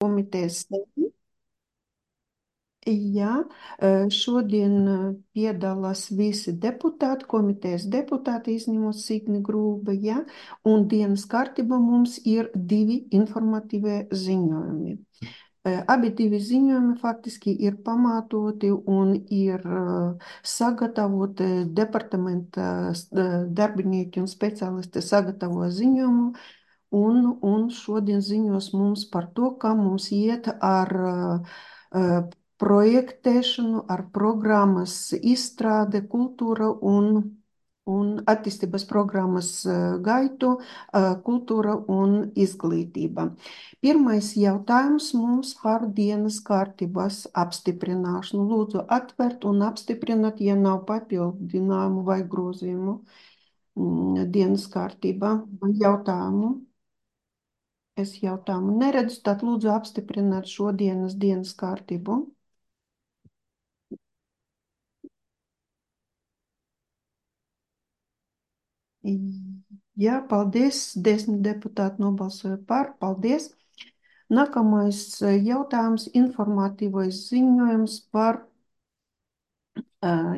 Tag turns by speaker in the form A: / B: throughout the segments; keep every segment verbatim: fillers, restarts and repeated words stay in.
A: komitejas sēdi. Jā, eh, šodien eh, piedalās visi deputāti, komitejas deputāti, izņemot Signi Grūba, jā, un dienas kārtībā mums ir divi informatīvie ziņojumi. Eh, Abi divi ziņojumi faktiski ir pamatoti un ir eh, sagatavoti departamenta eh, darbinieki un speciālisti sagatavo ziņojumu. Un, un šodien ziņos mums par to, kā mums iet ar uh, projektēšanu, ar programmas izstrāde, kultūra un, un attīstības programmas uh, gaitu, uh, kultūra un izglītība. Pirmais jautājums mums par dienas kārtības apstiprināšanu. Lūdzu atvērt un apstiprināt, ja nav papildinājumu vai grozījumu mm, dienas kārtībā. Jautājumu. Es jautājumu neredzu, tad lūdzu apstiprināt šodienas dienas kārtību. Jā, paldies. Desmit deputāti nobalsoja par. Paldies. Nākamais eh, jautājums - informatīvais ziņojums par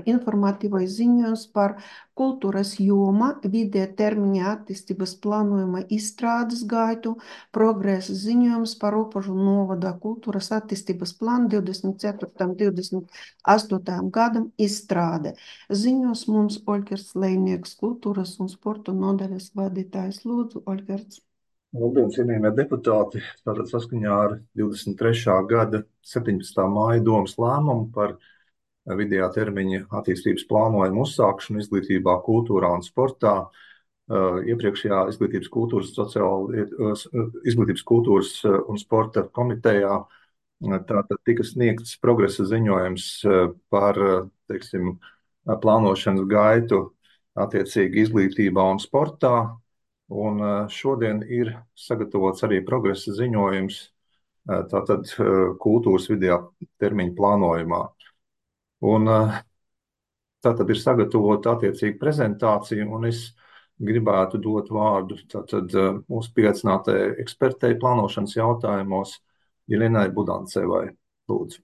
A: informatīvais ziņojums par kultūras joma, vidē termiņa attīstības plānojuma izstrādes gaitu, progresa ziņojums par Ropožu novada kultūras attīstības plānu divdesmit četrtajam līdz divdesmit astotajam gadam izstrāde. Ziņos mums Oļģerts Lejnieks, kultūras un sporta nodaļas vadītājs. Lūdzu, Oļģerts.
B: Labdien, cienījamie deputāti! Tātad saskaņā ar divdesmit trešā gada septiņpadsmitā māja domas lēmumu par vidējā termiņa attīstības plānojumu uzsākšanu izglītībā, kultūrā un sportā. Iepriekšējā izglītības kultūras, sociāla, izglītības kultūras un sporta komitejā tātad tika sniegts progresa ziņojums par, teiksim, plānošanas gaitu attiecīgi izglītībā un sportā. Un šodien ir sagatavots arī progresa ziņojums tātad kultūras vidējā termiņa plānojumā. Un tātad ir sagatavota attiecīga prezentācija, un es gribētu dot vārdu tātad mūsu pieaicinātajai ekspertei plānošanas jautājumos Jelenai Budancevai. Lūdzu.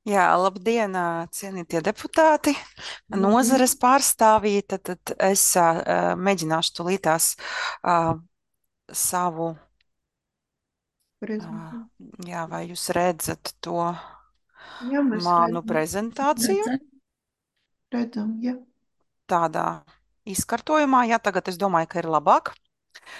C: Jā, labdien, cienītie deputāti, nozares pārstāvji. Tad, tad es uh, mēģināšu tulītās uh, savu, uh, jā, vai jūs redzat to
A: Jā,
C: manu
A: redzam.
C: prezentāciju?
A: Redzam, redzam, jā.
C: Tādā izkartojumā, jā, tagad es domāju, ka ir labāk.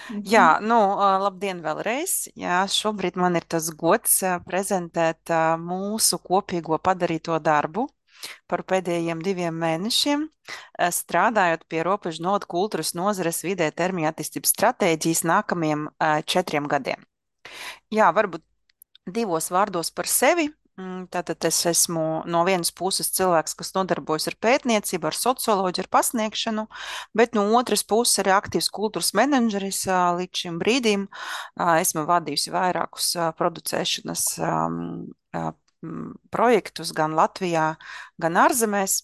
C: Mhm. Jā, nu, labdien vēlreiz. Jā, šobrīd man ir tas gods prezentēt mūsu kopīgo padarīto darbu par pēdējiem diviem mēnešiem, strādājot pie Ropožu novada kultūras nozares vidē termiņa attīstības stratēģijas nākamajiem četriem gadiem. Jā, varbūt divos vārdos par sevi. Tātad es esmu no vienas puses cilvēks, kas nodarbojas ar pētniecību, ar socioloģiju, ar pasniegšanu, bet no otras puses arī aktīvs kultūras menedžeris līdz šim brīdim. Esmu vadījusi vairākus producēšanas projektus gan Latvijā, gan ārzemēs.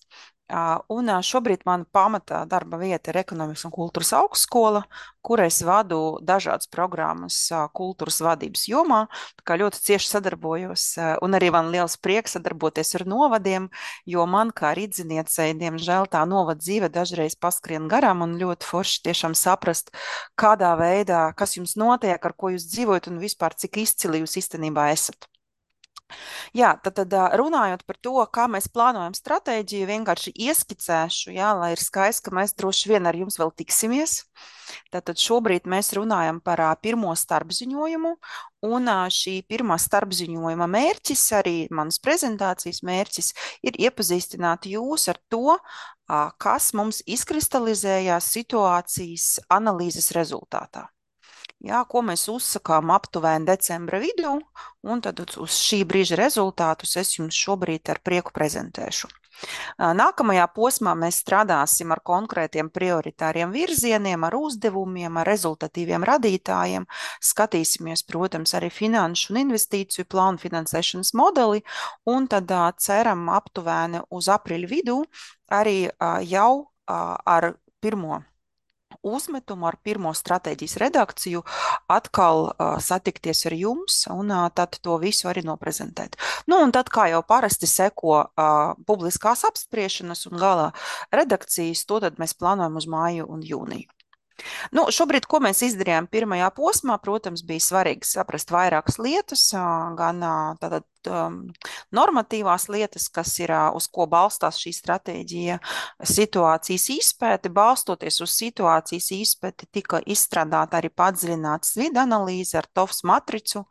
C: Un šobrīd mana pamatā darba vieta ir Ekonomikas un kultūras augstskola, kur es vadu dažādas programmas kultūras vadības jomā, tā kā ļoti cieši sadarbojos, un arī man liels prieks sadarboties ar novadiem, jo man kā rīdziniecei, diemžēl, tā novada dzīve dažreiz paskrien garām, un ļoti forši tiešām saprast, kādā veidā, kas jums notiek, ar ko jūs dzīvojat, un vispār cik izcili jūs īstenībā esat. Jā, tad, tad runājot par to, kā mēs plānojam stratēģiju, vienkārši ieskicēšu, jā, lai ir skaists, ka mēs droši vien ar jums vēl tiksimies. Tātad šobrīd mēs runājam par pirmo starpziņojumu, un šī pirmā starpziņojuma mērķis, arī manas prezentācijas mērķis, ir iepazīstināt jūs ar to, kas mums izkristalizējās situācijas analīzes rezultātā. Jā, ko mēs uzsakām aptuveni decembra vidū, un tad uz šī brīža rezultātus es jums šobrīd ar prieku prezentēšu. Nākamajā posmā mēs strādāsim ar konkrētiem prioritāriem virzieniem, ar uzdevumiem, ar rezultatīviem radītājiem, skatīsimies, protams, arī finanšu un investīciju plānu finansēšanas modeli, un tad ceram aptuveni uz aprīļa vidū arī jau ar pirmo uzmetumu ar pirmo stratēģijas redakciju atkal uh, satikties ar jums un uh, tad to visu arī noprezentēt. Nu, un tad, kā jau parasti seko uh, publiskās apspriešanas un galā redakcijas, to tad mēs plānojam uz māju un jūniju. Nu, šobrīd, ko mēs izdarījām pirmajā posmā, protams, bija svarīgi saprast vairākas lietas, gan tātad um, normatīvās lietas, kas ir, uz ko balstās šī stratēģija, situācijas izpēte. Balstoties uz situācijas izpēti, tika izstrādāta arī padziļināta vidu analīze ar T O F S matricu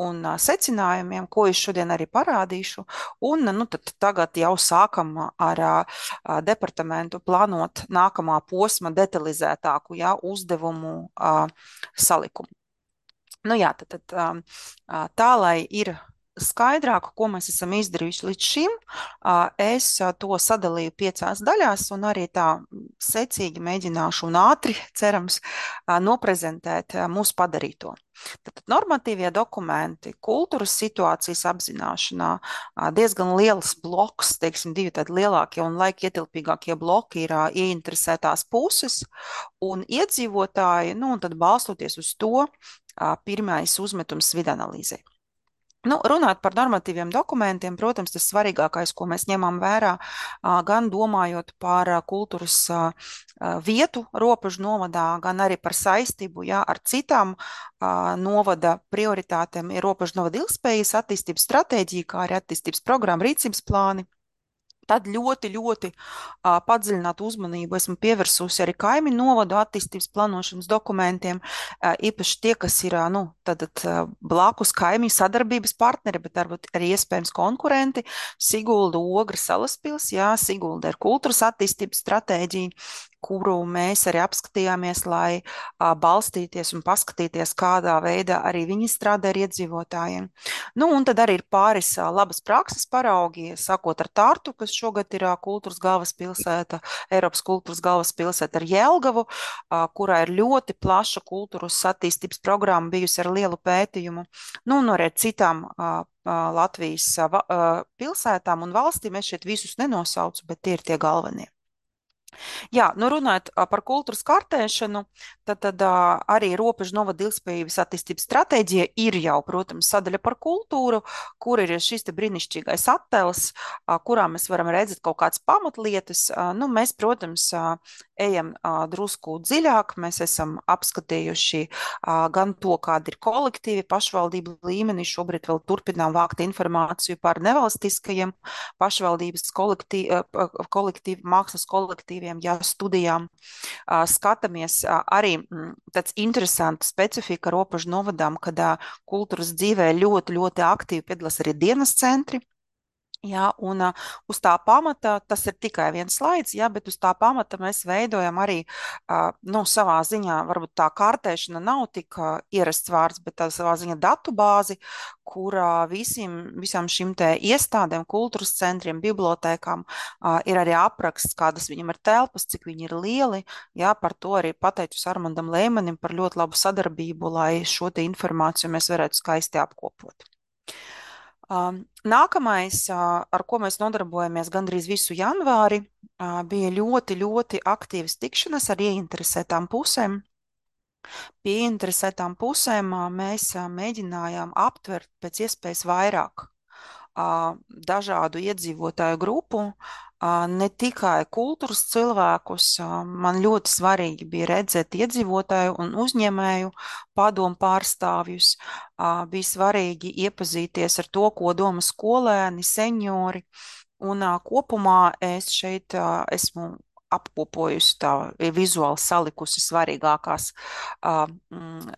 C: un uh, secinājumiem, ko es šodien arī parādīšu. Un nu, tad tagad jau sākam ar uh, departamentu plānot nākamā posma detalizētāku, jā, uzdevumu uh, salikumu. Nu jā, tad, tad um, tā, lai ir skaidrāk, ko mēs esam izdarījuši līdz šim, es to sadalīju piecās daļās un arī tā secīgi mēģināšu un ātri, cerams, noprezentēt mūsu padarīto. Tad normatīvie dokumenti, kultūras situācijas apzināšanā, diezgan liels bloks, teiksim, divi tādi lielākie un laika ietilpīgākie bloki ir ieinteresētās puses un iedzīvotāji, nu un tad balstoties uz to, pirmais uzmetums vidanalīzē. Nu, runāt par normatīviem dokumentiem, protams, tas svarīgākais, ko mēs ņemam vērā, gan domājot par kultūras vietu robežu novadā, gan arī par saistību, jā, ar citām novada prioritātēm, ir robežu novada ilgspējas attīstības stratēģija, kā arī attīstības programma, rīcības plāni. Tad ļoti, ļoti uh, padziļinātu uzmanību esmu pievērsusi arī kaimiņu novadu attīstības plānošanas dokumentiem, uh, īpaši tie, kas ir uh, nu, tad, uh, blakus kaimiņu sadarbības partneri, bet arī iespējams konkurenti. Sigulda, Ogra, Salaspils, jā, Sigulda ir kultūras attīstības stratēģija, kuru mēs arī apskatījāmies, lai a, balstīties un paskatīties, kādā veidā arī viņi strādā ar iedzīvotājiem. Nu, un tad arī ir pāris a, labas prakses paraugi, sākot ar Tartu, kas šogad ir a, kultūras galvaspilsēta, Eiropas kultūras galvaspilsēta ar Jelgavu, a, kurā ir ļoti plaša kultūras attīstības programma bijusi ar lielu pētījumu. Nu, un arī citām a, a, Latvijas a, a, pilsētām un valstīm, es šeit visus nenosaucu, bet tie ir tie galvenie. Jā, nu runājot par kultūras kartēšanu, tad, tad arī robežu novada ilgspējības attīstības stratēģija ir jau, protams, sadaļa par kultūru, kur ir šis te brīnišķīgais attēls, kurā mēs varam redzēt kaut kādas pamatlietas. Nu, mēs, protams, ejam drusku dziļāk, mēs esam apskatījuši gan to, kāda ir kolektīvi pašvaldību līmenī, šobrīd vēl turpinām vākt informāciju par nevalstiskajiem pašvaldības kolektīvi, kolektīvi, mākslas kolektīvi, jā, studijām, skatāmies arī tāds interesants specifika robežu novadām, kad kultūras dzīvē ļoti, ļoti aktīvi piedalās arī dienas centri. Jā, un uh, uz tā pamata, tas ir tikai viens slaids, jā, bet uz tā pamata mēs veidojam arī, uh, nu, savā ziņā, varbūt tā kartēšana nav tik uh, ierasts vārds, bet tā savā ziņā datu bāzi, kur uh, visiem, visām šim te iestādēm, kultūras centriem, bibliotēkām uh, ir arī apraksts, kādas viņam ir telpas, cik viņi ir lieli, jā, par to arī pateicus Armandam Lēmanim par ļoti labu sadarbību, lai šo te informāciju mēs varētu skaisti apkopot. Nākamais, ar ko mēs nodarbojamies gandrīz visu janvāri, bija ļoti, ļoti aktīvas tikšanas ar ieinteresētām pusēm. Pie ieinteresētām pusēm mēs mēģinājām aptvert pēc iespējas vairāk dažādu iedzīvotāju grupu, ne tikai kultūras cilvēkus. Man ļoti svarīgi bija redzēt iedzīvotāju un uzņēmēju padomu pārstāvjus. Bija svarīgi iepazīties ar to, ko domā skolēni, seniori. Un kopumā es šeit esmu apkopojusi tā vizuāli salikusi svarīgākās mm,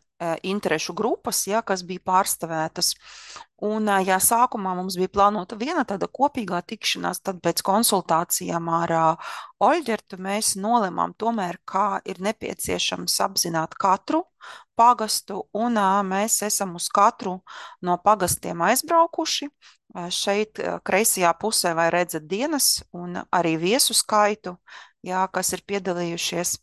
C: interešu grupas, ja, kas bija pārstāvētas. Un, ja sākumā mums bija plānota viena tāda kopīgā tikšanās, tad pēc konsultācijām ar uh, Oļģertu mēs nolemām tomēr, kā ir nepieciešams apzināt katru pagastu, un uh, mēs esam uz katru no pagastiem aizbraukuši. Uh, šeit uh, kreisajā pusē vai redzat dienas un arī viesu skaitu, jā, kas ir piedalījušies.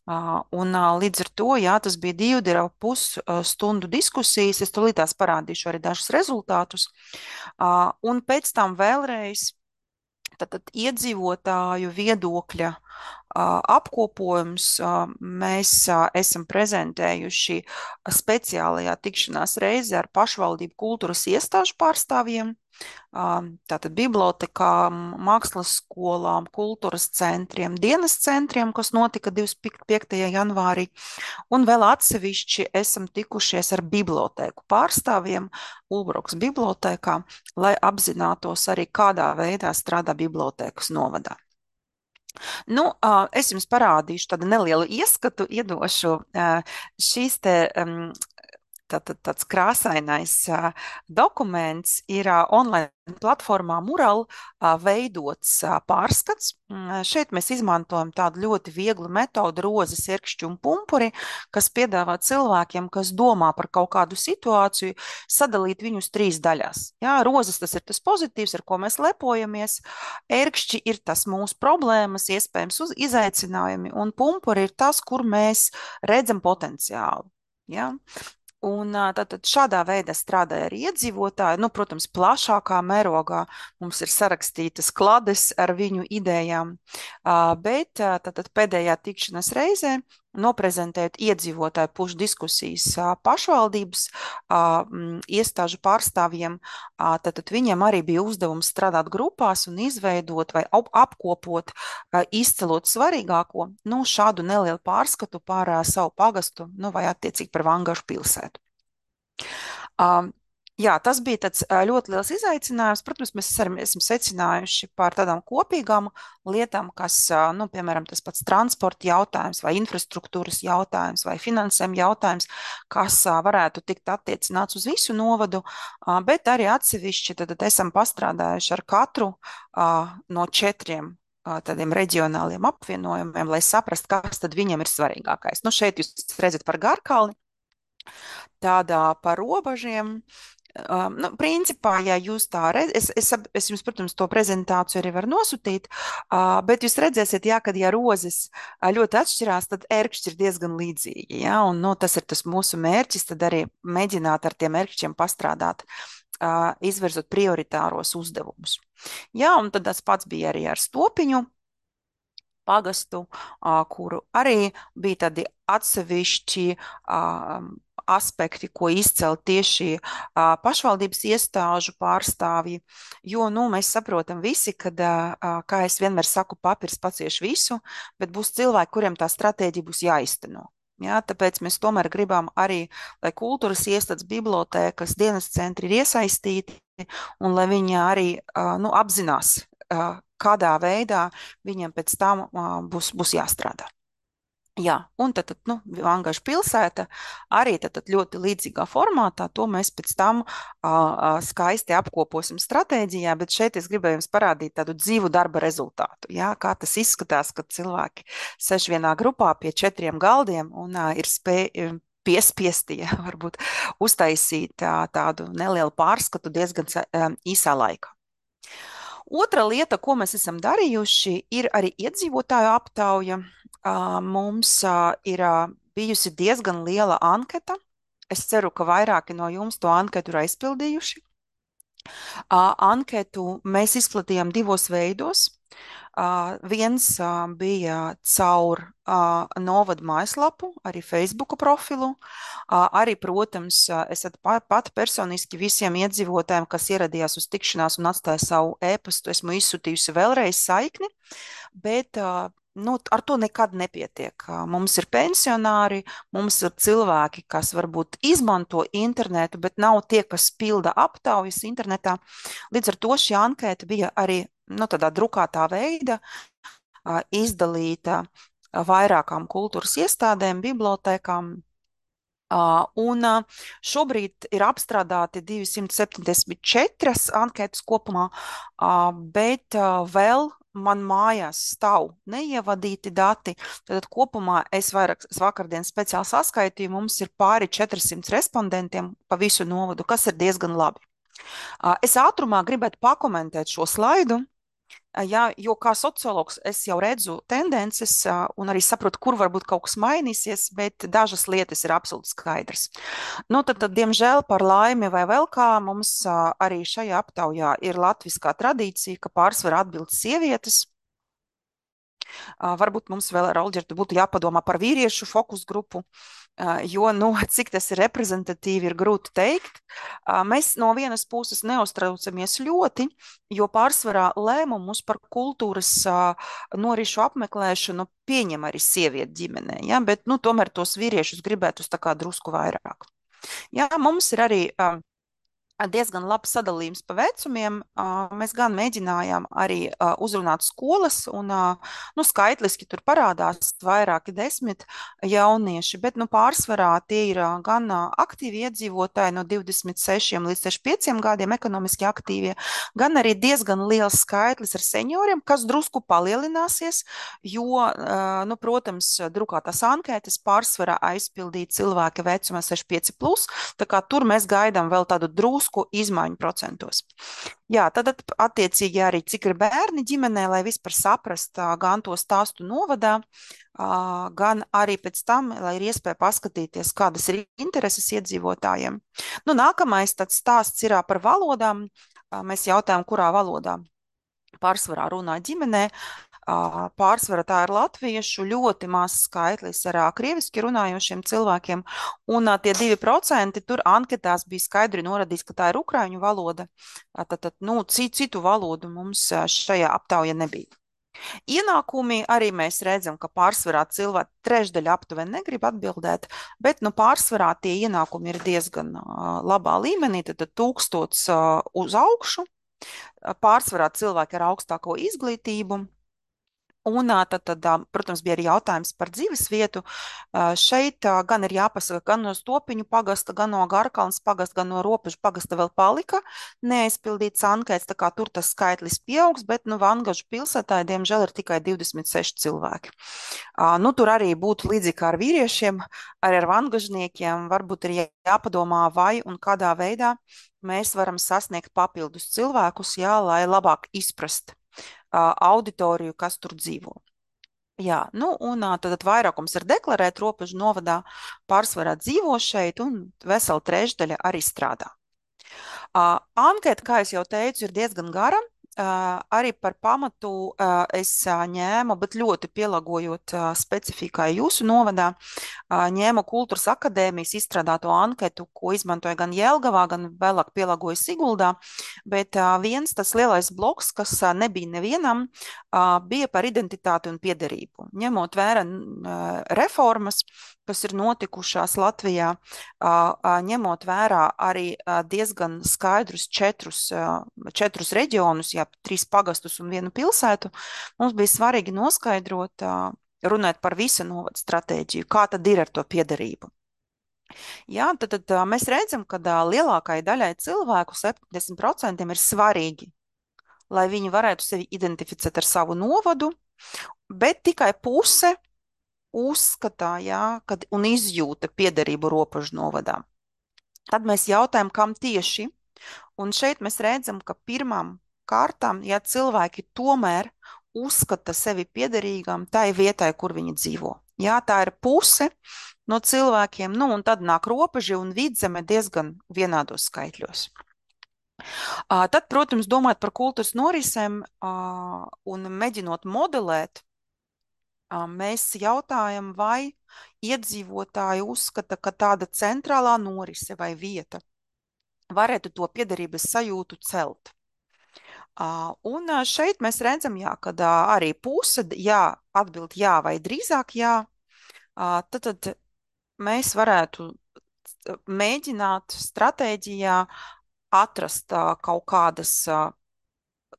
C: Uh, un uh, līdz ar to, jā, tas bija divu divu pus uh, stundu diskusijas, es tūlītās parādīšu arī dažus rezultātus, uh, un pēc tam vēlreiz tad, tad iedzīvotāju viedokļa apkopojums. Mēs esam prezentējuši speciālajā tikšanās reizē ar pašvaldību kultūras iestāžu pārstāvjiem, tātad bibliotekām, mākslas skolām, kultūras centriem, dienas centriem, kas notika divdesmit piektajā janvārī, un vēl atsevišķi esam tikušies ar bibliotēku pārstāvjiem Ulbrukas bibliotēkā, lai apzinātos arī, kādā veidā strādā bibliotēkas novadā. Nu, es jums parādīšu tādu nelielu ieskatu, iedošu šīs te um, Tātad tāds krāsainais uh, dokuments ir uh, online platformā Mural uh, veidots uh, pārskats. Mm, šeit mēs izmantojam tādu ļoti vieglu metodu rozes, ierkšķi un pumpuri, kas piedāvā cilvēkiem, kas domā par kaut kādu situāciju, sadalīt viņus trīs daļās. Jā, rozes tas ir tas pozitīvs, ar ko mēs lepojamies, ierkšķi ir tas mūsu problēmas, iespējams uz izaicinājumi, un pumpuri ir tas, kur mēs redzam potenciālu. Jā. Un tātad šādā veidā strādāja arī iedzīvotāji. Nu, protams, plašākā mērogā mums ir sarakstītas klades ar viņu idejām, bet tātad pēdējā tikšanās reizē noprezentējot iedzīvotāju pušu diskusijas pašvaldības iestāžu pārstāvjiem, tātad viņiem arī bija uzdevums strādāt grupās un izveidot vai apkopot, izcelot svarīgāko, nu, šādu nelielu pārskatu par savu pagastu, nu, vai attiecīgi par Vangašu pilsētu. Um, jā, tas bija tāds ļoti liels izaicinājums. Protams, mēs arī esam secinājuši par tādām kopīgām lietām, kas, nu, piemēram, tas pats transporta jautājums vai infrastruktūras jautājums vai finansējuma jautājums, kas varētu tikt attiecināts uz visu novadu, bet arī atsevišķi tad esam pastrādājuši ar katru no četriem tādiem reģionāliem apvienojumiem, lai saprastu, kas tad viņiem ir svarīgākais. Nu, šeit jūs redzat par Garkalni, tādā par robežiem. Um, nu, principā, ja jūs tā redzat, es, es, es jums, protams, to prezentāciju arī varu nosūtīt, uh, bet jūs redzēsiet, jā, kad ja rozes ļoti atšķirās, tad ērkšķi ir diezgan līdzīgi, jā, un nu, tas ir tas mūsu mērķis, tad arī mēģināt ar tiem ērkšķiem pastrādāt, uh, izvirzot prioritāros uzdevumus. Jā, un tad tas pats bija arī ar Stopiņu pagastu, uh, kuru arī bija tādi atsevišķi uh, aspekti, ko izcelt tieši uh, pašvaldības iestāžu pārstāvji, jo, nu, mēs saprotam visi, kad, uh, kā es vienmēr saku, papirs pacieš visu, bet būs cilvēki, kuriem tā stratēģija būs jāizteno. Jā, tāpēc mēs tomēr gribam arī, lai kultūras iestādes, bibliotēkas, dienas centri ir iesaistīti un lai viņi arī uh, nu, apzinās, uh, kādā veidā viņiem pēc tam uh, būs, būs jāstrādā. Jā, un tad, tad nu, Vangašu pilsēta arī tad, tad ļoti līdzīgā formātā, to mēs pēc tam uh, skaisti apkoposim stratēģijā, bet šeit es gribēju jums parādīt tādu dzīvu darba rezultātu, jā, kā tas izskatās, kad cilvēki seš vienā grupā pie četriem galdiem un uh, ir spēj, piespiesti, jā, varbūt uztaisīt uh, tādu nelielu pārskatu diezgan uh, īsā laikā. Otra lieta, ko mēs esam darījuši, ir arī iedzīvotāju aptauja. Mums ir bijusi diezgan liela anketa. Es ceru, ka vairāki no jums to anketu ir aizpildījuši. Anketu mēs izplatījām divos veidos. Uh, viens uh, bija caur uh, novadu mājaslapu, arī Facebook profilu, uh, arī, protams, uh, esat pat, pat personiski visiem iedzīvotājiem, kas ieradījās uz tikšanās un atstāja savu e-pastu, esmu izsūtījusi vēlreiz saikni, bet uh, nu, ar to nekad nepietiek. Mums ir pensionāri, mums ir cilvēki, kas varbūt izmanto internetu, bet nav tie, kas pilda aptaujas internetā. Līdz ar to šī ankēta bija arī nu, tādā drukātā veida izdalīta vairākām kultūras iestādēm, bibliotēkām. Uh, un uh, šobrīd ir apstrādāti divsimt septiņdesmit četras anketas kopumā, uh, bet uh, vēl man mājās stāv neievadīti dati. Tad kopumā es, vairāk, es vakardien speciāli saskaitīju, mums ir pāri četrsimt respondentiem pa visu novadu, kas ir diezgan labi. Uh, es ātrumā gribētu pakomentēt šo slaidu. Jā, jo kā sociologs es jau redzu tendences un arī saprotu, kur varbūt kaut kas mainīsies, bet dažas lietas ir absolūti skaidrs. Nu, tad, tad, diemžēl, par laimi vai vēl kā, mums arī šajā aptaujā ir latviskā tradīcija, ka pārsvarā atbild sievietes. Varbūt mums vēl ar Olģertu būtu jāpadomā par vīriešu fokus grupu, jo, nu, cik tas ir reprezentatīvi, ir grūti teikt. Mēs no vienas puses neuztraucamies ļoti, jo pārsvarā lēmumus par kultūras norišu apmeklēšanu pieņem arī sievieti ģimenē, ja? Bet, nu, tomēr tos vīriešus gribētu uz tā kā drusku vairāk. Jā, mums ir arī diezgan labs sadalījums pa vecumiem. Mēs gan mēģinājām arī uzrunāt skolas, un nu, skaitliski tur parādās vairāki desmit jaunieši, bet nu, pārsvarā tie ir gan aktīvi iedzīvotāji no divdesmit sešiem līdz sešdesmit pieciem gadiem, ekonomiski aktīvie, gan arī diezgan liels skaitlis ar senioriem, kas drusku palielināsies, jo, nu, protams, drukātās ankētas pārsvarā aizpildīja cilvēki vecumā sešdesmit pieci plus, tā kā tur mēs gaidām vēl tādu drusku izmaiņu procentos. Jā, tad attiecīgi arī cik ir bērni ģimenē, lai vispār saprast gan to stāstu novadā, gan arī pēc tam, lai ir iespēja paskatīties, kādas ir intereses iedzīvotājiem. Nu, nākamais tāds stāsts ir par valodām. Mēs jautājam, kurā valodā pārsvarā runā ģimenē. Pārsvarā tā ir latviešu, ļoti mazs skaitlis ar krieviski runājošiem cilvēkiem, un tie divi procenti tur anketās bija skaidri norādīts, ka tā ir ukraiņu valoda, tad, tad nu, citu valodu mums šajā aptaujā nebija. Ienākumi arī mēs redzam, ka pārsvarā cilvēki trešdaļa aptuveni negrib atbildēt, bet nu, pārsvarā tie ienākumi ir diezgan labā līmenī, tad tūkstots uz augšu, pārsvarā cilvēki ar augstāko izglītību. Un tad, tad, protams, bija arī jautājums par dzīves vietu. Šeit gan ir jāpasaka, gan no Stopiņu pagasta, gan no Garkalnes pagasta, gan no Robežu pagasta vēl palika neaizpildīts ankēts, tā kā tur tas skaitlis pieaugs, bet, nu, Vangažu pilsētā, diemžēl, ir tikai divdesmit seši cilvēki. Nu, tur arī būtu līdzīgi kā ar vīriešiem, arī ar vangažniekiem, varbūt ir jāpadomā, vai un kādā veidā mēs varam sasniegt papildus cilvēkus, jā, lai labāk izprast auditoriju, kas tur dzīvo. Jā, nu, un tad vairākums ir deklarēt Robežu novadā, pārsvarā dzīvo šeit, un vesela trešdaļa arī strādā. Anketa, kā es jau teicu, ir diezgan gara. Uh, arī par pamatu uh, es uh, ņēmu, bet ļoti pielāgojot uh, specifikai jūsu novadā, uh, ņēmu Kultūras akadēmijas izstrādāto anketu, ko izmantoja gan Jelgavā, gan vēlāk pielāgoja Siguldā, bet uh, viens tas lielais bloks, kas uh, nebija nevienam, uh, bija par identitāti un piederību. Ņemot vērā uh, reformas, kas ir notikušās Latvijā, ņemot vērā arī diezgan skaidrus četrus, četrus reģionus, jā, trīs pagastus un vienu pilsētu, mums bija svarīgi noskaidrot, runāt par visu novadu stratēģiju, kā tad ir ar to piederību. Jā, tad, tad mēs redzam, ka lielākai daļai cilvēku, septiņdesmit procenti ir svarīgi, lai viņi varētu sevi identificēt ar savu novadu, bet tikai puse uzskatā, jā, kad, un izjūta piederību Robežu novadā. Tad mēs jautājam, kam tieši, un šeit mēs redzam, ka pirmām kārtām, ja cilvēki tomēr uzskata sevi piederīgām tai vietai, kur viņi dzīvo. Jā, tā ir puse no cilvēkiem, nu, un tad nāk Robeža un Vidzeme diezgan vienādos skaitļos. Tad, protams, domājot par kultūras norisēm un mēģinot modelēt, mēs jautājam, vai iedzīvotāji uzskata, ka tāda centrālā norise vai vieta varētu to piederības sajūtu celt. Un šeit mēs redzam, jā, kad arī puse jā, atbild jā vai drīzāk jā, tad, tad mēs varētu mēģināt stratēģijā atrast kaut kādas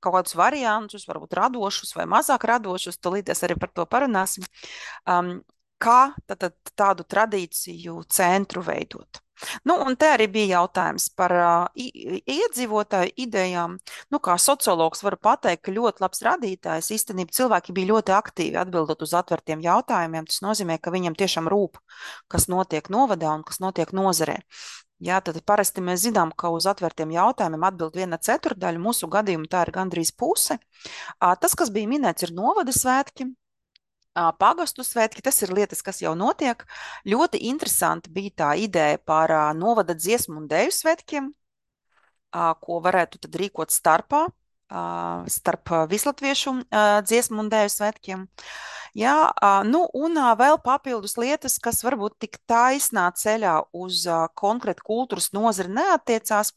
C: kaut kādus variantus, varbūt radošus vai mazāk radošus, tūlīties arī par to parunāsim, um, kā tad, tad, tādu tradīciju centru veidot. Nu, un te arī bija jautājums par uh, iedzīvotāju idejām. Nu, kā sociologs varu pateikt, ka ļoti labs radītājs, īstenībā cilvēki bija ļoti aktīvi atbildot uz atvērtiem jautājumiem. Tas nozīmē, ka viņam tiešām rūp, kas notiek novadā un kas notiek nozarē. Jā, tad parasti mēs zinām, ka uz atvērtiem jautājumiem atbild viena ceturdaļa, mūsu gadījumā tā ir gandrīz puse. Tas, kas bija minēts, ir novada svētki, pagastu svētki, tas ir lietas, kas jau notiek. Ļoti interesanti bija tā ideja par novada dziesmu un dēļu svētkiem, ko varētu tad rīkot starpā starp vislatviešu dziesmu un dēļu svētkiem. Jā, nu, un vēl papildus lietas, kas varbūt tik taisnā ceļā uz konkrētu kultūras nozari neattiecās,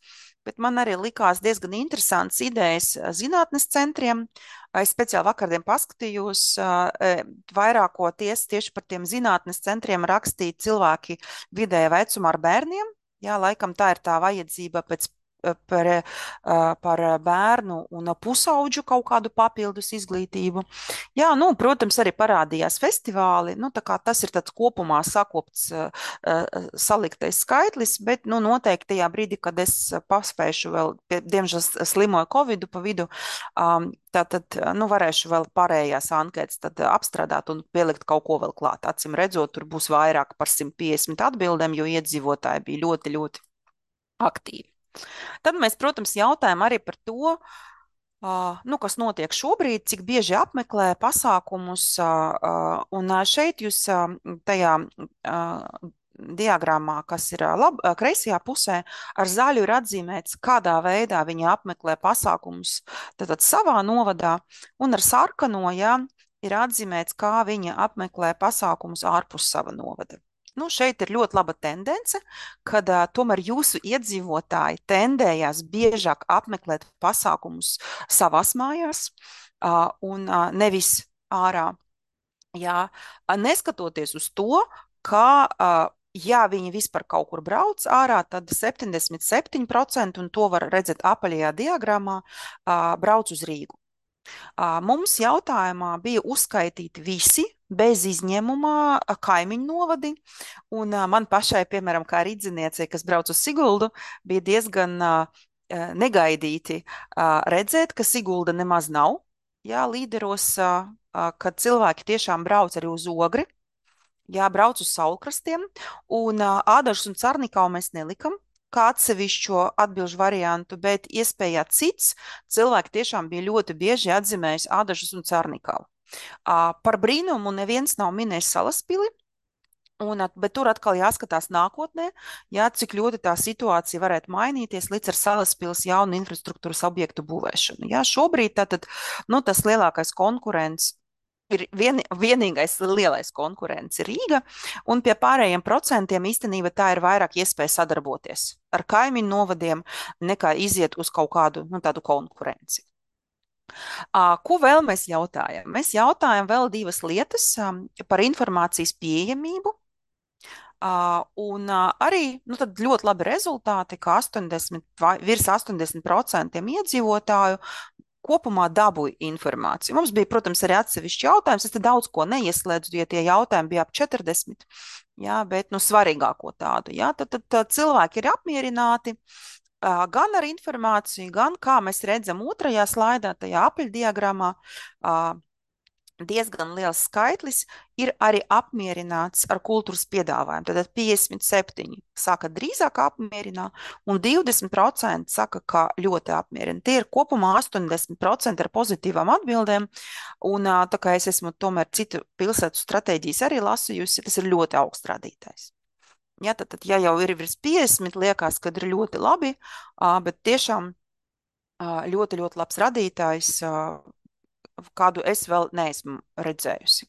C: bet man arī likās diezgan interesants idejas zinātnes centriem. Es speciāli vakardien paskatījos, vairākoties tieši par tiem zinātnes centriem rakstīja cilvēki vidēja vecumā ar bērniem. Jā, laikam tā ir tā vajadzība pēc par, par bērnu un pusauģu kaut kādu papildus izglītību. Jā, nu, protams, arī parādījās festivāli, nu, tā kā tas ir tāds kopumā sakopts, saliktais skaitlis, bet, nu, noteikti tajā brīdī, kad es paspēšu vēl, diemžēl slimoju Covidu pa vidu, tātad, nu, varēšu vēl pārējās anketas tad apstrādāt un pielikt kaut ko vēl klāt. Acim redzot, tur būs vairāk par simt piecdesmit atbildēm, jo iedzīvotāji bija ļoti, ļoti aktīvi. Tad mēs, protams, jautājam arī par to, uh, nu, kas notiek šobrīd, cik bieži apmeklē pasākumus, uh, un šeit jūs uh, tajā uh, diagrammā, kas ir lab, kreisajā pusē, ar zaļu ir atzīmēts, kādā veidā viņi apmeklē pasākumus tātad savā novadā, un ar sarkano, jā, ir atzīmēts, kā viņi apmeklē pasākumus ārpus sava novada. Nu, šeit ir ļoti laba tendence, kad uh, tomēr jūsu iedzīvotāji tendējās biežāk apmeklēt pasākumus savās mājās uh, un uh, nevis ārā. Jā, neskatoties uz to, ka, uh, ja viņi vispār kaut kur brauc ārā, tad septiņdesmit septiņi procenti, un to var redzēt apaļajā diagrammā, uh, brauc uz Rīgu. Uh, mums jautājumā bija uzskaitīti visi, bez izņēmumā kaimiņu novadi, un uh, man pašai, piemēram, kā ridziniecei, kas brauc uz Siguldu, bija diezgan uh, negaidīti uh, redzēt, ka Sigulda nemaz nav, jā, līderos, uh, uh, kad cilvēki tiešām brauc arī uz Ogri, jā, brauc uz Saulkrastiem, un uh, Ādažus un Carnikavu mēs nelikam kā atsevišķo atbilžu variantu, bet iespējā cits cilvēki tiešām bija ļoti bieži atzīmējis Ādažus un Carnikavu. Uh, par brīnumu neviens nav minējis Salaspili, un, bet tur atkal jāskatās nākotnē, jā, cik ļoti tā situācija varētu mainīties līdz ar Salaspils jaunu infrastruktūras objektu būvēšanu. Jā, šobrīd tātad, nu, tas lielākais konkurents ir vien, vienīgais lielais konkurents ir Rīga, un pie pārējiem procentiem īstenībā tā ir vairāk iespēja sadarboties ar kaimiņu novadiem, nekā iziet uz kaut kādu, nu, tādu konkurenci. Uh, ko vēl mēs jautājam? Mēs jautājam vēl divas lietas um, par informācijas pieejamību. Uh, un uh, arī nu, tad ļoti labi rezultāti, ka astoņdesmit, vai, virs astoņdesmit procenti iedzīvotāju kopumā dabūja informāciju. Mums bija, protams, arī atsevišķi jautājums, es te daudz ko neieslēdzu, ja tie jautājumi bija ap četrdesmit, jā, bet nu, svarīgāko tādu. Jā, tad, tad, tad cilvēki ir apmierināti uh, gan ar informāciju, gan, kā mēs redzam otrajā slaidā, tajā apaļdiagrammā, uh, diezgan liels skaitlis ir arī apmierināts ar kultūras piedāvājumu. Tad piecdesmit septiņi saka drīzāk apmierinā, un divdesmit procenti saka, ka ļoti apmierina. Tie ir kopumā astoņdesmit procenti ar pozitīvām atbildēm, un tā kā es esmu tomēr citu pilsētu stratēģijas arī lasījusi, tas ir ļoti augsts rādītājs. Ja, tad, tad, ja jau ir virs piecdesmit, liekas, kad ir ļoti labi, bet tiešām ļoti, ļoti labs rādītājs, kādu es vēl neesmu redzējusi.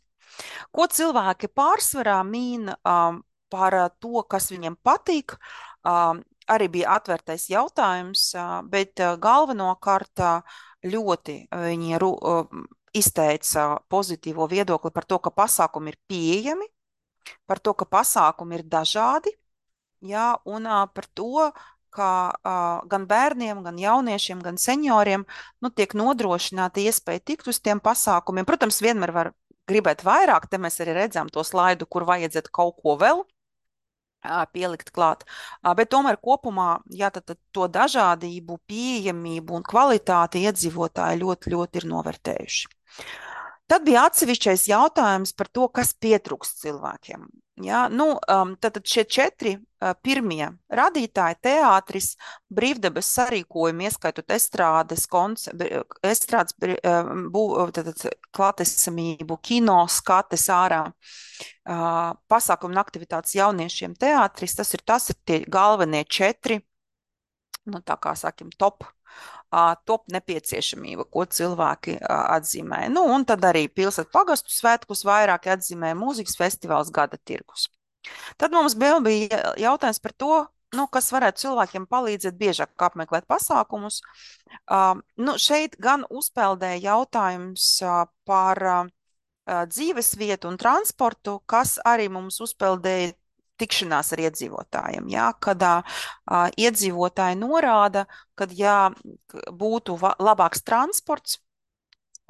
C: Ko cilvēki pārsvarā min um, par to, kas viņiem patīk, um, arī bija atvērtais jautājums, uh, bet uh, galvenokārt uh, ļoti viņi ru, uh, izteica pozitīvo viedokli par to, ka pasākumi ir pieejami, par to, ka pasākumi ir dažādi, jā, un uh, par to, ka uh, gan bērniem, gan jauniešiem, gan senioriem nu, tiek nodrošināta iespēja tikt uz tiem pasākumiem. Protams, vienmēr var gribēt vairāk, te mēs arī redzam to slaidu, kur vajadzētu kaut ko vēl uh, pielikt klāt. Uh, bet tomēr kopumā, jā, tad, tad to dažādību, pieejamību un kvalitāti iedzīvotāji ļoti, ļoti ir novērtējuši. Tad bija atsevišķais jautājums par to, kas pietrūkst cilvēkiem. Ja, nu, um, tad šie četri uh, pirmie radītāji - teātris, brīvdabas sarīkojumi, ieskaitot estrādes, konce, estrādes bū, klātesamību, kino, skates ārā, uh, pasākumu un aktivitātes jauniešiem teātris, tas ir, tas ir tie galvenie četri, nu, tā kā sakim, top top nepieciešamība, ko cilvēki atzīmē. Nu, un tad arī pilsētu pagastu svētkus vairāk atzīmē mūzikas festivāls, gada tirgus. Tad mums vēl bija jautājums par to, nu, kas varētu cilvēkiem palīdzēt biežāk apmeklēt pasākumus. Uh, nu, šeit gan uzpeldēja jautājums uh, par uh, dzīvesvietu un transportu, kas arī mums uzpeldēja tikšanās ar iedzīvotājiem, jā, kad uh, iedzīvotāji norāda, kad ja būtu labāks transports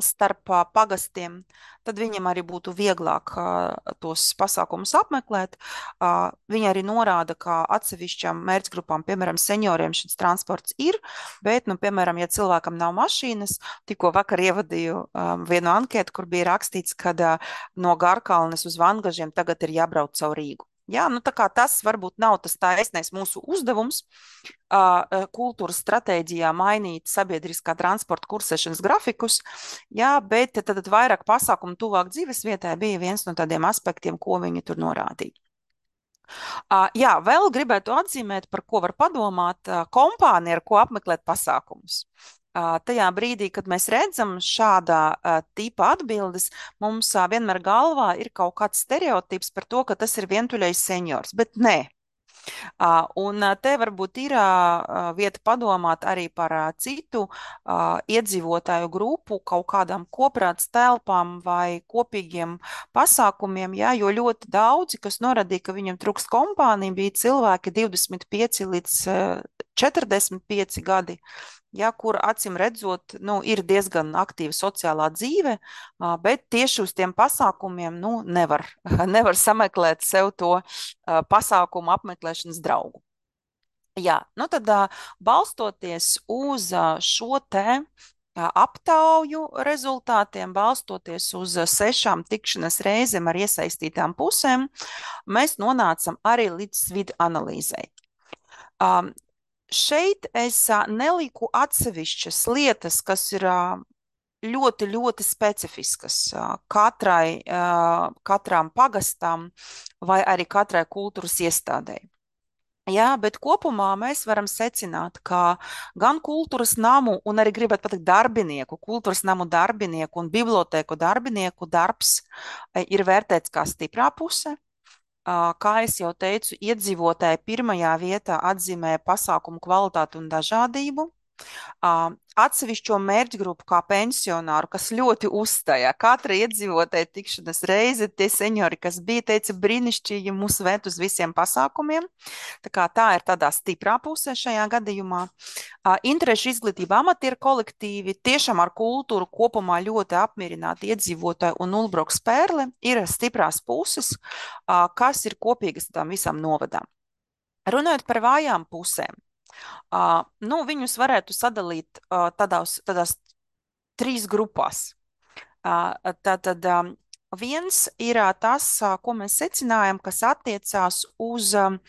C: starp uh, pagastiem, tad viņam arī būtu vieglāk uh, tos pasākumus apmeklēt. Uh, viņi arī norāda, ka atsevišķām mērķgrupām, piemēram, senioriem šis transports ir, bet, nu, piemēram, ja cilvēkam nav mašīnas, tikko vakar ievadīju um, vienu anketu, kur bija rakstīts, ka uh, no Garkalnes uz Vangažiem tagad ir jābrauc caur Rīgu. Jā, nu tā kā tas varbūt nav tas taisnais mūsu uzdevums uh, kultūras stratēģijā mainīt sabiedriskā transporta kursēšanas grafikus, jā, bet tad, tad vairāk pasākumu tuvāk dzīves vietai bija viens no tādiem aspektiem, ko viņi tur norādīja. Uh, jā, vēl gribētu atzīmēt, par ko var padomāt uh, kompānija, ar ko apmeklēt pasākumus. Uh, tajā brīdī, kad mēs redzam šādā uh, tipa atbildes, mums uh, vienmēr galvā ir kaut kāds stereotips par to, ka tas ir vientuļais seniors, bet nē. Uh, un te varbūt ir uh, vieta padomāt arī par uh, citu uh, iedzīvotāju grupu, kaut kādām koprāts telpām vai kopīgiem pasākumiem, jā, jo ļoti daudzi, kas norādīja, ka viņam trūkst kompānija, bija cilvēki divdesmit pieci līdz uh, četrdesmit pieci gadi. Ja, kur acīm redzot, nu, ir diezgan aktīva sociālā dzīve, bet tieši uz tiem pasākumiem nu, nevar, nevar sameklēt sev to pasākumu apmeklēšanas draugu. Jā, nu tad balstoties uz šo te aptauju rezultātiem, balstoties uz sešām tikšanas reizēm ar iesaistītām pusēm, mēs nonācam arī līdz vidu analīzei. Um, Šeit es neliku atsevišķas lietas, kas ir ļoti, ļoti specifiskas katrai, katrām pagastām vai arī katrai kultūras iestādei. Jā, bet kopumā mēs varam secināt, ka gan kultūras namu un arī gribētu pateikt darbinieku, kultūras namu darbinieku un bibliotēku darbinieku darbs ir vērtēts kā stiprā puse. Kā es jau teicu, iedzīvotāji pirmajā vietā atzīmē pasākumu kvalitāti un dažādību. Atsevišķo mērķgrupu kā pensionāru, kas ļoti uzstājā. Katra iedzīvotāja tikšanas reize, tie seniori, kas bija, teica, brīnišķīgi mūs vēt uz visiem pasākumiem. Tā kā tā ir tādā stiprā pusē šajā gadījumā. Interešu izglītība amatieru kolektīvi, tiešām ar kultūru kopumā ļoti apmierināti iedzīvotāji un Ulbroks Pērle ir stiprās puses, kas ir kopīgas tām visām novadām. Runājot par vājām pusēm, Uh, nu, viņus varētu sadalīt uh, tādās, tādās trīs grupās. Uh, tātad um, viens ir uh, tas, uh, ko mēs secinājam, kas attiecās uz um,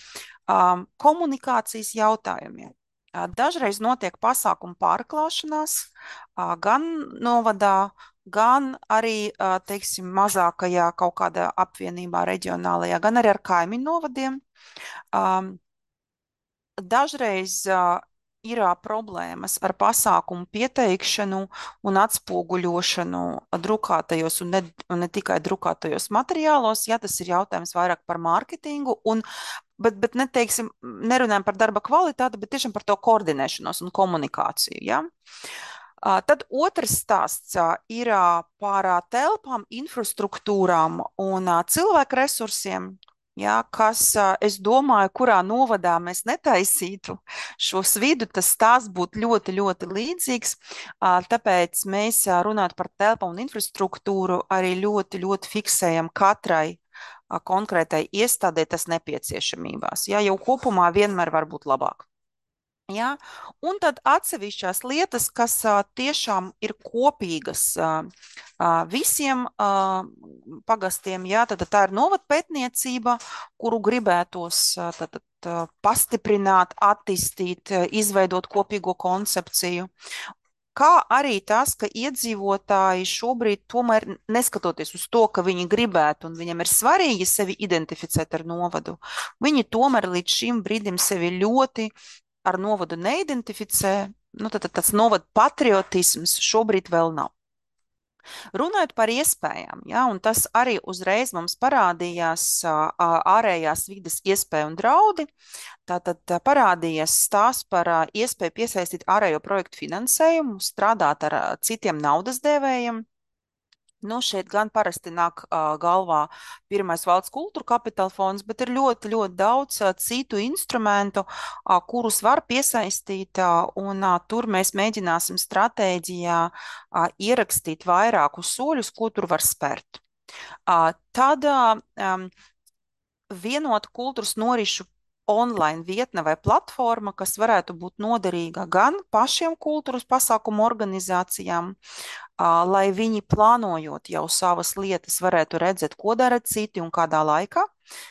C: um, komunikācijas jautājumiem. Uh, dažreiz notiek pasākumu pārklāšanās uh, gan novadā, gan arī, uh, teiksim, mazākajā kaut kādā apvienībā reģionālajā, gan arī ar kaimiņu novadiem. Um, Dažreiz uh, ir uh, problēmas ar pasākumu pieteikšanu un atspoguļošanu drukātajos un ne, un ne tikai drukātajos materiālos. Ja, tas ir jautājums vairāk par mārketingu, un, bet, bet neteiksim, nerunājam par darba kvalitāti, bet tiešām par to koordinēšanos un komunikāciju. Ja? Uh, tad otrs stāsts uh, ir uh, par uh, telpām, infrastruktūrām un uh, cilvēku resursiem. Ja, kas, es domāju, kurā novadā mēs netaisītu šos vidu, tas stāsts būtu ļoti, ļoti līdzīgs. Tāpēc mēs runāt par telpām un infrastruktūru arī ļoti, ļoti fiksējam katrai konkrētai iestādē tas nepieciešamībās. Ja, jau kopumā vienmēr var būt labāk. Ja? Un tad atsevišķās lietas, kas uh, tiešām ir kopīgas uh, uh, visiem uh, pagastiem, ja? Tad tā ir novadpētniecība, kuru gribētos uh, tad, uh, pastiprināt, attīstīt, uh, izveidot kopīgo koncepciju. Kā arī tas, ka iedzīvotāji šobrīd tomēr, neskatoties uz to, ka viņi gribētu un viņam ir svarīgi sevi identificēt ar novadu, viņi tomēr līdz šim brīdim sevi ļoti ar novadu neidentificē, nu, tad, tad tāds novada patriotisms šobrīd vēl nav. Runājot par iespējām, ja, un tas arī uzreiz mums parādījās ārējās vides iespēju un draudi. Tātad parādījies stāsts par iespēju piesaistīt ārējo projektu finansējumu, strādāt ar citiem naudas devējiem. Nu, šeit gan parasti nāk uh, galvā pirmais valsts kultūra kapitāla fonds, bet ir ļoti, ļoti daudz uh, citu instrumentu, uh, kurus var piesaistīt, uh, un uh, tur mēs mēģināsim stratēģijā uh, ierakstīt vairākus soļus, ko tur var spērt. Uh, tad uh, um, vienota kultūras norišu online vietne vai platforma, kas varētu būt noderīga gan pašiem kultūras pasākumu organizācijām, lai viņi plānojot jau savas lietas varētu redzēt, ko dara citi un kādā laikā,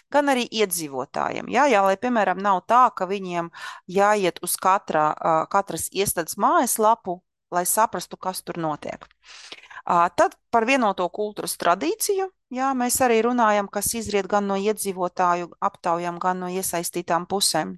C: gan arī iedzīvotājiem. Jā, jā, lai, piemēram, nav tā, ka viņiem jāiet uz katra, katras iestādes mājaslapu, lai saprastu, kas tur notiek. Tad par vienoto kultūras tradīciju, jā, mēs arī runājam, kas izriet gan no iedzīvotāju aptaujām, gan no iesaistītām pusēm.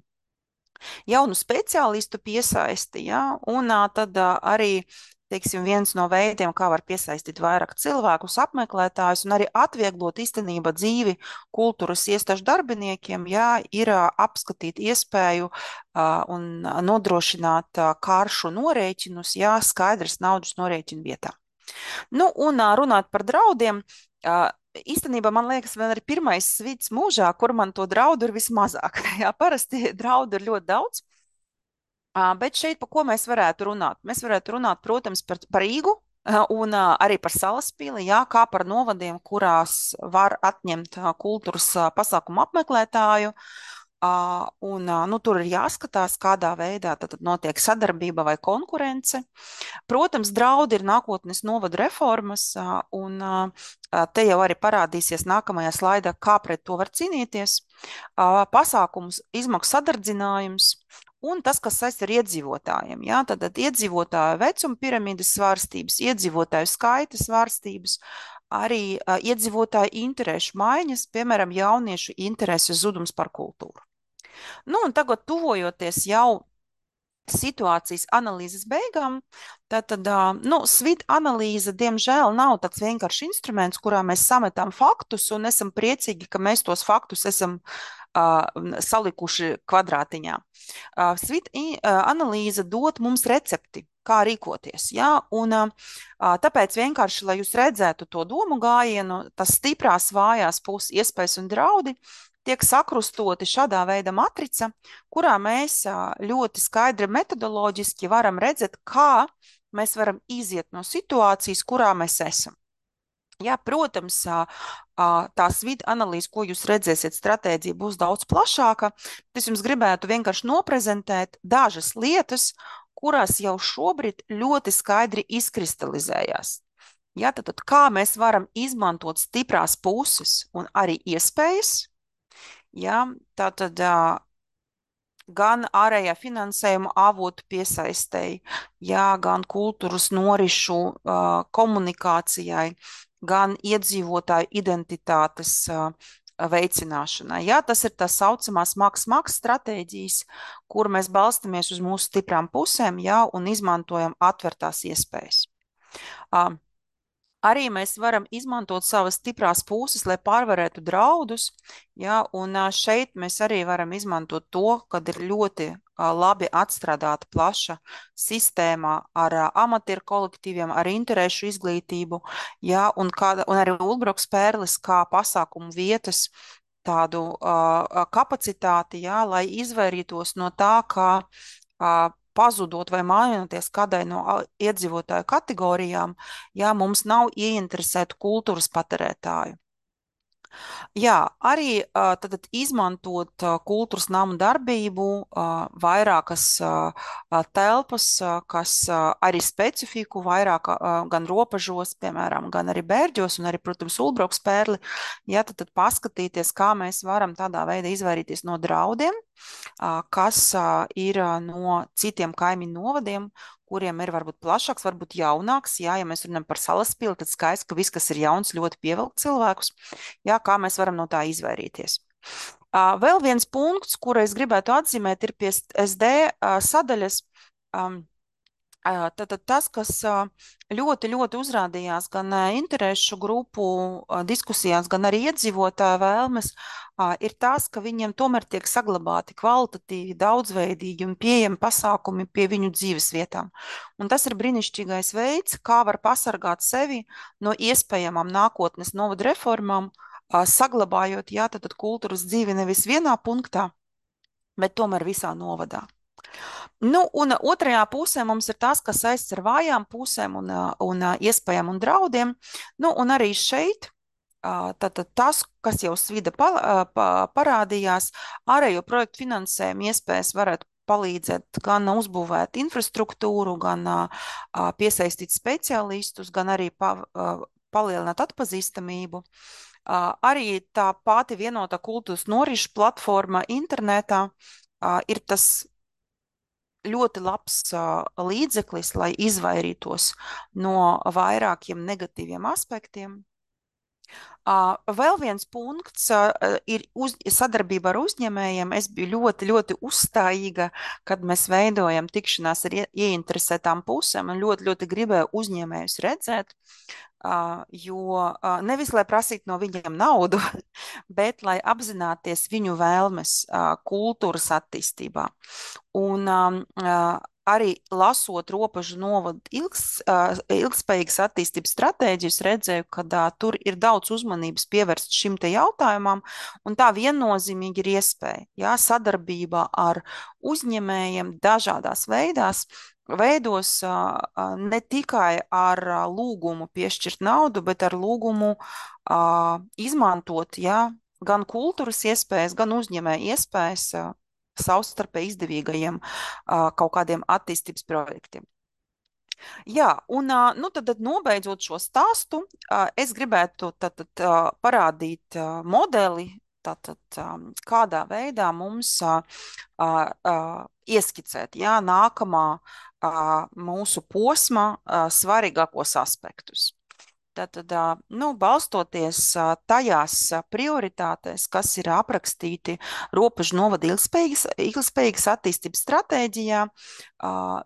C: Jaunu speciālistu piesaisti, jā, un tad arī, teiksim, viens no veidiem, kā var piesaistīt vairāk cilvēkus, apmeklētājus, un arī atvieglot īstenībā dzīvi kultūras iestāžu darbiniekiem, jā, ir apskatīt iespēju un nodrošināt karšu norēķinus, jā, skaidrs naudas norēķinu vietā. Nu, un runāt par draudiem, īstenībā man liekas, vēl arī pirmais svīts mūžā, kur man to draudu ir vismazāk. Jā, parasti draudu ir ļoti daudz, bet šeit pa ko mēs varētu runāt? Mēs varētu runāt, protams, par, par Rīgu un arī par Salaspili, jā, kā par novadiem, kurās var atņemt kultūras pasākumu apmeklētāju. Uh, un, uh, nu, tur ir jāskatās, kādā veidā tad notiek sadarbība vai konkurence. Protams, draudi ir nākotnes novadu reformas, uh, un uh, te jau arī parādīsies nākamajā slaidā, kā pret to var cīnīties. Uh, pasākums izmaksu sadardzinājums un tas, kas saistīts ar iedzīvotājiem. Jā, tad, tad iedzīvotāju vecuma piramīdas svārstības, iedzīvotāju skaita svārstības, arī uh, iedzīvotāju interešu maiņas, piemēram, jauniešu interesu zudums par kultūru. Nu, un tagad tuvojoties jau situācijas analīzes beigām, tad, tad nu, svīt analīze, diemžēl, nav tāds vienkārši instruments, kurā mēs sametam faktus un esam priecīgi, ka mēs tos faktus esam uh, salikuši kvadrātiņā. Uh, svīt uh, analīze dod mums recepti, kā rīkoties. Ja? Un, uh, tāpēc vienkārši, lai jūs redzētu to domu gājienu, tas stiprās, vājās puses, iespējas un draudi, tiek sakrustoti šādā veida matrica, kurā mēs ļoti skaidri metodoloģiski varam redzēt, kā mēs varam iziet no situācijas, kurā mēs esam. Jā, protams, tā svīta analīze, ko jūs redzēsiet, stratēģija būs daudz plašāka. Es jums gribētu vienkārši noprezentēt dažas lietas, kurās jau šobrīd ļoti skaidri izkristalizējās. Jā, tad, tad kā mēs varam izmantot stiprās puses un arī iespējas, jā, tātad gan ārējā finansējuma avotu piesaistēji, jā, gan kultūras norišu uh, komunikācijai, gan iedzīvotāju identitātes uh, veicināšanai. Jā, tas ir tā saucamās maks-maks stratēģijas, kur mēs balstamies uz mūsu stiprām pusēm, jā, un izmantojam atvērtās iespējas. Uh, Arī mēs varam izmantot savas stiprās puses, lai pārvarētu draudus, ja, un šeit mēs arī varam izmantot to, kad ir ļoti labi atstrādāta plaša sistēma ar amatieru kolektīviem, ar interešu izglītību, ja, un, kā, un arī Ulbroks Pērlis kā pasākumu vietas tādu uh, kapacitāti, ja, lai izvairītos no tā, kā uh, pazudot vai mainoties kādai no iedzīvotāju kategorijām, ja mums nav ieinteresētu kultūras patērētāju. Jā, arī tad izmantot kultūras namu darbību, vairākas telpas, kas arī specifiku vairāk gan robežos, piemēram, gan arī Bērģos un arī, protams, Ulbroks Pērli, ja, tad, tad paskatīties, kā mēs varam tādā veidā izvairīties no draudiem, kas ir no citiem kaimiņu novadiem, kuriem ir varbūt plašāks, varbūt jaunāks. Jā, ja mēs runājam par Salaspili, tad skaisti, ka viss, kas ir jauns, ļoti pievelk cilvēkus. Jā, kā mēs varam no tā izvairīties. Uh, vēl viens punkts, kuru es gribētu atzīmēt, ir pie S D uh, sadaļas. Um, Tad tas, kas ļoti, ļoti uzrādījās gan interešu grupu diskusijās, gan arī iedzīvotāju vēlmes, ir tas, ka viņiem tomēr tiek saglabāti kvalitatīvi, daudzveidīgi un pieejami pasākumi pie viņu dzīves vietām. Un tas ir brīnišķīgais veids, kā var pasargāt sevi no iespējamām nākotnes novadu reformām, saglabājot, jā, tad kultūras dzīvi nevis vienā punktā, bet tomēr visā novadā. Nu, un otrajā pusē mums ir tas, kas saistīts ar vājām pusēm un, un iespējām un draudiem. Nu, un arī šeit tātad tas, kas jau svida parādījās, ārējo projektu finansējumu iespējas varētu palīdzēt gan uzbūvēt infrastruktūru, gan piesaistīt speciālistus, gan arī pa, palielināt atpazīstamību. Arī tā pati vienotā kultūras norišu platforma internetā ir tas ļoti labs uh, līdzeklis, lai izvairītos no vairākiem negatīviem aspektiem. Uh, vēl viens punkts uh, ir uz, sadarbība ar uzņēmējiem. Es biju ļoti, ļoti uzstājīga, kad mēs veidojam tikšanās ar ie, ieinteresētām pusēm un ļoti, ļoti gribēju uzņēmējus redzēt, uh, jo uh, nevis, lai prasītu no viņiem naudu, bet lai apzināties viņu vēlmes uh, kultūras attīstībā. Un um, uh, arī lasot Robežu novadu ilgs, uh, ilgspējīgas attīstības stratēģijas, redzēju, ka uh, tur ir daudz uzmanības pievērst šim te jautājumam, un tā viennozīmīgi ir iespēja, jā, sadarbībā ar uzņēmējiem dažādās veidās, veidos uh, uh, ne tikai ar uh, lūgumu piešķirt naudu, bet ar lūgumu uh, izmantot, jā, gan kultūras iespējas, gan uzņēmēju iespējas uh, savstarpēji izdevīgajiem uh, kaut kādiem attīstības projektiem. Jā, un nu, tad, tad nobeidzot šo stāstu, uh, es gribētu tad, tad, uh, parādīt uh, modeli, tātad, um, kādā veidā mums uh, uh, ieskicēt, jā, nākamā uh, mūsu posma uh, svarīgākos aspektus. Tātad, nu, balstoties tajās prioritātēs, kas ir aprakstīti Robežu novada ilgspējīgas, ilgspējīgas attīstības stratēģijā,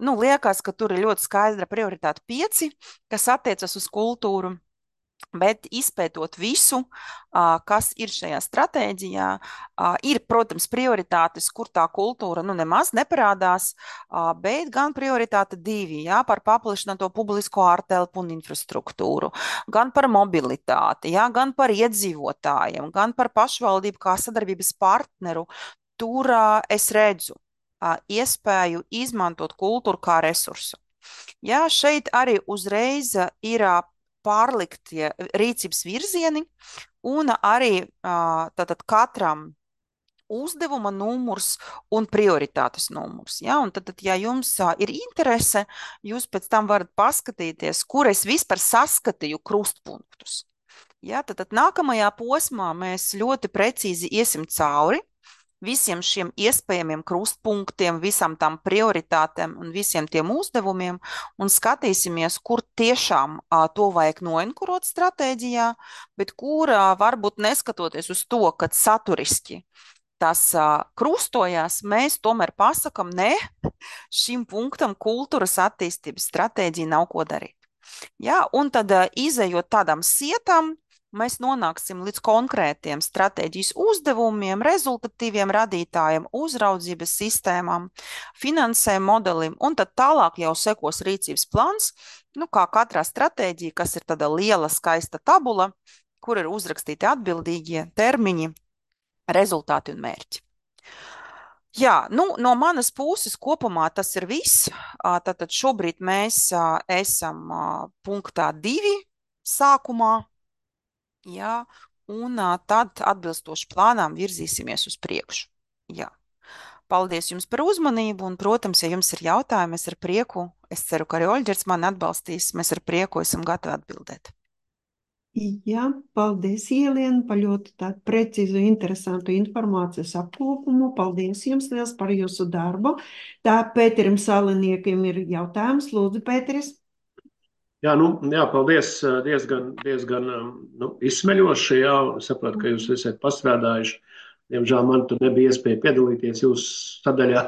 C: nu, liekas, ka tur ir ļoti skaidra prioritāte pieci, kas attiecas uz kultūru. Bet izpētot visu, kas ir šajā stratēģijā, ir, protams, prioritātes, kur tā kultūra nu, nemaz neparādās, bet gan prioritāte divi, jā, par paplašināto publisko ārtelpu un infrastruktūru, gan par mobilitāti, jā, gan par iedzīvotājiem, gan par pašvaldību kā sadarbības partneru. Tur es redzu iespēju izmantot kultūru kā resursu. Jā, šeit arī uzreiz ir pārliktie rīcības virzieni un arī tātad katram uzdevuma numurs un prioritātes numurs. Ja? Un tad, tad, ja jums ir interese, jūs pēc tam varat paskatīties, kur es vispār saskatīju krustpunktus. Ja? Tad, tad nākamajā posmā mēs ļoti precīzi iesim cauri visiem šiem iespējamiem krustpunktiem, visam tam prioritātēm un visiem tiem uzdevumiem un skatīsimies, kur tiešām a, to vajag noenkurot stratēģijā, bet kur a, varbūt neskatoties uz to, ka saturiski tas a, krustojās, mēs tomēr pasakam, ne, šim punktam kultūras attīstības stratēģija nav ko darīt. Ja? Un tad a, izejot tādām sietām, mēs nonāksim līdz konkrētiem stratēģijas uzdevumiem, rezultatīviem radītājiem, uzraudzības sistēmām, finansējuma modelim, un tad tālāk jau sekos rīcības plāns, nu, kā katrā stratēģija, kas ir tāda liela, skaista tabula, kur ir uzrakstīti atbildīgie termiņi, rezultāti un mērķi. Jā, nu, no manas puses kopumā tas ir viss. Tātad šobrīd mēs esam punktā divi sākumā. Jā, un tad atbilstoši plānām virzīsimies uz priekšu. Jā. Paldies jums par uzmanību, un, protams, ja jums ir jautājumi, es ar prieku, es ceru, ka arī Oļģerts mani atbalstīs, mēs ar prieku esam gatavi atbildēt.
A: Jā, paldies, Ieliena, par ļoti tādu precīzu, interesantu informācijas apkopumu. Paldies jums liels par jūsu darbu. Tā Pēterim Saliniekam ir jautājums. Lūdzu, Pēteris.
D: Jā, nu, jā, paldies, diezgan, diezgan nu, izsmeļoši, jā, sapratu, ka jūs esat pastrādājuši. Diemžēl man tur nebija iespēja piedalīties jūsu sadaļā,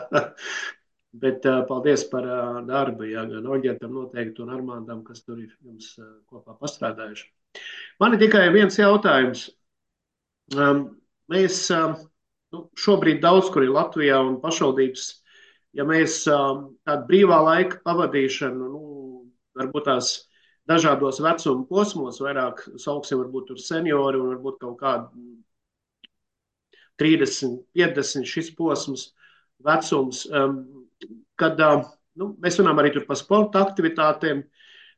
D: Bet uh, paldies par uh, darbu, jā, gan Oļģetam noteikti un Armāndam, kas tur ir jums uh, kopā pastrādājuši. Man ir tikai viens jautājums. Um, mēs um, nu, šobrīd daudz kur ir Latvijā un pašvaldības, ja mēs um, tādu brīvā laika pavadīšanu, nu, varbūt tās dažādos vecuma posmos, vairāk sauksim varbūt tur seniori un varbūt kaut kādi trīsdesmit, piecdesmit šis posms vecums, um, kad uh, nu, mēs runājam arī tur par sporta aktivitātēm.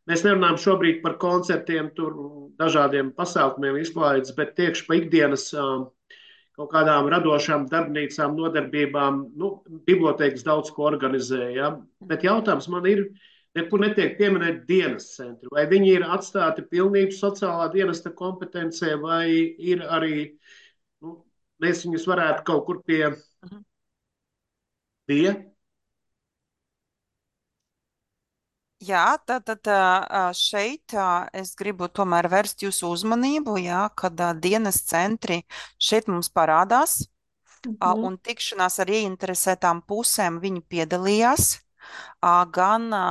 D: Mēs nerunājam šobrīd par koncertiem, tur dažādiem pasākumiem izklaides, bet tieši pa ikdienas um, kaut kādām radošām darbnīcām, nodarbībām, nu, bibliotēkas daudz ko organizē, ja? Bet jautājums man ir, nekur netiek pieminēt dienas centri, vai viņi ir atstāti pilnīgi sociālā dienesta kompetencē, vai ir arī, nu, mēs viņus varētu kaut kur pie, pie
C: Jā, tad, tad ā, šeit ā, es gribu tomēr vērst jūsu uzmanību, jā, kad ā, dienas centri šeit mums parādās, ā,
A: Mhm.
C: un tikšanās ar ieinteresētām pusēm viņi piedalījās ā, gan ā,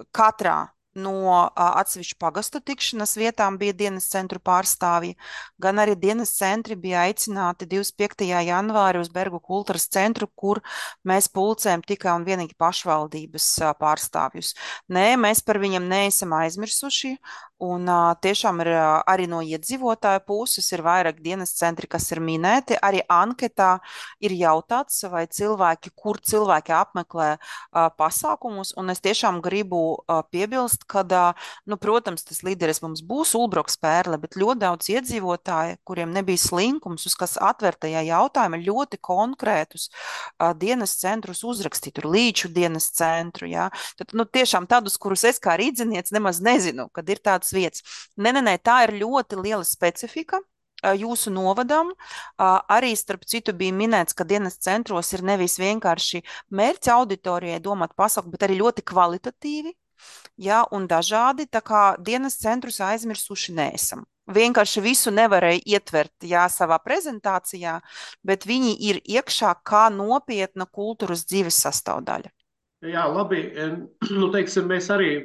C: katrā no ā, atsevišķu pagastu tikšanās vietām bija dienas centru pārstāvji, gan arī dienas centri bija aicināti divdesmit piektajā janvārī uz Bergu kultūras centru, kur mēs pulcējam tikai un vienīgi pašvaldības ā, pārstāvjus. Nē, mēs par viņiem neesam aizmirsuši, un ā, tiešām ir ā, arī no iedzīvotāju puses ir vairāk dienas centri, kas ir minēti. Arī anketā ir jautāts, vai cilvēki, kur cilvēki apmeklē ā, pasākumus, un es tiešām gribu ā, piebilst, kad, ā, nu, protams, tas līderis mums būs Ulbroks Pērle, bet ļoti daudz iedzīvotāji, kuriem nebija slinkums, uz kas atvērtajā jautājumā ļoti konkrētus ā, dienas centrus uzrakstīt, tur Līču dienas centru, jā. Tad, nu, tiešām tādus, kurus es kā rīdzinieks nemaz nezinu, kad ir tādas vietas. Nē, nē, nē, tā ir ļoti liela specifika ā, jūsu novadam. Ā, Arī, starp citu, bija minēts, ka dienas centros ir nevis vienkārši mērķa auditorijai domāt pasauku, bet arī ļoti kvalitatīvi, jā, un dažādi, tā kā dienas centrus aizmirsuši neesam. Vienkārši visu nevarēja ietvert, jā, savā prezentācijā, bet viņi ir iekšā kā nopietna kultūras dzīves sastāvdaļa.
D: Jā, labi. Nu, teiksim, mēs arī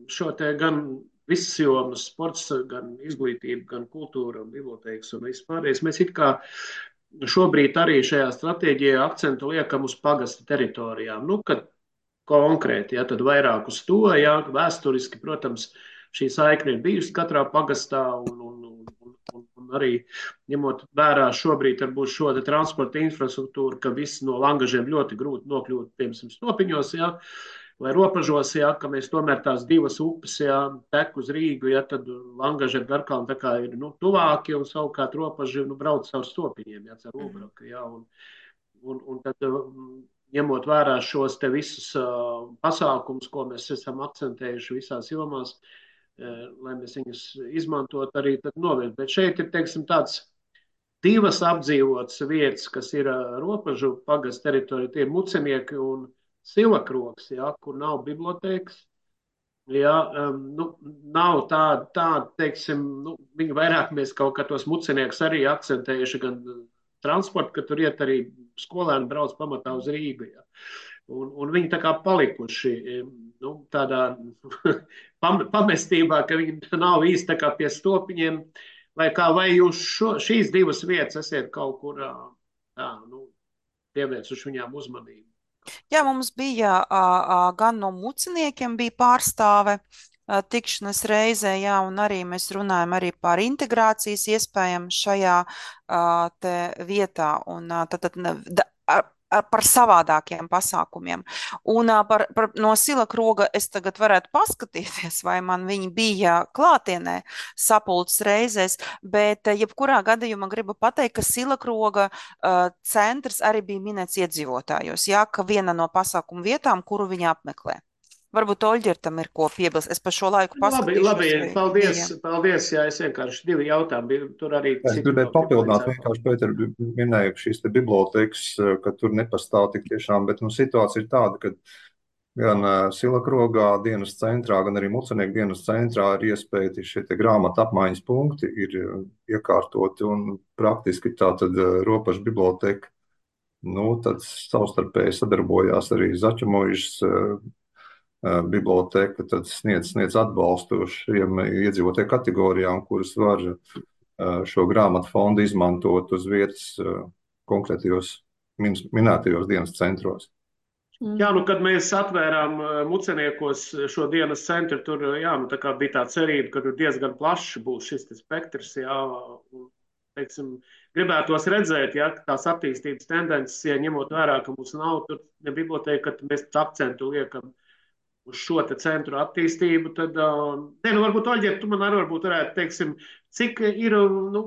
D: šo te gan visas jomas, sports, gan izglītība, gan kultūra un bibliotēkas un viss pārējais. Mēs it kā šobrīd arī šajā stratēģijā akcentu liekam uz pagasta teritorijām. Nu, kad konkrēti, ja, tad vairāk uz to, ja, vēsturiski, protams, šī saikne ir bijusi katrā pagastā un, un, un, un, un arī ņemot vērā šobrīd varbūt šo te transporta infrastruktūru, ka viss no Langažiem ļoti grūti nokļūt, piemēram, Stopiņos, ja, vai Ropažos, ja, ka mēs tomēr tās divas upes, ja, tek uz Rīgu, ja, tad Langaži ar Garkalnu tā kā ir, nu, tuvāki un savukārt Ropaži, nu, brauc caur Stopiņiem, ja, caur Ulbraku, ja, un, un, un tad ņemot vērā šos te visus uh, pasākumus, ko mēs esam akcentējuši visās jomās, uh, lai mēs viņus izmantot arī tad noviet. Bet šeit ir, teiksim, tāds divas apdzīvotas vietas, kas ir uh, Ropažu pagasts teritorija, tie ir Mucenieki un Silakroks, ja, kur nav bibliotēkas. Ja, um, nu, nav tāda, tā, teiksim, nu, viņi vairāk mēs kaut kā tos Muceniekus arī akcentējuši gan transportu, ka tur iet arī skolēni brauc pamatā uz Rīgu. Ja. Un, un viņi tā kā palikuši nu, tādā pamestībā, ka viņi nav īsti tā kā pie Stopiņiem, vai kā, vai jūs šo, šīs divas vietas esiet kaut kur tā, nu, pievērsuši viņām uzmanību?
C: Jā, mums bija a, a, gan no Muceniekiem bija pārstāve a, tikšanas reizē, jā, un arī mēs runājam arī par integrācijas iespējām šajā a, te vietā, un a, tad, tad, da, a, par savādākiem pasākumiem. Un par, par, no Silakroga es tagad varētu paskatīties, vai man viņi bija klātienē sapulces reizēs, bet jebkurā gadījumā gribu pateikt, ka Silakroga uh, centrs arī bija minēts iedzīvotājos, jā, ka viena no pasākumu vietām, kuru viņi apmeklē. Varbūt Oļģertam ir ko piebilst. Es par šo laiku paskatīšos.
D: Labi, labi. Paldies, bija. paldies. Jā, es vienkārši divi jautājumi. Tur arī
B: es gribēju papildināt, vienkārši Pēter minēja šīs te bibliotēkas, ka tur nepastāv tik tiešām, bet nu, situācija ir tāda, ka gan Silakrogā dienas centrā, gan arī Mucenieku dienas centrā ir iespēja šie te grāmatu apmaiņas punkti ir iekārtoti un praktiski tā tad Ropažu biblioteka Nu, tad savstarpēji sadarbojās arī Zaķemojušas biblioteka, tad sniedz, sniedz atbalstu šiem iedzīvotāju kategorijām, kuras var šo grāmatu fondu izmantot uz vietas konkrētajos minētajos dienas centros.
D: Jā, nu, kad mēs atvērām Muceniekos šo dienas centru, tur jā, nu, tā kā bija tā cerība, ka tur diezgan plašs būs šis spektrs, jā, un, teiksim, gribētos redzēt, ja, tās attīstības tendences, ja ņemot vērā, ka mums nav tur ne biblioteka, ka mēs akcentu liekam uz šo te centru attīstību, tad, uh, ne, nu, varbūt, Oļģiet, tu man arī varbūt varētu, teiksim, cik ir, nu,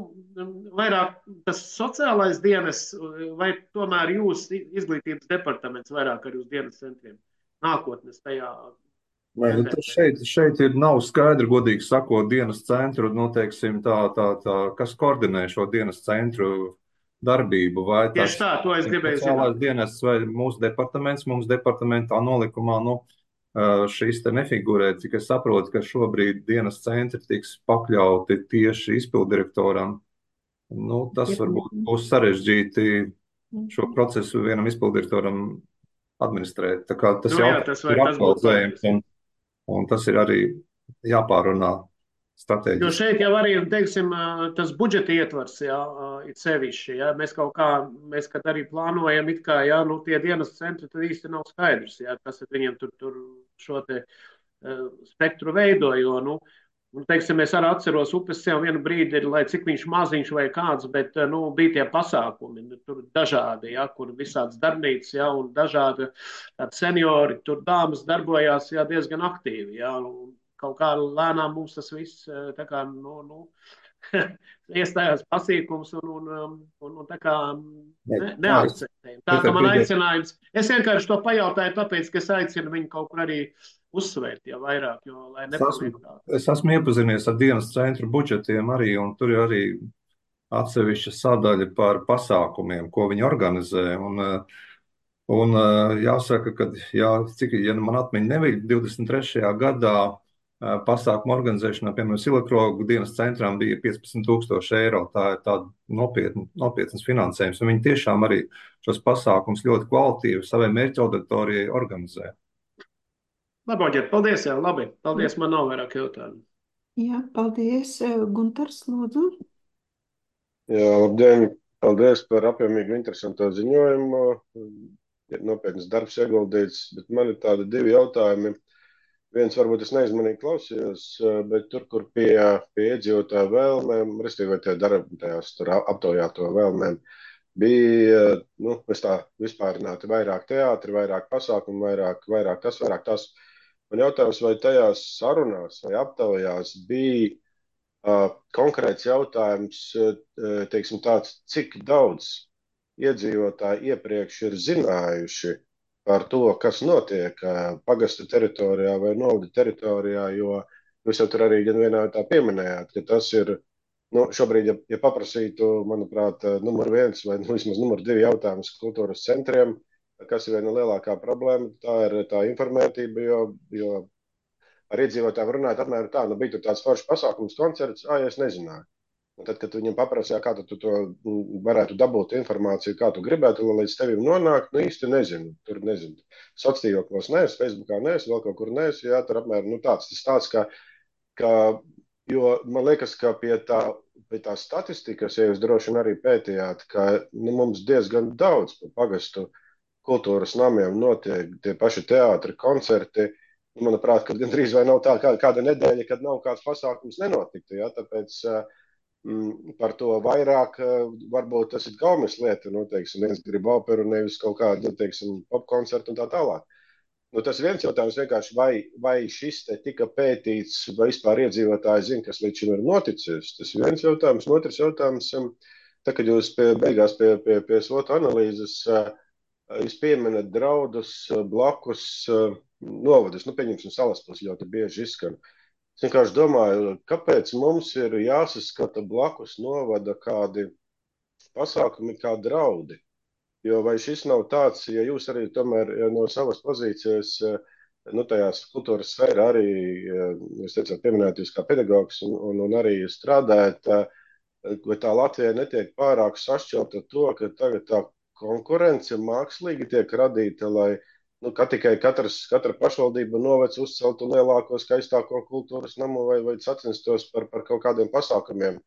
D: vairāk tas sociālais dienas, vai tomēr jūs izglītības departaments vairāk ar jūs dienas centriem nākotnes tajā?
B: Vai, nu, šeit, šeit ir nav skaidri, godīgi sakot, dienas centru, nu, teiksim, tā, tā, tā, kas koordinē šo dienas centru darbību, vai tas
D: Tieši tā, to es gribēju
B: sociālās
D: zināt.
B: dienas, vai mūsu departaments, mums departamentā nolikumā, nu, šīs te nefigurē, cik es saprotu, ka šobrīd dienas centri tiks pakļauti tieši izpildirektoram. Nu, tas varbūt būs sarežģīti šo procesu vienam izpildirektoram administrēt. Tā kā tas
D: Nu, jā,
B: jautājums
D: tas vai
B: ir
D: tas būtu
B: aktualizējams,
D: pareizi.
B: un, un tas ir arī jāpārunā
D: Jo
B: strateģiski.
D: šeit jau arī, teiksim, tas budžeta ietvars, jā, it sevišķi, jā, mēs kaut kā, mēs, kad arī plānojam, it kā, jā, nu, tie dienas centri, tad īsti nav skaidrs, jā, kas ar viņiem tur, tur šo te uh, spektru veido, jo, nu, un, teiksim, es arī atceros upes sev vienu brīdi, lai cik viņš maziņš vai kāds, bet, nu, bija tie pasākumi, tur dažādi, jā, kur visāds darbnīcas, jā, un dažādi tādi seniori, tur dāmas darbojās, jā, diezgan aktīvi, jā, un, kaut kā lēnām mums tas viss tā kā, nu, nu, iestājās pasīkums un, un, un, un tā kā ne, neakceptējam. Tā kā man aicinājums, es vienkārši to pajautāju, tāpēc, ka es aicinu viņu kaut kur arī uzsvērt, ja vairāk, jo, lai nepaliek tā.
B: Es esmu iepazinies ar dienas centru budžetiem arī, un tur ir arī atsevišķa sadaļa par pasākumiem, ko viņi organizē, un Un jāsaka, ka, jā, cik, ja man atmiņa nebija, divdesmit trešajā gadā pasākuma organizēšanā, piemēram, Silakrogu dienas centrām bija piecpadsmit tūkstoši eiro. Tā ir tāda nopietna, nopietnas finansējums. Un viņi tiešām arī šos pasākums ļoti kvalitīvi savai mērķa auditorijai organizē.
D: Labi, Oģiet, paldies, jā, labi. Paldies, man nav vairāk jautājumu.
A: Jā, paldies. Guntars, lūdzu.
E: Jā, labdien. Paldies par apjomīgu interesanto ziņojumu. Nopietnas darbs ieguldīts, bet man ir tādi divi jautājumi. Viens varbūt es neizmanīgi klausījos, bet tur, kur pie, pie iedzīvotāju vēlmēm, respektīvi tie darbitajās tur aptaujāto vēlmēm, bija, nu, es tā vispārināti vairāk teātri, vairāk pasākumu, vairāk, vairāk tas, vairāk tas. Man jautājums, vai tajās sarunās vai aptaujās bija uh, konkrēts jautājums, uh, teiksim tāds, cik daudz iedzīvotāji iepriekš ir zinājuši par to, kas notiek pagasta teritorijā vai novada teritorijā, jo jūs jau tur arī gan vienā tā pieminējāt, ka tas ir, nu, šobrīd, ja, ja paprasītu, manuprāt, numur viens vai nu, vismaz numur divi jautājums kultūras centriem, kas ir viena lielākā problēma, tā ir tā informētība, jo, jo ar iedzīvotājiem runājot apmēram tā, nu, bija tur tāds foršs pasākums, koncerts, ā, ja es nezināju. Un tad, kad viņam paprasīja, kā tu to varētu dabūt informāciju, kā tu gribētu, lai līdz tevim nonāk, nu īsti nezinu. Tur nezinu. Sociālos neesmu, Facebookā neesmu, vēl kaut kur neesmu. Jā, tur apmēram nu, tāds tas tāds, ka, ka, jo man liekas, ka pie tā, pie tā statistikas, ja jūs droši vien arī pētījāt, ka nu, mums diezgan daudz pa pagastu kultūras namiem notiek tie paši teātri, koncerti. Manuprāt, ka gandrīz vai nav tā kā, kāda nedēļa, kad nav kāds pasākums nenotiktu. Jā, tāpēc par to vairāk, varbūt tas ir gaumes lieta, nu, teiksim, viens grib operu, nevis kaut kādu, nu, teiksim, popkoncertu un tā tālāk. Nu, tas viens jautājums vienkārši, vai, vai šis te tika pētīts, vai vispār iedzīvotāji zina, kas līdz šim ir noticis. Tas viens jautājums, un otrs jautājums, tā, kad jūs pie, beigās pie, pie, pie svotu analīzes, jūs pieminat draudus blakus novadus, nu, pieņemsim Salaspils ļoti bieži izskan. Es vienkārši domāju, kāpēc mums ir jāsaskata blakus novada kādi pasākumi kā draudi. Jo vai šis nav tāds, ja jūs arī tomēr no savas pozīcijas, nu tajās kultūras sfērā arī, jūs teicāt, pieminēt jūs kā pedagogs un, un, un arī strādājat, vai tā Latvija netiek pārāk sašķelta to, ka tagad tā konkurence mākslīgi tiek radīta, lai nu, ka tikai katrs, katra pašvaldība novads uzceltu lielāko, skaistāko kultūras namu vai, vai sacenstos par, par kaut kādiem pasākumiem.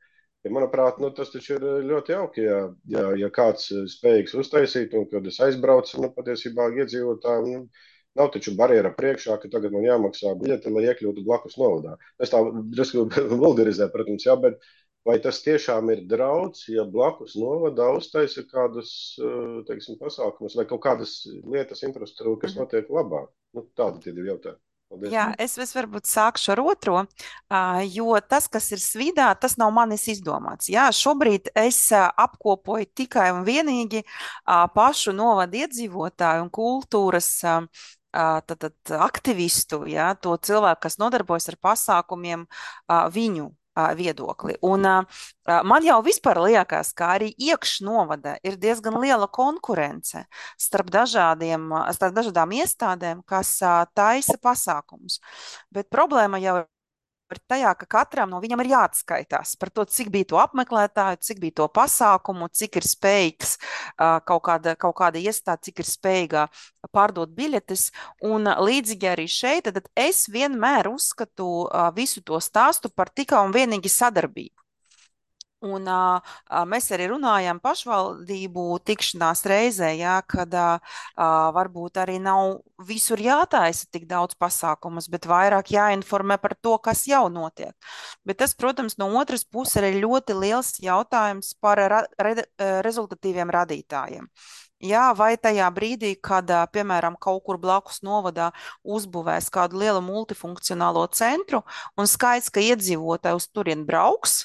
E: Ja, manuprāt, nu, tas taču ir ļoti jauki, ja, ja, ja kāds spējīgs uztaisīt, un kad es aizbraucu, nu, patiesībā iedzīvotāji, nu, nav taču barjera priekšā, ka tagad man jāmaksā biļete, lai iekļūtu blakus novadā. Es tā drusku vulgarizēju, protams, jā, bet vai tas tiešām ir draudz, ja blakus novadā uztaisa kādus, teiksim, pasākumus vai kaut kādas lietas infrastruktūra, kas notiek labāk? Nu, tādi tie divi jautājumi. Paldies.
C: Jā, es, es varbūt sākšu ar otro, uh, jo tas, kas ir Svidā, tas nav manis izdomāts. Jā, šobrīd es uh, apkopoju tikai un vienīgi uh, pašu novadu iedzīvotāju un kultūras uh, tad, tad, aktivistu, jā, to cilvēku, kas nodarbojas ar pasākumiem, uh, viņu viedokli. Un uh, man jau vispār liekas, ka arī iekšnovada ir diezgan liela konkurence starp dažādiem, starp dažādām iestādēm, kas uh, taisa pasākumus. Bet problēma jau ir tajā, ka katram no viņam ir jāatskaitās par to, cik bija to apmeklētāju, cik bija to pasākumu, cik ir spējīgs uh, kaut kāda, kaut kāda iestāde, cik ir spējīga pārdot biļetes. Un uh, līdzīgi arī šeit, tad es vienmēr uzskatu uh, visu to stāstu par tikai un vienīgi sadarbību. Un uh, mēs arī runājām pašvaldību tikšanās reizē, jā, kad uh, varbūt arī nav visur jātaisa tik daudz pasākumus, bet vairāk jāinformē par to, kas jau notiek. Bet tas, protams, no otras puses ir ļoti liels jautājums par ra re rezultatīviem radītājiem. Jā, vai tajā brīdī, kad, piemēram, kaut kur blakus novadā uzbūvēs kādu lielu multifunkcionālo centru un skaits, ka iedzīvotāji uz turien brauks,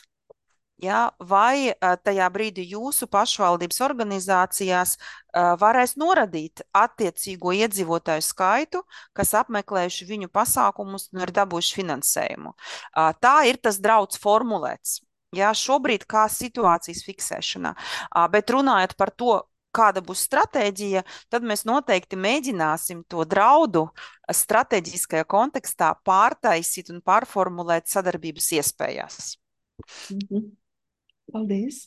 C: jā, vai tajā brīdī jūsu pašvaldības organizācijās uh, varēs noradīt attiecīgo iedzīvotāju skaitu, kas apmeklējuši viņu pasākumus un ir dabūjuši finansējumu. Uh, tā ir tas draudz formulēts. Jā, šobrīd kā situācijas fiksēšanā. Uh, bet runājot par to, kāda būs stratēģija, tad mēs noteikti mēģināsim to draudu strateģiskajā kontekstā pārtaisīt un pārformulēt sadarbības iespējās.
A: Mhm. Paldies.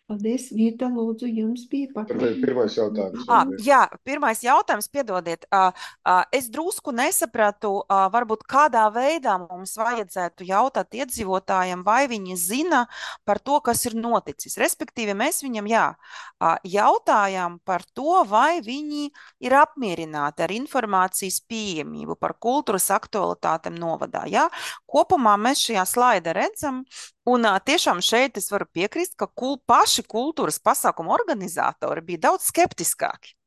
A: Paldies, Vīta, lūdzu, jums bija
E: papildinājums. Pirmais jautājums.
C: Ah, jā, pirmais jautājums, piedodiet. Uh, uh, es drusku nesapratu, uh, varbūt kādā veidā mums vajadzētu jautāt iedzīvotājiem, vai viņi zina par to, kas ir noticis. Respektīvi, mēs viņam, jā, uh, jautājām par to, vai viņi ir apmierināti ar informācijas pieejamību par kultūras aktualitātēm novadā. Jā? Kopumā mēs šajā slaida redzam, un uh, tiešām šeit es varu piekrist, ka kul paši kultūras pasākumu organizatori bija daudz skeptiskāki.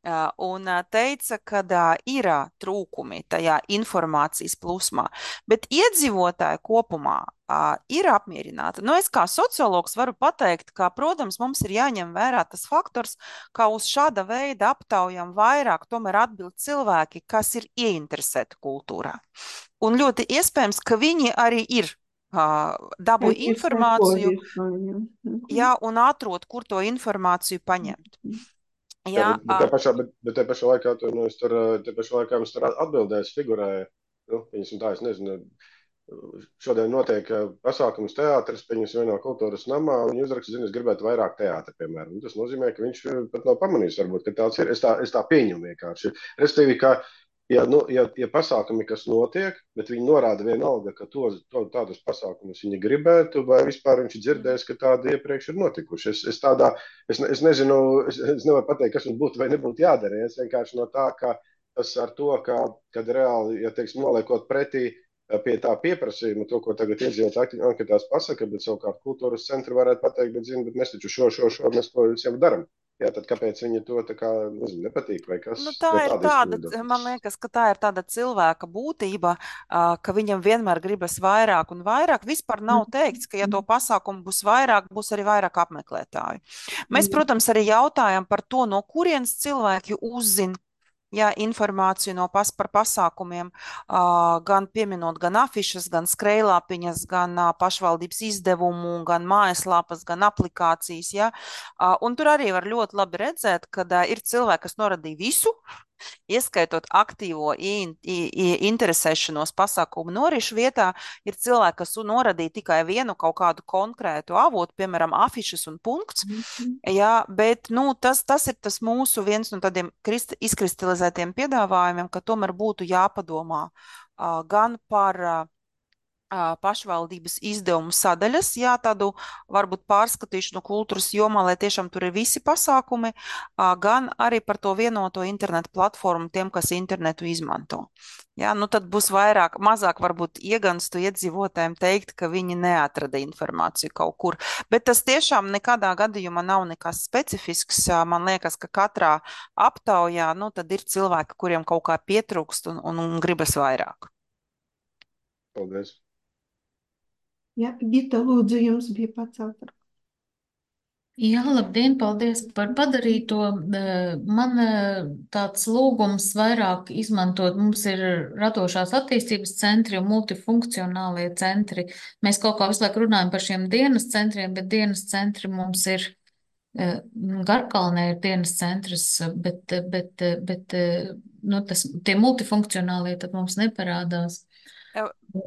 C: Uh, un uh, teica, ka uh, ir uh, trūkumi tajā informācijas plūsmā, bet iedzīvotāji kopumā uh, ir apmierināti. Nu, es kā sociologs varu pateikt, ka, protams, mums ir jāņem vērā tas faktors, ka uz šāda veida aptaujām vairāk tomēr atbild cilvēki, kas ir ieinteresēti kultūrā. Un ļoti iespējams, ka viņi arī ir Uh, dabūja informāciju, jā, un atrod, kur to informāciju paņemt.
E: Jā, bet, bet, te pašā, bet, bet te pašā laikā, tu, nu, es tur, te pašā laikā mums tur atbildēs figurēja, nu, viņas un tā, es nezinu, šodien notiek pasākums teātris, viņas vienā kultūras namā, un viņi uzraksta, zinu, es gribētu vairāk teātra, piemēram. Un tas nozīmē, ka viņš pat nav pamanījis, varbūt, ka tāds ir, es tā, es tā pieņemu vienkārši. Respektīvi, ka Ja, nu, ja, ja pasākumi, kas notiek, bet viņi norāda vienalga, ka to, to, tādus pasākumus viņi gribētu, vai vispār viņš ir dzirdējis, ka tādi iepriekš ir notikuši. Es, es, tādā, es, es nezinu, es, es nevaru pateikt, kas mums būtu vai nebūtu jādara. Es vienkārši no tā, ka tas ar to, ka, kad reāli, ja teiksim, noliekot pretī pie tā pieprasījuma, to, ko tagad iedzīvotāji anketās pasaka, bet savukārt kultūras centri varētu pateikt, bet zinu, bet mēs taču šo, šo, šo, mēs to visiem daram. Jā, tad kāpēc viņi to tā kā, nezinu, nepatīk vai kas?
C: Nu, tā ir tāda, man liekas, ka tā ir tāda cilvēka būtība, ka viņam vienmēr gribas vairāk un vairāk. Vispār nav teikts, ka ja to pasākumu būs vairāk, būs arī vairāk apmeklētāju. Mēs, protams, arī jautājam par to, no kurienes cilvēki uzzina, jā, informāciju no pas, par pasākumiem, uh, gan pieminot gan afišas, gan skrejlāpiņas, gan uh, pašvaldības izdevumu, gan mājaslapas, gan aplikācijas. Jā. Uh, un tur arī var ļoti labi redzēt, ka uh, ir cilvēki, kas noradīja visu, ieskaitot aktīvo in, in, interesēšanos pasākumu norišu vietā, ir cilvēki, kas noradīja tikai vienu kaut kādu konkrētu avotu, piemēram, afišas un punkts. Jā, bet nu, tas, tas ir tas mūsu viens no tādiem krist, izkristalizētiem piedāvājumiem, ka tomēr būtu jāpadomā uh, gan par uh, pašvaldības izdevumu sadaļas, jā, tādu varbūt pārskatīšanu kultūras jomā, lai tiešām tur ir visi pasākumi, gan arī par to vienoto internetu platformu tiem, kas internetu izmanto. Jā, nu tad būs vairāk, mazāk varbūt ieganstu iedzīvotājiem teikt, ka viņi neatrada informāciju kaut kur, bet tas tiešām nekādā gadījumā nav nekas specifisks. Man liekas, ka katrā aptaujā, nu tad ir cilvēki, kuriem kaut kā pietrūkst un, un, un gribas vairāk.
E: Paldies.
A: Jā, Gita, lūdzu, jums bija pacelta.
F: Jā, labdien, paldies par padarīto. Man tāds lūgums vairāk izmantot, mums ir radošās attīstības centri un multifunkcionālie centri. Mēs kaut kā visu laiku runājam par šiem dienas centriem, bet dienas centri mums ir, Garkalnē ir dienas centrs, bet, bet, bet nu, tas, tie multifunkcionālie tad mums neparādās.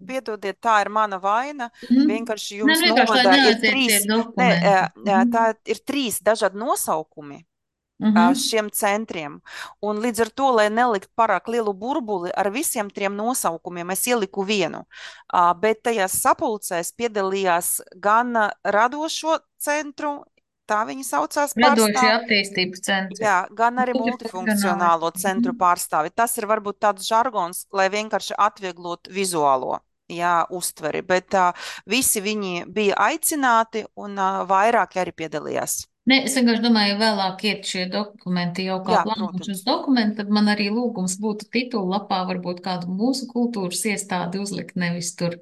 C: Piedodiet, tā ir mana vaina.
F: Mm.
C: Vienkārši jums
F: ne, vienkārši,
C: novadā ir trīs, ne, tā ir trīs dažādi nosaukumi mm-hmm. šiem centriem. Un līdz ar to, lai nelikt pārāk lielu burbuli ar visiem trim nosaukumiem, es ieliku vienu. Bet tajās sapulcēs piedalījās gan radošo centru, tā viņi saucās
F: Radošie attīstības centri.
C: Jā, gan arī multifunkcionālo centru pārstāvi. Tas ir varbūt tāds žargons, lai vienkārši atvieglot vizuālo jā, uztveri, bet uh, visi viņi bija aicināti un uh, vairāki arī piedalījās.
F: Ne, es vienkārši domāju, ja vēlāk iet šie dokumenti jau kā plānošanas dokumenti, tad man arī lūgums būtu titulu lapā varbūt kādu mūsu kultūras iestādi uzlikt, nevis tur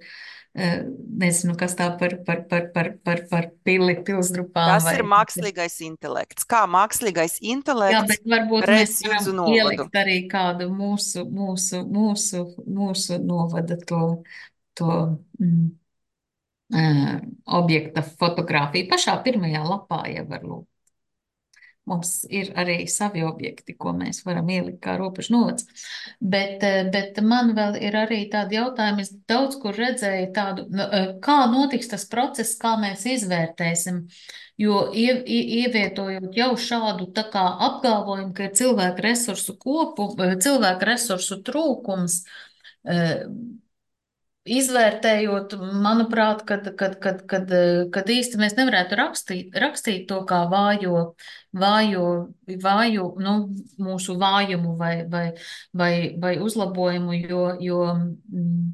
F: nezinu, kas tā par, par, par, par, par, par pili, pilsgrupām.
C: Tas vai... ir mākslīgais intelekts. Kā mākslīgais intelekts?
F: Jā, bet varbūt mēs varam ielikt arī kādu mūsu, mūsu, mūsu, mūsu novada to, to mm, uh, objekta fotografiju. Pašā pirmajā lapā jau var lūgt. Mums ir arī savi objekti, ko mēs varam ielikt kā robežu novads. Bet, bet man vēl ir arī tādi jautājumi, es daudz kur redzēju tādu, kā notiks tas process, kā mēs izvērtēsim, jo ie, ievietojot jau šādu tā kā apgalvojumu, ka ir cilvēku resursu kopu, cilvēku resursu trūkums, izvērtējot, manuprāt, kad, kad, kad, kad, kad īsti mēs nevarētu rakstīt, rakstīt to kā vājo, vājo, vāju, nu, mūsu vājumu vai, vai, vai, vai uzlabojumu, jo, jo mm,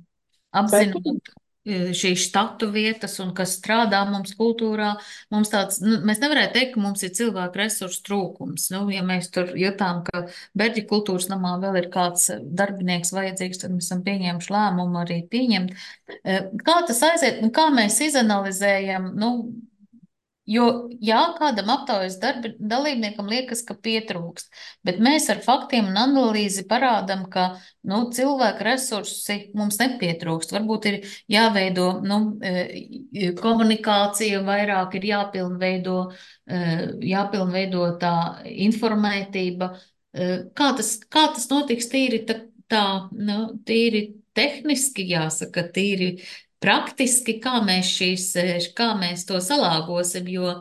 F: apzinot šīs štatu vietas un kas strādā mums kultūrā, mums tāds, nu, mēs nevarētu teikt, ka mums ir cilvēku resursu trūkums. Nu, ja mēs tur jutām, ka Berģi kultūras namā vēl ir kāds darbinieks vajadzīgs, tad mēs esam pieņēmuši lēmumu arī pieņemt. Kā tas aiziet, un kā mēs izanalizējam, nu, jo, jā, kādam aptaujas darbi, dalībniekam liekas, ka pietrūkst, bet mēs ar faktiem un analīzi parādam, ka, nu, cilvēku resursi mums nepietrūkst. Varbūt ir jāveido, nu, komunikācija vairāk, ir jāpilnveido, jāpilnveido tā informētība. Kā tas, kā tas notiks tīri tā, tā, nu, tīri tehniski, jāsaka, tīri praktiski, kā mēs, šīs, kā mēs to salāgosim, jo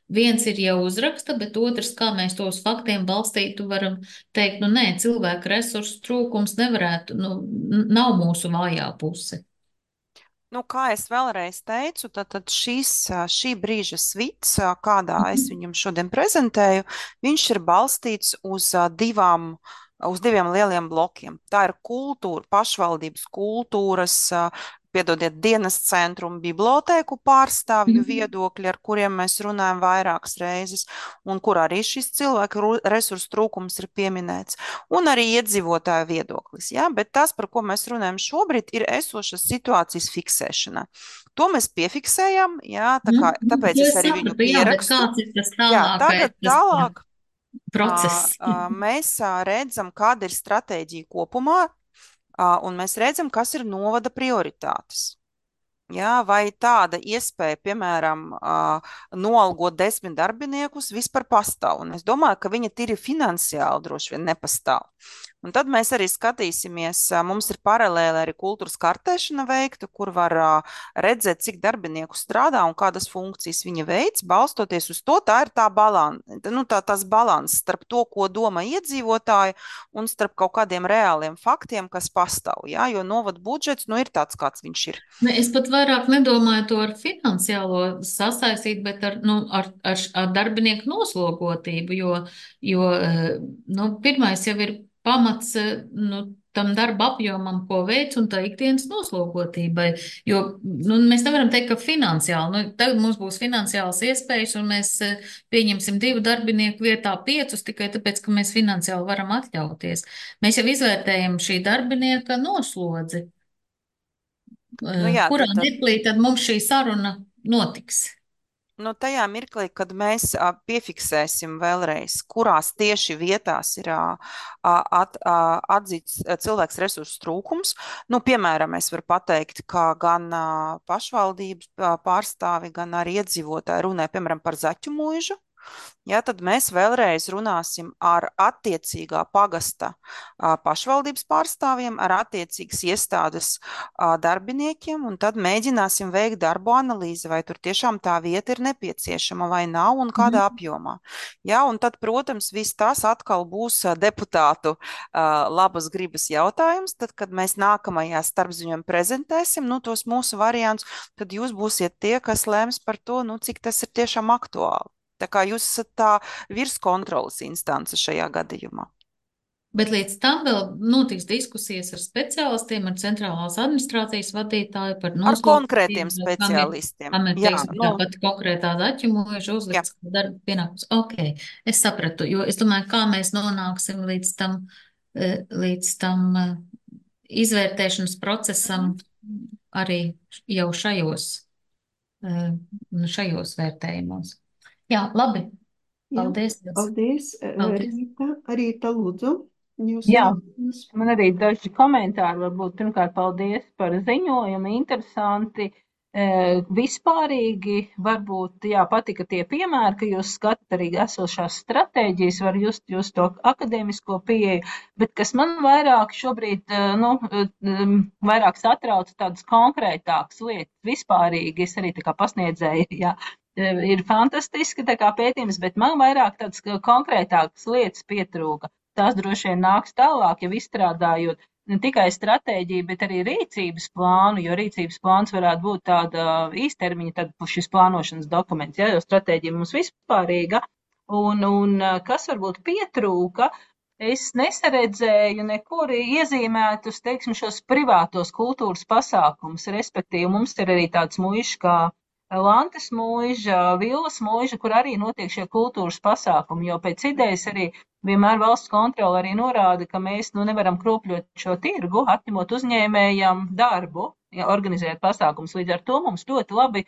F: viens ir jau uzraksta, bet otrs, kā mēs to uz faktiem balstītu, varam teikt, nu nē, cilvēku resursu trūkums nevarētu, nu, nav mūsu vājā puse.
C: Nu, kā es vēlreiz teicu, tad, tad šīs, šī brīža svits, kādā es viņam šodien prezentēju, viņš ir balstīts uz divām uz diviem lieliem blokiem. Tā ir kultūra, pašvaldības kultūras, piedodiet, dienas centru un bibliotēku pārstāvju viedokļi, ar kuriem mēs runājam vairākas reizes, un kur arī šis cilvēku resursu trūkums ir pieminēts, un arī iedzīvotāju viedoklis. Ja? Bet tas, par ko mēs runājam šobrīd, ir esošas situācijas fiksēšana. To mēs piefiksējam, ja? Tā kā, tāpēc es arī viņu pierakstu.
F: Jā, bet kāds ir tas tālāk?
C: Jā, tagad tālāk.
F: Process.
C: Mēs redzam, kāda ir stratēģija kopumā, un mēs redzam, kas ir novada prioritātes. Jā, vai tāda iespēja, piemēram, noalgot desmit darbiniekus vispār pastāv. Un es domāju, ka viņa tīri finansiāli droši vien nepastāv. Un tad mēs arī skatīsimies, mums ir paralēli arī kultūras kartēšana veikta, kur var redzēt, cik darbinieku strādā un kādas funkcijas viņa veids, balstoties uz to, tā ir tā balans, nu, tā, tās balans starp to, ko domā iedzīvotāji un starp kaut kādiem reāliem faktiem, kas pastāv, ja? Jo novada budžets, nu, ir tāds, kāds viņš ir.
F: Ne, es pat vairāk nedomāju to ar finansiālo sasaistīt, bet ar, nu, ar, ar, ar darbinieku noslogotību, jo, jo nu, pirmais jau ir pamats nu, tam darba apjomam, ko veic, un tā ikdienas noslogotībai. Jo nu, mēs nevaram teikt, ka finansiāli, nu, tagad mums būs finansiāls iespējas, un mēs pieņemsim divu darbinieku vietā piecus, tikai tāpēc, ka mēs finansiāli varam atļauties. Mēs jau izvērtējam šī darbinieka noslodzi.
C: Nu, jā,
F: Kurā
C: tad, tad,
F: mirklī tad mums šī saruna notiks?
C: nu, tajā mirklī, kad mēs a, piefiksēsim vēlreiz, kurās tieši vietās ir a, at, a, atzīts cilvēks resursu trūkums, nu, piemēram, es varu pateikt, ka gan a, pašvaldības pārstāvi, gan arī iedzīvotāji runē, piemēram, par Zaķu mūžu. Ja, tad mēs vēlreiz runāsim ar attiecīgā pagasta a, pašvaldības pārstāvjiem, ar attiecīgas iestādes a, darbiniekiem, un tad mēģināsim veikt darbu analīzi, vai tur tiešām tā vieta ir nepieciešama vai nav un kādā apjomā. Ja, un tad, protams, viss tas atkal būs a, deputātu a, labas gribas jautājums, tad, kad mēs nākamajā starpziņojumā prezentēsim nu, tos mūsu variantus, tad jūs būsiet tie, kas lems par to, nu, cik tas ir tiešām aktuāli. Tā kā jūs esat tā virskontroles instance šajā gadījumā.
F: Bet līdz tam vēl notiks diskusijas ar speciālistiem, ar centrālās administrācijas vadītāju par
C: Ar konkrētiem
F: noslogotību,
C: speciālistiem.
F: kam ir,
C: Jā,
F: teiksim,
C: nu,
F: tāpat konkrētā Zaķu mūža uzlikts darba pienākums. Ok, es sapratu, jo es domāju, kā mēs nonāksim līdz tam, līdz tam izvērtēšanas procesam arī jau šajos, šajos vērtējumos. Jā, labi. Paldies.
A: Jā, paldies.
F: Paldies.
A: Rīta, Rīta, lūdzu. Jūs
G: Jā,
A: jūs...
G: man arī daži komentāri varbūt. Pirmkārt, paldies par ziņojumu. Interesanti. E, vispārīgi varbūt, jā, patika tie piemēri, ka jūs skatāt arī esošās stratēģijas, var just jūs to akadēmisko pieeju, bet kas man vairāk šobrīd, nu, vairāk satrauc tādas konkrētākas lietas. Vispārīgi es arī tā kā pasniedzēju, jā. Ir fantastiski tā kā pētījums, bet man vairāk tādas konkrētākas lietas pietrūka. Tās droši vien nāks tālāk, jau izstrādājot ne tikai stratēģiju, bet arī rīcības plānu, jo rīcības plāns varētu būt tāda īstermiņa, tad šis plānošanas dokuments, ja, jo stratēģija mums vispārīga. Un, un kas varbūt pietrūka, es nesaredzēju nekur iezīmētus, teiksim, šos privātos kultūras pasākumus, respektīvi mums ir arī tāds muišs kā Lantes mūža, Villas mūža, kur arī notiek šie kultūras pasākumi, jo pēc idejas arī vienmēr valsts kontrole arī norāda, ka mēs nu, nevaram kropļot šo tirgu, atņemot uzņēmējam darbu, ja, organizēt pasākumus. Līdz ar to mums ļoti labi e,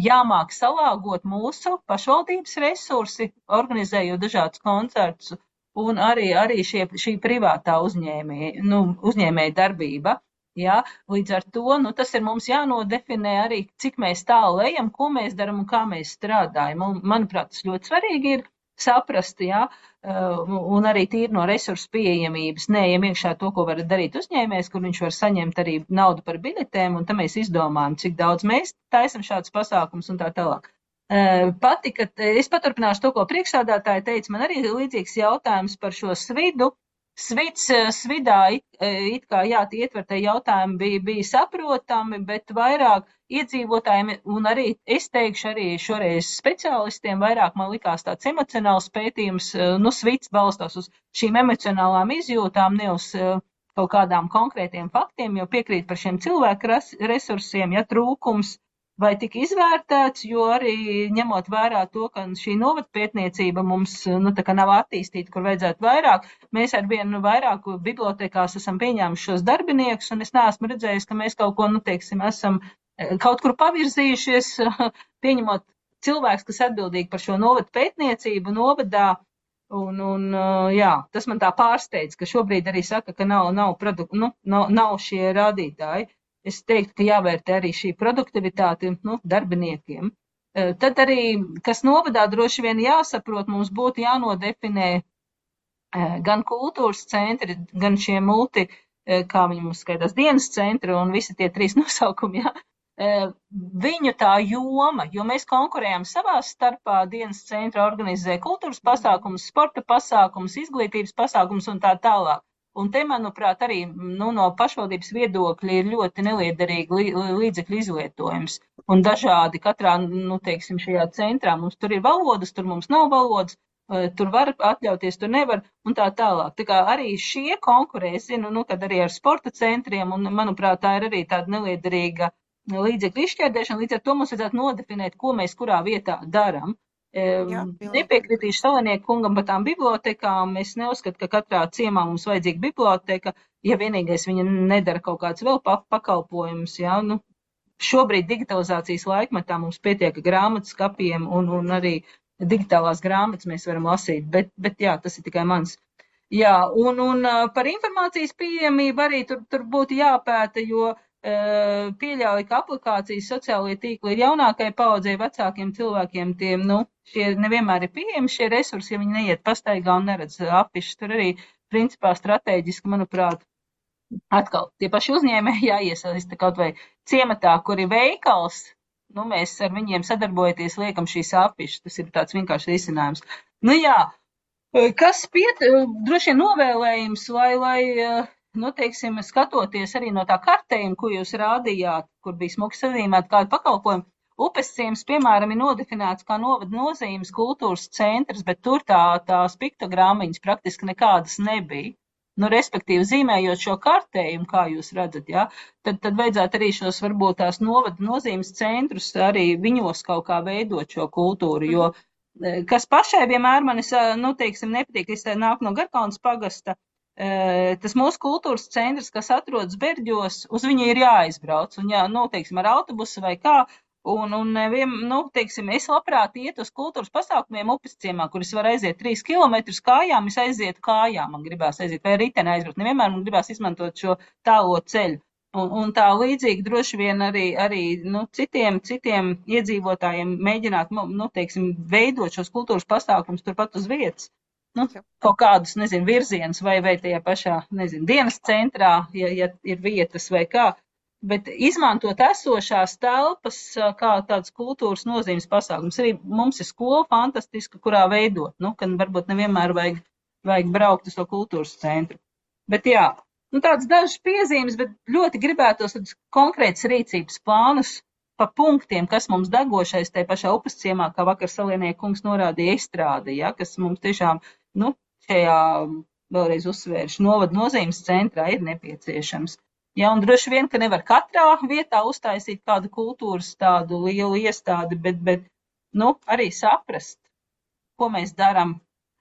G: jāmāk salāgot mūsu pašvaldības resursi, organizējot dažādus koncertus, un arī, arī šie, šī privātā uzņēmēja, nu, uzņēmēja darbība. Ja, līdz ar to, nu, tas ir mums jānodefinē arī, cik mēs tālu ejam, ko mēs darām un kā mēs strādājam. Un, manuprāt, tas ļoti svarīgi ir saprast, ja, un arī tīri no resursu pieejamības, neejam iekšā to, ko var darīt uzņēmējs, kur viņš var saņemt arī naudu par biļetēm, un tam mēs izdomājam, cik daudz mēs taisam šādus pasākumus un tā tālāk. Patika, es paturpināšu to, ko priekšsādātāji teica, man arī līdzīgs jautājums par šo svidu. Svits, svidā it, it kā, jā, tie ietvertie jautājumi bija, bija saprotami, bet vairāk iedzīvotājiem, un arī, es teikšu, arī šoreiz speciālistiem, vairāk man likās tāds emocionāls pētījums, nu, svits balstās uz šīm emocionālām izjūtām, ne uz kaut kādām konkrētiem faktiem, jo piekrīt par šiem cilvēku resursiem, ja trūkums, vai tika izvērtēts, jo arī ņemot vērā to, ka šī novadpētniecība mums nu, tā kā nav attīstīta, kur vajadzētu vairāk, mēs ar vienu vairāk bibliotekās esam pieņēmuši šos darbiniekus, un es neesmu redzējis, ka mēs kaut ko, nu, teiksim, esam kaut kur pavirzījušies, pieņemot cilvēks, kas atbildīgi par šo novadpētniecību novadā, un, un jā, tas man tā pārsteidz, ka šobrīd arī saka, ka nav, nav, produk, nu, nav, nav šie rādītāji. Es teiktu, ka jāvērtē arī šī produktivitāte nu, darbiniekiem. Tad arī, kas novadā droši vien jāsaprot, mums būtu jānodefinē gan kultūras centri, gan šie multi, kā viņi mums skaitās, dienas centri un visi tie trīs nosaukumi, jā, viņu tā joma, jo mēs konkurējam savā starpā, dienas centra organizē kultūras pasākumus, sporta pasākumus, izglītības pasākumus un tā tālāk. Un te, manuprāt, arī nu, no pašvaldības viedokļa ir ļoti neliederīgi līdzekļu izlietojums. Un dažādi katrā, nu, teiksim, šajā centrā mums tur ir valodas, tur mums nav valodas, tur var atļauties, tur nevar, un tā tālāk. Tā kā arī šie konkurē, es zinu, nu, kad arī ar sporta centriem, un, manuprāt, tā ir arī tāda neliederīga līdzekļu izšķērdēšana, līdz ar to mums vajadzētu nodefinēt, ko mēs kurā vietā daram.
C: Jā,
G: Nepiekritīšu Salinieku kungam par tām bibliotekām. Es neuzskatu, ka katrā ciemā mums vajadzīga biblioteka, ja vienīgais viņa nedara kaut kāds vēl pakalpojums. Jā, nu, šobrīd digitalizācijas laikmetā mums pietiek grāmatas skapiem un, un arī digitālās grāmatas mēs varam lasīt, bet, bet jā, tas ir tikai mans. Jā, un, un par informācijas pieejamību arī tur, tur būtu jāpēta, jo pieļauj, ka aplikācijas sociālajie tīkli ir jaunākai paudzei, vecākiem cilvēkiem, tiem, nu, šie nevienmēr ir pieejami šie resursi, ja viņi neiet pastaigā un neredz afišas. Tur arī, principā, strateģiski, manuprāt, atkal tie paši uzņēmēji jāiesaista kaut vai ciematā, kur ir veikals, nu, mēs ar viņiem sadarbojoties liekam šīs afišas. Tas ir tāds vienkārši risinājums. Nu, jā, kas piet, droši vien novēlējums, lai, lai, nu, teiksim, skatoties arī no tā kartējuma, ko jūs rādījāt, kur bija smuki sazīmēta kādu pakalpojumu, upes ciems, piemēram, ir nodefinēts kā novada nozīmes kultūras centrs, bet tur tā, tās piktogrammiņas praktiski nekādas nebija. Nu, respektīvi, zīmējot šo kartējumu, kā jūs redzat, ja, tad, tad vajadzētu arī šos varbūt tās novada nozīmes centrus arī viņos kaut kā veidot šo kultūru, jo kas pašai vienmēr manis, nu, teiksim, nepatīk, es nāk no Garkaunas pagasta, tas mūsu kultūras centrs, kas atrodas Berģos, uz viņu ir jāizbrauc, un jā, nu, teiksim, ar autobusu vai kā, un, un vien, nu, teiksim, es labprāt iet uz kultūras pasākumiem upes ciemā, kur es varu aiziet trīs kilometrus kājām, es aizietu kājām, man gribās aiziet, vai riteni aizbraukt, nevienmēr man gribās izmantot šo tālo ceļu, un, un tā līdzīgi droši vien arī, arī, nu, citiem, citiem iedzīvotājiem mēģināt, nu, teiksim, veidot šos kultūras pasākumus turpat uz vietas. Nu, kaut kādus, nezinu, virzienus vai, vai tajā pašā, nezinu, dienas centrā, ja, ja ir vietas vai kā, bet izmantot esošās telpas kā tādas kultūras nozīmes pasākums. Arī mums ir skola fantastiska, kurā veidot, nu, kad varbūt nevienmēr vajag, vajag braukt uz to kultūras centru. Bet jā, nu, tādas dažas piezīmes, bet ļoti gribētos tādus konkrētas rīcības plānus pa punktiem, kas mums degošais tajā pašā upes ciemā, kā vakar Salinieku kungs norādīja, izstrāde, ja, kas mums tiešām, nu, šajā vēlreiz uzsvēršu novada nozīmes centrā ir nepieciešams. Ja, un droši vien, ka nevar katrā vietā uztaisīt kādu kultūras tādu lielu iestādi, bet, bet, nu, arī saprast, ko mēs darām.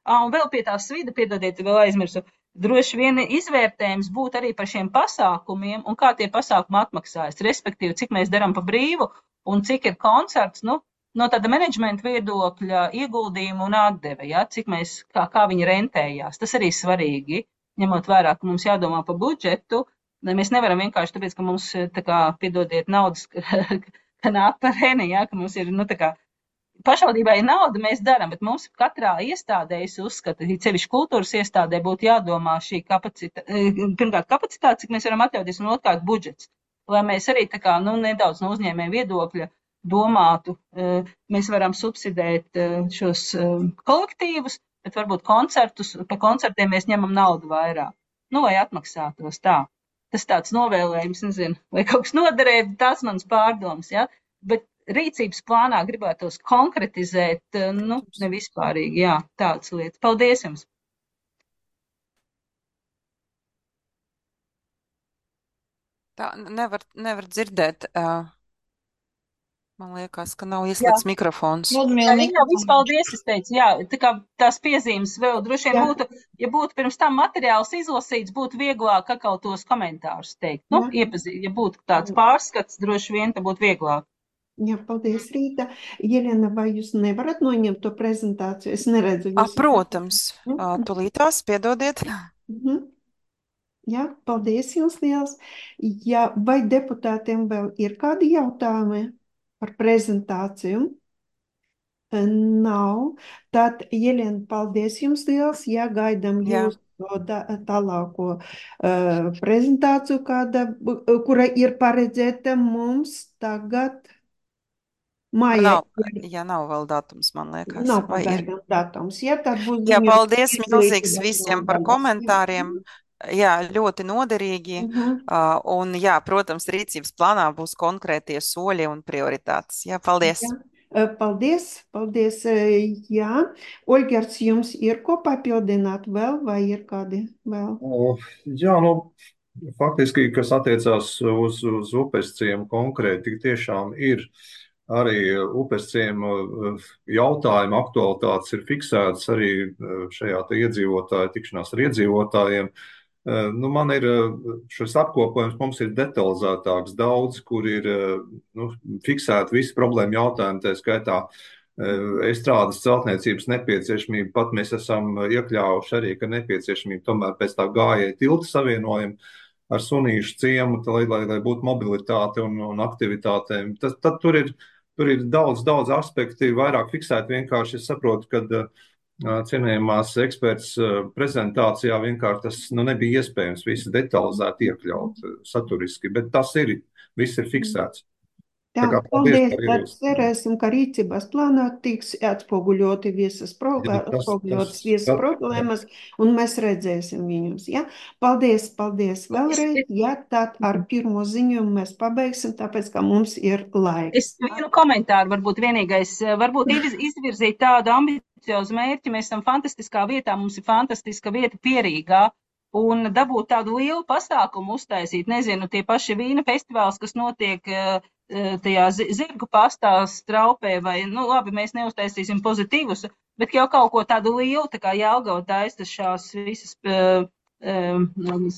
G: Ā, un vēl pie tā svida, piedodiet, vēl aizmirsu, droši vien izvērtējums būtu arī par šiem pasākumiem un kā tie pasākumi atmaksājas, respektīvi, cik mēs darām pa brīvu un cik ir koncerts, nu, no tāda menedžmenta viedokļa ieguldījumu un atdeve, ja, cik mēs, kā, kā viņi rentējās. Tas arī svarīgi, ņemot vērā, ka mums jādomā par budžetu. Mēs nevaram vienkārši tāpēc, ka mums, tā kā, piedodiet, naudas, ka nāk par reni, ja, ka mums ir, nu, tā kā, pašvaldībai ir nauda, mēs darām, bet mums katrā iestādē, es uzskatu, cevišķi kultūras iestādē būtu jādomā šī kapacitāte, pirmkārt kapacitāte, cik mēs varam atļauties, un otrkārt budžets, lai mēs arī, tā kā, nu, nedaudz no uzņēmēja viedokļa domātu, mēs varam subsidēt šos kolektīvus, bet varbūt koncertus, pa koncertiem mēs ņemam naudu vairāk. Nu, vai atmaksātos tā. Tas tāds novēlējums, nezinu, vai kaut kas noderēja, tās manas pārdomas, ja, bet rīcības plānā gribētos konkretizēt, nu, ne vispārīgi, jā, tādas lietas. Paldies jums!
C: Tā nevar, nevar dzirdēt. Uh... Man liekas, ka nav ieslēgts mikrofons.
G: Jā, jā, viss paldies, es teicu, jā, tā kā tās piezīmes vēl droši vien būtu, ja būtu pirms tam materiāls izlasīts, būtu vieglāk atkal tos komentārus teikt. Nu, iepazīt, ja būtu tāds pārskats, droši vien, tad būtu vieglāk.
A: Jā, paldies, Rīta. Jelena, vai jūs nevarat noņemt to prezentāciju? Es neredzu.
C: A, protams, tulītās, piedodiet.
A: Mhm. Jā, paldies jums liels. Jā, vai deputātiem vēl ir kādi jautājumi par prezentāciju? Nav. Tad, Jelena, paldies jums liels. Jā, gaidām
C: Jā,
A: jūsu da- tālāko uh, prezentāciju, kāda, bu- kura ir paredzēta mums tagad
C: man
A: mājā.
C: nav, jā, nav vēl datums, man liekas,
A: Nav
C: vai ir?
A: pagaidām datums. Ja, tad būs
C: Jā,
A: ziņojums
C: paldies milzīgs
A: izglītības
C: visiem par
A: nodaļas.
C: komentāriem. Jā, ļoti noderīgi.
A: Mhm.
C: Uh, un, jā, protams, rīcības plānā būs konkrētie soļi un prioritātes. Jā, paldies.
A: Jā. Eh, Paldies, paldies. eh, Jā, Olgers, jums ir ko papildināt vēl, vai ir kādi vēl?
B: O, Jā, nu, faktiski, kas attiecās uz, uz upes ciemu konkrēti, tik tiešām ir arī upes ciemu eh, jautājuma aktualitātes ir fiksētas arī eh, šajā te iedzīvotāju tikšanās ar iedzīvotājiem. Eh, Nu, man ir eh, šis apkopojums, mums ir detalizētāks daudz, kur ir eh, nu, fiksēti visi problēma jautājumi, tā skaitā eh, estrādes celtniecības nepieciešamība. Pat mēs esam iekļāvuši arī, ka nepieciešamība tomēr pēc tā gājēja tilta savienojuma ar Sunīšu ciemu, tā, lai, lai, lai būtu mobilitāte un, un aktivitātēm. Tas, tad tur ir, tur ir daudz, daudz aspekti, vairāk fiksēti. Vienkārši es saprotu, ka uh, cienījamās eksperts uh, prezentācijā vienkārši tas nu, nebija iespējams visu detalizēti iekļaut uh, saturiski, bet tas ir, viss ir fiksēts.
A: Tā,
B: Tā kā paldies
A: paldies.
B: par
A: Tad
B: ierosinājumu.
A: cerēsim, ka rīcības plānā tiks atspoguļoti visas, pro,
B: Jā, tas,
A: atspoguļotas
B: tas,
A: visas
B: tas,
A: problēmas, un mēs redzēsim viņus. Ja? Paldies, paldies
G: Es,
A: vēlreiz.
G: es,
A: Ja, tad ar pirmo ziņojumu mēs pabeigsim, tāpēc, ka mums ir laiks.
G: es vienu komentāru varbūt vienīgais, varbūt izviz- izvirzīt tādu ambiciozu mērķi. Mēs esam fantastiskā vietā, mums ir fantastiska vieta Pierīgā. Un dabūt tādu lielu pasākumu uztaisīt, nezinu, tie paši vīna festivāls, kas notiek eh, eh, tajā zi- zirgu pastā straupē, vai, nu, labi, mēs neuztaisīsim pozitīvus, bet jau kaut ko tādu lielu, tā kā Jelgava taisa šās visas eh, eh,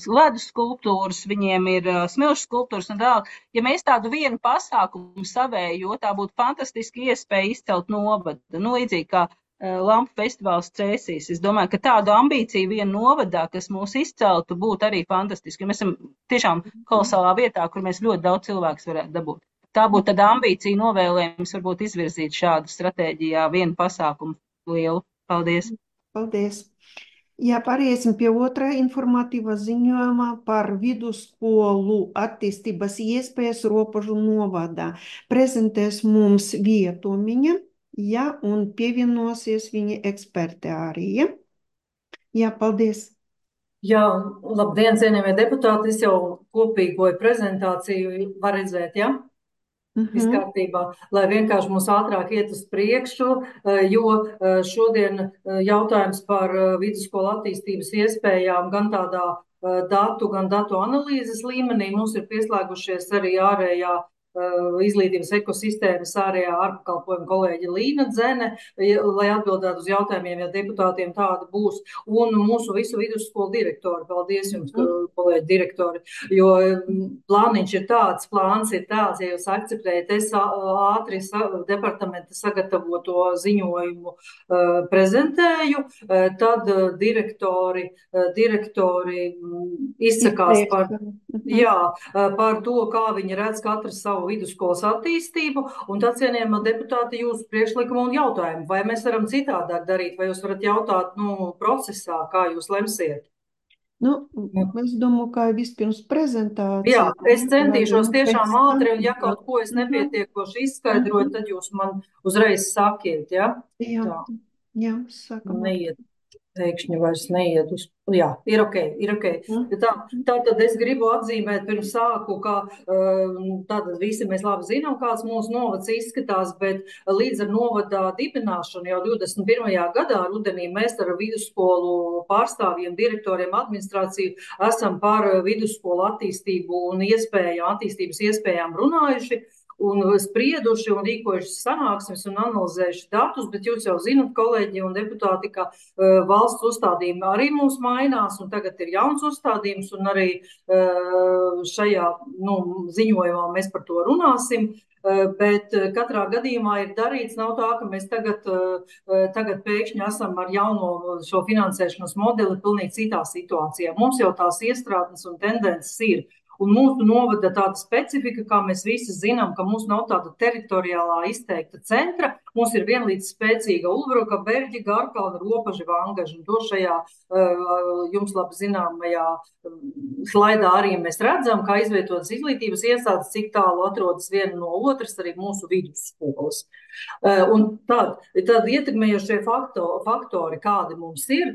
G: ledus skulptūras, viņiem ir eh, smilšu skulptūras un tālāk. Ja mēs tādu vienu pasākumu savējo, tā būtu fantastiski iespēja izcelt novadu. Nu, līdzīgi kā eh, Lampu festivāls Cēsīs. Es domāju, ka tādu ambīciju vienu novadā, kas mūs izceltu, būtu arī fantastiski. Mēs esam tiešām kolosālā vietā, kur mēs ļoti daudz cilvēkus varētu dabūt. Tā būtu tāda ambīcija novēlējums varbūt izvirzīt šādu stratēģijā vienu pasākumu lielu. Paldies!
A: Paldies. Jā, pāriesim pie otrā informatīvā ziņojuma par vidusskolu attīstības iespējas Ropožu novadā. Prezentēs mums Vietumiņa, jā, un pievienosies viņa eksperti arī. Ja? Jā, paldies.
H: Jā, labdien, cienījamie deputāti. Es jau kopīgoju prezentāciju, var redzēt, ja? Viss
A: Mhm.
H: kārtībā, lai vienkārši mums ātrāk iet uz priekšu, eh, jo eh, šodien eh, jautājums par eh, vidusskolu attīstības iespējām gan tādā eh, datu, gan datu analīzes līmenī. Mums ir pieslēgušies arī ārējā eh, izglītības ekosistēmas ārējā ārpakalpojuma kolēģi Līna Dzene, ja- lai atbildētu uz jautājumiem, ja deputātiem tāda būs, un mūsu visu vidusskolu direktori. Paldies jums,
A: Mhm.
H: kolēģi direktori, jo mm, plāniņš ir tāds, plāns ir tāds, ja jūs akceptējat, es ā- ātri sa, departamenta sagatavoto ziņojumu uh, prezentēju, uh, tad uh, direktori, uh, direktori mm, izsakās par,
A: Mhm.
H: jā, uh, par to, kā viņi redz katrs savu vidusskolas attīstību, un tad, cienījamā deputāti, jūsu priekšlikumu un jautājumu, vai mēs varam citādāk darīt, vai jūs varat jautāt, nu, procesā, kā jūs lemsiet?
A: Nu,
H: Nu,
A: es domāju, ka vispirms
H: Jā,
A: prezentācija.
H: es centīšos
A: un
H: tiešām
A: pēc tam-
H: ātri, un ja kaut ko es
A: Mhm.
H: nepietiekoši izskaidroju,
A: Mhm.
H: tad jūs man uzreiz sakiet, ja?
A: Jā,
H: Tā,
A: jā, sākam.
H: neiet, pēkšņi vairs neiet uz, jā, ir ok, ir ok.
A: Mhm.
H: Tā, tā tad es gribu atzīmēt pirms sāku, ka um, tātad visi mēs labi zinām, kāds mūsu novads izskatās, bet līdz ar novadā dibināšanu jau divdesmit pirmajā gadā rudenī mēs ar vidusskolu pārstāvjiem, direktoriem, administrāciju esam par vidusskolu attīstību un iespējām, attīstības iespējām runājuši un sprieduši un rīkojuši sanāksmes un analizējuši datus, bet jūs jau zinat, kolēģi un deputāti, ka uh, valsts uzstādījumi arī mums mainās, un tagad ir jauns uzstādījums, un arī uh, šajā nu, ziņojumā mēs par to runāsim. Uh, bet uh, katrā gadījumā ir darīts, nav tā, ka mēs tagad, uh, uh, tagad pēkšņi esam ar jauno šo finansēšanas modeli pilnīgi citā situācijā. Mums jau tās iestrādnes un tendences ir. Un mūsu novada tāda specifika, kā mēs visi zinām, ka mums nav tāda teritoriālā izteikta centra. Mums ir vienlīdz spēcīga Ulbruka, Berģi, Garkalna, Ropaži, Vangaži. Un to šajā jums labi zināmajā slaidā arī mēs redzam, kā izvietotas izglītības iestādes, cik tālu atrodas viena no otras, arī mūsu vidusskolas. Un tad, tad ietekmējošie faktori, faktori, kādi mums ir,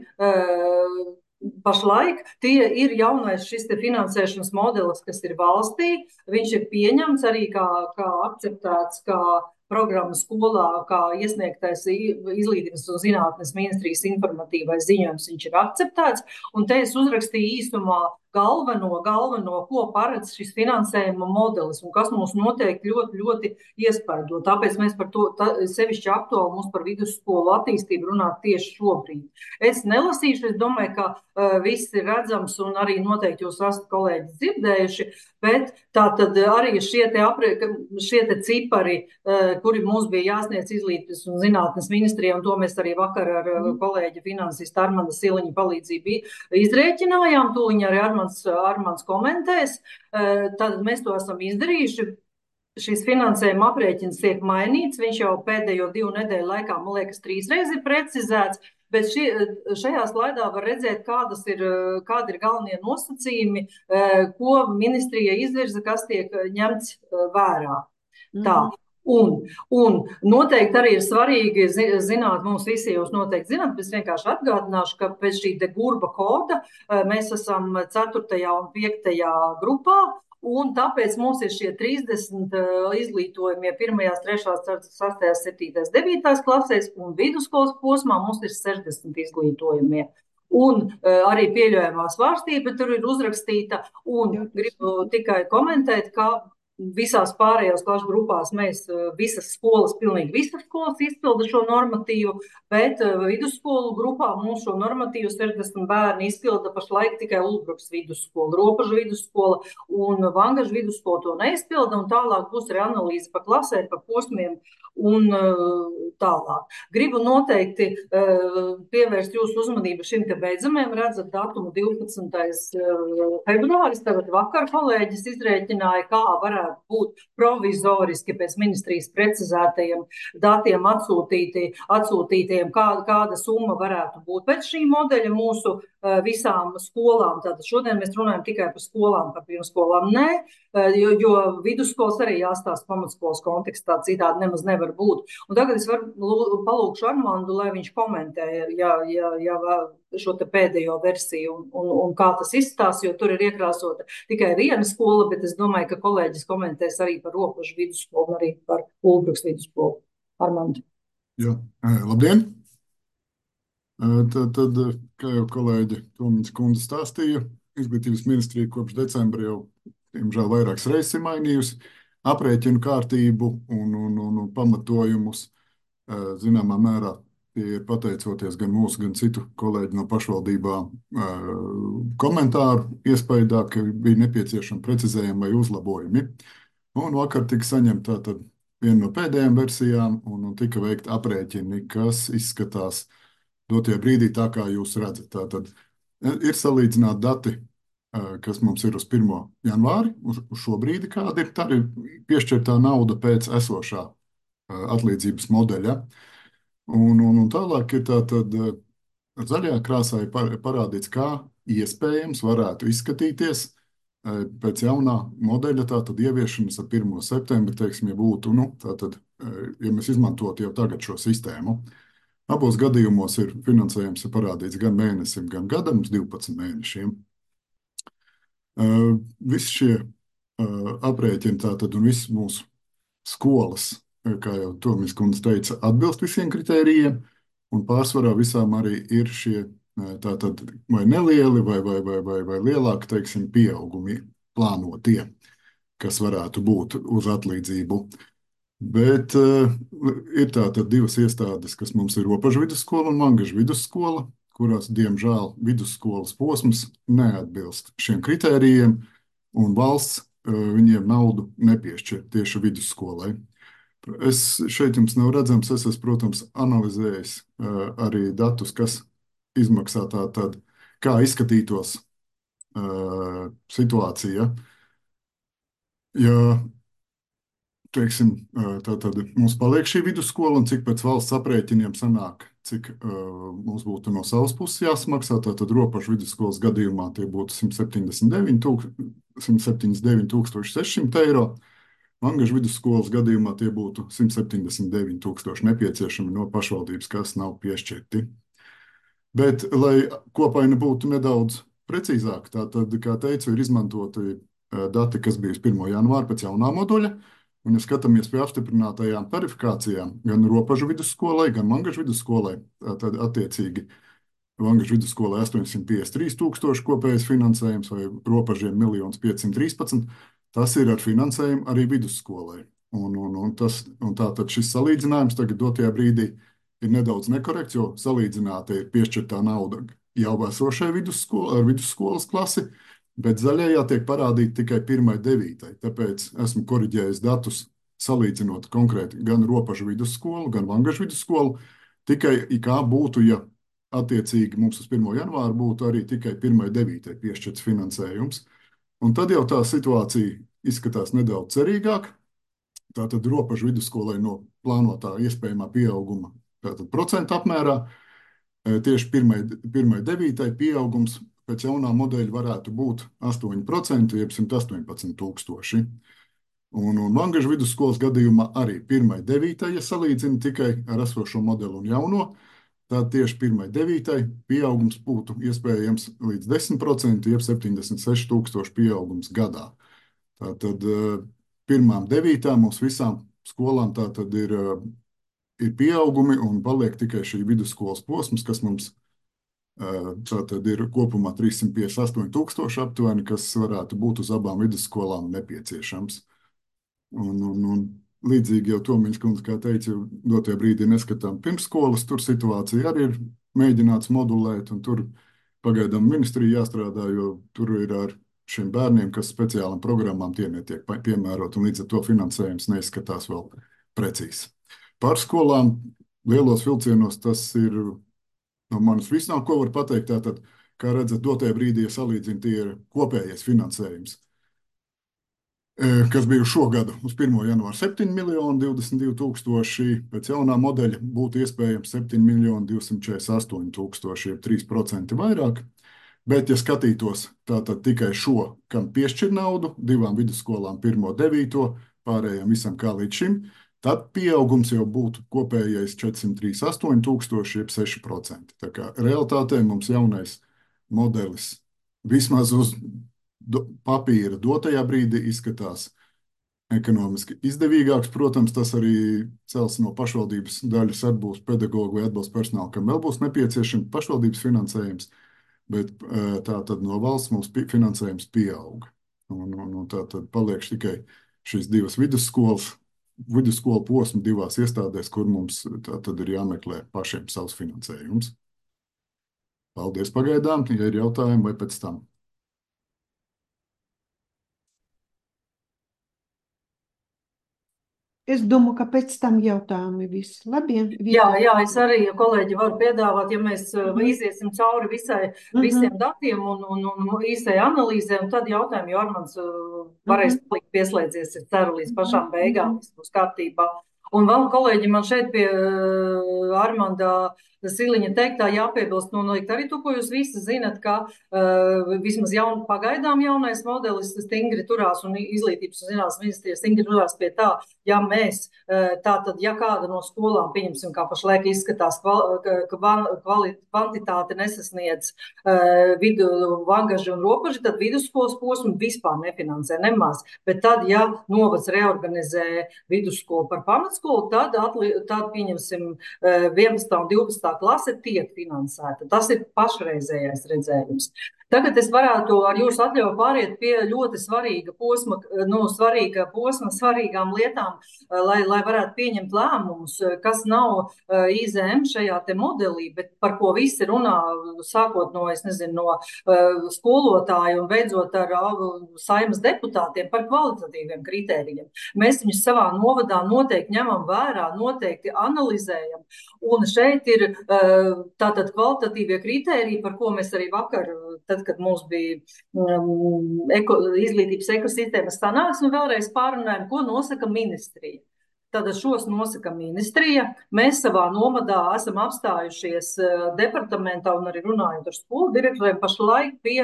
H: pašlaik tie ir jaunais šis te finansēšanas modelis, kas ir valstī. Viņš ir pieņemts arī kā, kā akceptēts, kā programma skolā, kā iesniegtais Izglītības un zinātnes ministrijas informatīvais ziņojums, viņš ir akceptēts. Un te es uzrakstīju īsumā galveno, galveno, ko paredz šis finansējuma modelis un kas mūs noteikti ļoti, ļoti iespaido. Tāpēc mēs par to, tā, sevišķi aktuāli mums par vidusskolu attīstību runāt tieši šobrīd. Es nelasīšu, es domāju, ka uh, viss ir redzams un arī noteikti jūs esat kolēģi dzirdējuši, bet tā tad arī šie te, apre, šie te cipari, uh, kuri mums bija jāsniedz Izglītības un zinātnes ministrijai, un to mēs arī vakar ar uh, kolēģi finansistu Armanda Siliņa palīdzību izrēķinājām, tūliņ arī Armanda Armands komentēs, tad mēs to esam izdarījuši. Šis finansējuma aprēķins tiek mainīts, viņš jau pēdējo divu nedēļu laikā, man liekas, trīsreiz ir precizēts, bet šī, šajā slaidā var redzēt, kādas ir, kādi ir galvenie nosacījumi, ko ministrija izvirza, kas tiek ņemts vērā. Mm. Tā. Un, un noteikti arī ir svarīgi zināt, mums visi jūs noteikti zināt, bet es vienkārši atgādināšu, ka pēc šī de Gurba koda mēs esam ceturtajā un piektajā grupā, un tāpēc mums ir šie trīsdesmit izglītojumie pirmajās, trešās, sastajās, septītās, devītās klasēs, un vidusskolas posmā mums ir sešdesmit izglītojumie. Un uh, arī pieļaujamā svārstība tur ir uzrakstīta, un gribu tikai komentēt, ka visās pārējās klašu grupās mēs visas skolas, pilnīgi visas skolas izpilda šo normatīvu, bet vidusskolu grupā mums šo normatīvu sešdesmit bērni izpilda pašlaik tikai Ulbrukas vidusskola, Ropažu vidusskola un Vangažu vidusskola to neizpilda, un tālāk būs arī analīze pa klasēm, pa posmiem un tālāk. Gribu noteikti pievērst jūsu uzmanību šim te beidzamajam, redzat datumu divpadsmitais februāris, tagad vakar kolēģis izrēķināja, kā varētu būt provizoriski pēc ministrijas precizētajiem datiem atsūtīti, atsūtītiem, kā, kāda summa varētu būt. Pēc šī modeļa mūsu visām skolām, tātad šodien mēs runājam tikai par skolām, par pirmskolām, nē, jo, jo vidusskolas arī jāstāsta pamatskolas kontekstā, citādi nemaz nevar būt. Un tagad es varu palūkšu Armandu, lai viņš komentē, ja, ja, ja šo te pēdējo versiju un, un, un kā tas izstās, jo tur ir iekrāsota tikai viena skola, bet es domāju, ka kolēģis komentēs arī par Ropažu vidusskolu un arī par Ulbrukas vidusskolu. Armandu.
I: Jā, labdien! Tad, tad, kā jau kolēģi Tomiņas kundze stāstīja, Izglītības ministrija kopš decembra jau, diemžēl, vairākas reizes ir mainījusi aprēķinu kārtību un, un, un, un pamatojumus. Zināmā mērā tie ir pateicoties gan mūsu, gan citu kolēģi no pašvaldībām komentāru iespējā, ka bija nepieciešami precizējumi vai uzlabojumi. Un vakar tika saņemta tātad viena no pēdējām versijām un, un tika veikta aprēķini, kas izskatās dotie brīdī tā, kā jūs redzat. Tātad ir salīdzināti dati, kas mums ir uz pirmo janvāri, uz, uz šo brīdi, kāda ir. Tā ir piešķirtā nauda pēc esošā atlīdzības modeļa. Un, un, un tālāk ir tātad ar zaļajā krāsā ir parādīts, kā iespējams varētu izskatīties pēc jaunā modeļa, tātad ieviešanas ar pirmo septembri, teiksim, ja būtu, nu, tātad, ja mēs izmantotu jau tagad šo sistēmu. Abos gadījumos ir finansējums ir parādīts gan mēnesim, gan gadam, uz divpadsmit mēnešiem. Uh, visi šie uh, aprēķini tātad un visas mūsu skolas, kā jau Tomiņas kundze teica, atbilst visiem kritērijiem, un pārsvarā visām arī ir šie tātad vai nelieli vai, vai, vai, vai, vai lielāki, teiksim, pieaugumi plānotie, kas varētu būt uz atlīdzību. Bet uh, ir tātad divas iestādes, kas mums ir Ropažu vidusskola un Vangažu vidusskola, kurās, diemžēl, vidusskolas posms neatbilst šiem kritērijiem, un valsts uh, viņiem naudu nepiešķir tieši vidusskolai. Es šeit jums nav redzams, es esmu, protams, analizējis uh, arī datus, kas izmaksā tātad, kā izskatītos uh, situācija, ja, teiksim, tā tad mums paliek šī vidusskola un cik pēc valsts aprēķiniem sanāk, cik uh, mums būtu no savas puses jāsmaksā, tātad Ropažu vidusskolas gadījumā tie būtu simt septiņdesmit deviņi tūkstoši seši simti eiro. Vangažu vidusskolas gadījumā tie būtu simt septiņdesmit deviņi tūkstoši nepieciešami no pašvaldības, kas nav piešķirti. Bet, lai kopaina būtu nedaudz precīzāk, tātad, kā teicu, ir izmantoti dati, kas bija uz pirmo janvāru pēc jaunā moduļa, un, ja skatāmies pie apstiprinātajām tarifikācijām, gan Ropažu vidusskolai, gan Vangažu vidusskolai, tad attiecīgi Vangažu vidusskolai astoņsimt piecdesmit trīs tūkstoši kopējais finansējums vai Ropažiem miljons piecsimt trīspadsmit, tas ir ar finansējumu arī vidusskolai. Un, un, un, tas, un tātad šis salīdzinājums tagad dotajā brīdī ir nedaudz nekorekts, jo salīdzināta ir piešķirtā nauda jau esošai vidusskola, ar vidusskolas klasi, bet zaļajā tiek parādīta tikai pirmai devītai. Tāpēc esmu koriģējis datus salīdzinot konkrēti gan Ropažu vidusskolu, gan Vangažu vidusskolu, tikai kā būtu, ja attiecīgi mums uz pirmo janvāru būtu arī tikai pirmai devītai piešķirts finansējums. Un tad jau tā situācija izskatās nedaudz cerīgāk. Tātad Ropažu vidusskolai no plānotā iespējamā pieauguma tātad procentu apmērā tieši pirmai, pirmai devītai pieaugums pēc jaunā modeļa varētu būt astoņi procenti, jeb simt astoņpadsmit tūkstoši. Un, un Vangažu vidusskolas gadījumā arī pirmai devītai, ja salīdzina tikai ar esošo modeli un jauno, tad tieši pirmai devītai pieaugums būtu iespējams līdz desmit procenti, jeb septiņdesmit seši tūkstoši pieaugums gadā. Tātad pirmām devītām mums visām skolām tātad ir, ir pieaugumi un paliek tikai šī vidusskolas posms, kas mums tātad ir kopumā trīssimt piecdesmit astoņi tūkstoši aptuveni, kas varētu būt uz abām vidusskolām nepieciešams. Un, un, un līdzīgi jau Tomiņas kundze, kā teica, dotajā brīdī neskatām pirmsskolas, tur situācija arī ir mēģināts modulēt, un tur pagaidām ministrija jāstrādā, jo tur ir ar šiem bērniem, kas speciālam programmām tie netiek piemērot, un līdz ar to finansējums neizskatās vēl precīzi. Par skolām lielos vilcienos tas ir no manas visnām, ko var pateikt, tātad, kā redzat, dotajā brīdī, ja salīdzina, tie ir kopējais finansējums, kas bija šogad uz pirmo janvāru septiņi miljoni divdesmit divi tūkstoši, pēc jaunā modeļa būtu iespējams septiņi miljoni divsimt četrdesmit astoņi tūkstoši, jeb trīs procenti vairāk. Bet, ja skatītos tātad tikai šo, kam piešķir naudu, divām vidusskolām pirmo devīto, pārējām visam kā līdz šim, tad pieaugums jau būtu kopējais četrsimt trīsdesmit astoņi tūkstoši, jeb seši procenti. Tā kā realitātē mums jaunais modelis vismaz uz do, papīra dotajā brīdī izskatās ekonomiski izdevīgāks. Protams, tas arī cels no pašvaldības daļas atbūs pedagogu vai atbalsta personālu, kam vēl būs nepieciešams pašvaldības finansējums, bet tā tad no valsts mums finansējums pieaug. Un, un, un tā tad paliek tikai šīs divas vidusskolas, vidusskolu posmu divās iestādēs, kur mums tā tad ir jāmeklē pašiem savs finansējums. Paldies pagaidām, ja ir jautājumi vai pēc tam.
A: Es domāju, ka pēc tam jautājumi visi. Labi,
H: jā, jā, es arī, ja kolēģi, varu piedāvāt, ja mēs mm. iziesim cauri visai, visiem mm-hmm. datiem un, un, un īstai analīzē, un tad jautājumi, jo Armands varēs mm-hmm. palikt pieslēdzies, es ceru, līdz pašām beigām, viss būs kārtībā. Un vēl, kolēģi, man šeit pie uh, Armanda Siliņa teiktā jāpiebilst, un noteikti arī to, ko jūs visi zinat, ka uh, vismaz jaun, pagaidām jaunais modelis stingri turās un izglītības un zinātnes ministrija stingri turās pie tā, ja mēs, uh, tātad, ja kāda no skolām, pieņemsim, kā pašlaik izskatās, kval, ka kvali, kvantitāte nesasniedz uh, vidu Vangaži un Ropaži, tad vidusskolas posmu vispār nefinansē nemaz. Bet tad, ja novads reorganizē vidusskolu par pamatskolu, tad, atli, tad pieņemsim vienpadsmitā un divpadsmitā klase tiek finansēta. Tas ir pašreizējais redzējums. Tagad es varētu ar jūsu atļauju pāriet pie ļoti svarīga posma, nu, svarīga posma, svarīgām lietām, lai, lai varētu pieņemt lēmumus, kas nav I Z M šajā te modelī, bet par ko visi runā, sākot no, es nezinu, no skolotāju un beidzot ar Saeimas deputātiem par kvalitatīviem kritērijiem. Mēs viņus savā novadā noteikti ņemam vērā, noteikti analizējam, un šeit ir tātad kvalitatīvie kritēriji, par ko mēs arī vakar tad, kad mums bija um, eko, izglītības ekosistēmas sanāksme, vēlreiz pārunājam, ko nosaka ministrija. Tātad šos nosaka ministrija. Mēs savā nomadā esam apstājušies departamentā un arī runājot ar skolu direktoriem pašlaik pie,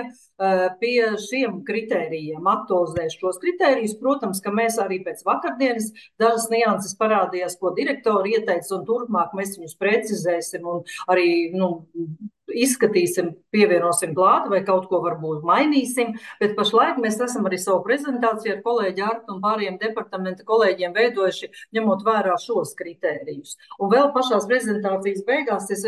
H: pie šiem kritērijiem, aktualizēs šos kritērijus. Protams, ka mēs arī pēc vakardienas dažas nianses parādījās, ko direktori ieteica, un turpmāk mēs viņus precizēsim un arī, nu, izskatīsim, pievienosim klāt vai kaut ko varbūt mainīsim, bet pašlaik mēs esam arī savu prezentāciju ar kolēģi Artu un pārējiem departamenta kolēģiem veidojuši, ņemot vērā šos kritērijus. Un vēl pašās prezentācijas beigās es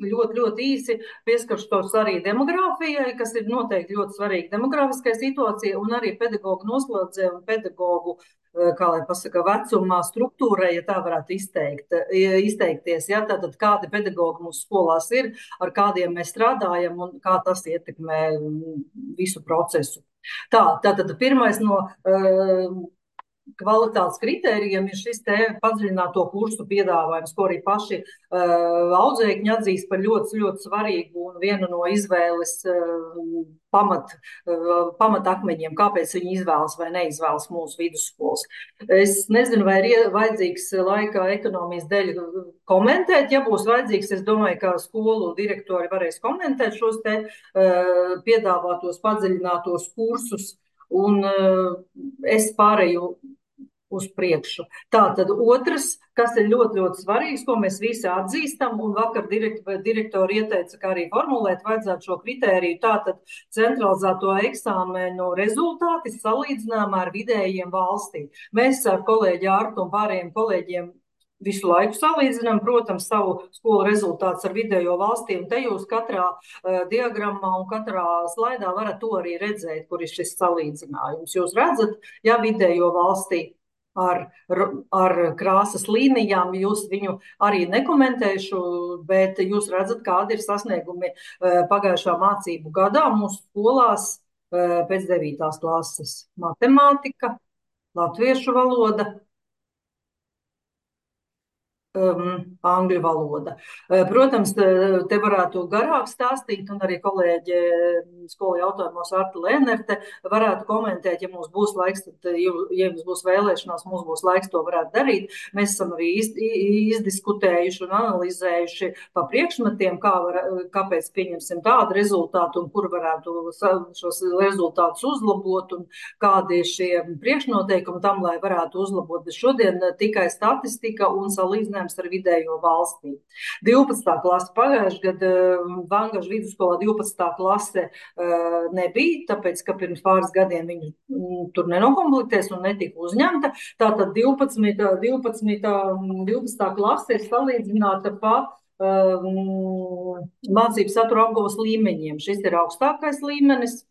H: ļoti, ļoti īsi pieskaršos arī demogrāfijai, kas ir noteikti ļoti svarīga demogrāfiskai situācijai, un arī pedagogu noslēdzē un pedagogu, kā lai pasaka, vecumā struktūrai, ja tā varētu izteikt, izteikties. Ja? Tātad kādi pedagogi mūsu skolās ir, ar kādiem mēs strādājam un kā tas ietekmē visu procesu. Tā, tātad pirmais no uh, kvalitātes kritērijiem ir šis te padziļināto kursu piedāvājums, ko arī paši uh, audzēkņi atzīst par ļoti, ļoti svarīgu un vienu no izvēles uh, pamat, uh, pamatakmeņiem, kāpēc viņi izvēlas vai neizvēlas mūsu vidusskolas. Es nezinu, vai ir vajadzīgs laika ekonomijas dēļ komentēt. Ja būs vajadzīgs, es domāju, ka skolu direktori varēs komentēt šos te uh, piedāvātos padziļinātos kursus. Un uh, es pārēju uz priekšu. Tātad otrs, kas ir ļoti, ļoti svarīgs, ko mēs visi atzīstam, un vakar direktori, direktori ieteica, kā arī formulēt vajadzētu šo kritēriju, tātad centralizēto eksāmenu rezultāti salīdzinājumā ar vidējiem valstī. Mēs ar kolēģi Artu un pārējiem kolēģiem visu laiku salīdzinām, protams, savu skolu rezultātus ar vidējo valstī, un te jūs katrā uh, diagrammā un katrā slaidā varat to arī redzēt, kur ir šis salīdzinājums. Jūs redzat, ja vidējo valstī ar, ar krāsas līnijām, jūs viņu arī nekomentēšu, bet jūs redzat, kādi ir sasniegumi uh, pagājušā mācību gadā mūsu skolās uh, pēc devītās klases. Matemātika, latviešu valoda, Um, angļu valoda. Protams, te varētu garāk stāstīt, un arī kolēģi skolu jautājumos Arta Lēnerte varētu komentēt, ja mums būs laiks, tad, ja mums būs vēlēšanās, mums būs laiks to varētu darīt. Mēs esam arī iz, izdiskutējuši un analizējuši pa priekšmetiem, kā var, kāpēc pieņemsim tādu rezultātu un kur varētu šos rezultātus uzlabot un kādi šie priekšnoteikumi tam, lai varētu uzlabot. Bet šodien tikai statistika un salīdzinājums ar vidējo valstī. divpadsmitā klase pagājušajā gadā Vangažu vidusskolā divpadsmitā klase uh, nebija, tāpēc, ka pirms pāris gadiem viņi mm, tur nenokomplektēs un netika uzņemta. Tātad divpadsmitā, divpadsmitā, divpadsmitā klase ir salīdzināta pa um, mācību satura apguvas līmeņiem. Šis ir augstākais līmenis.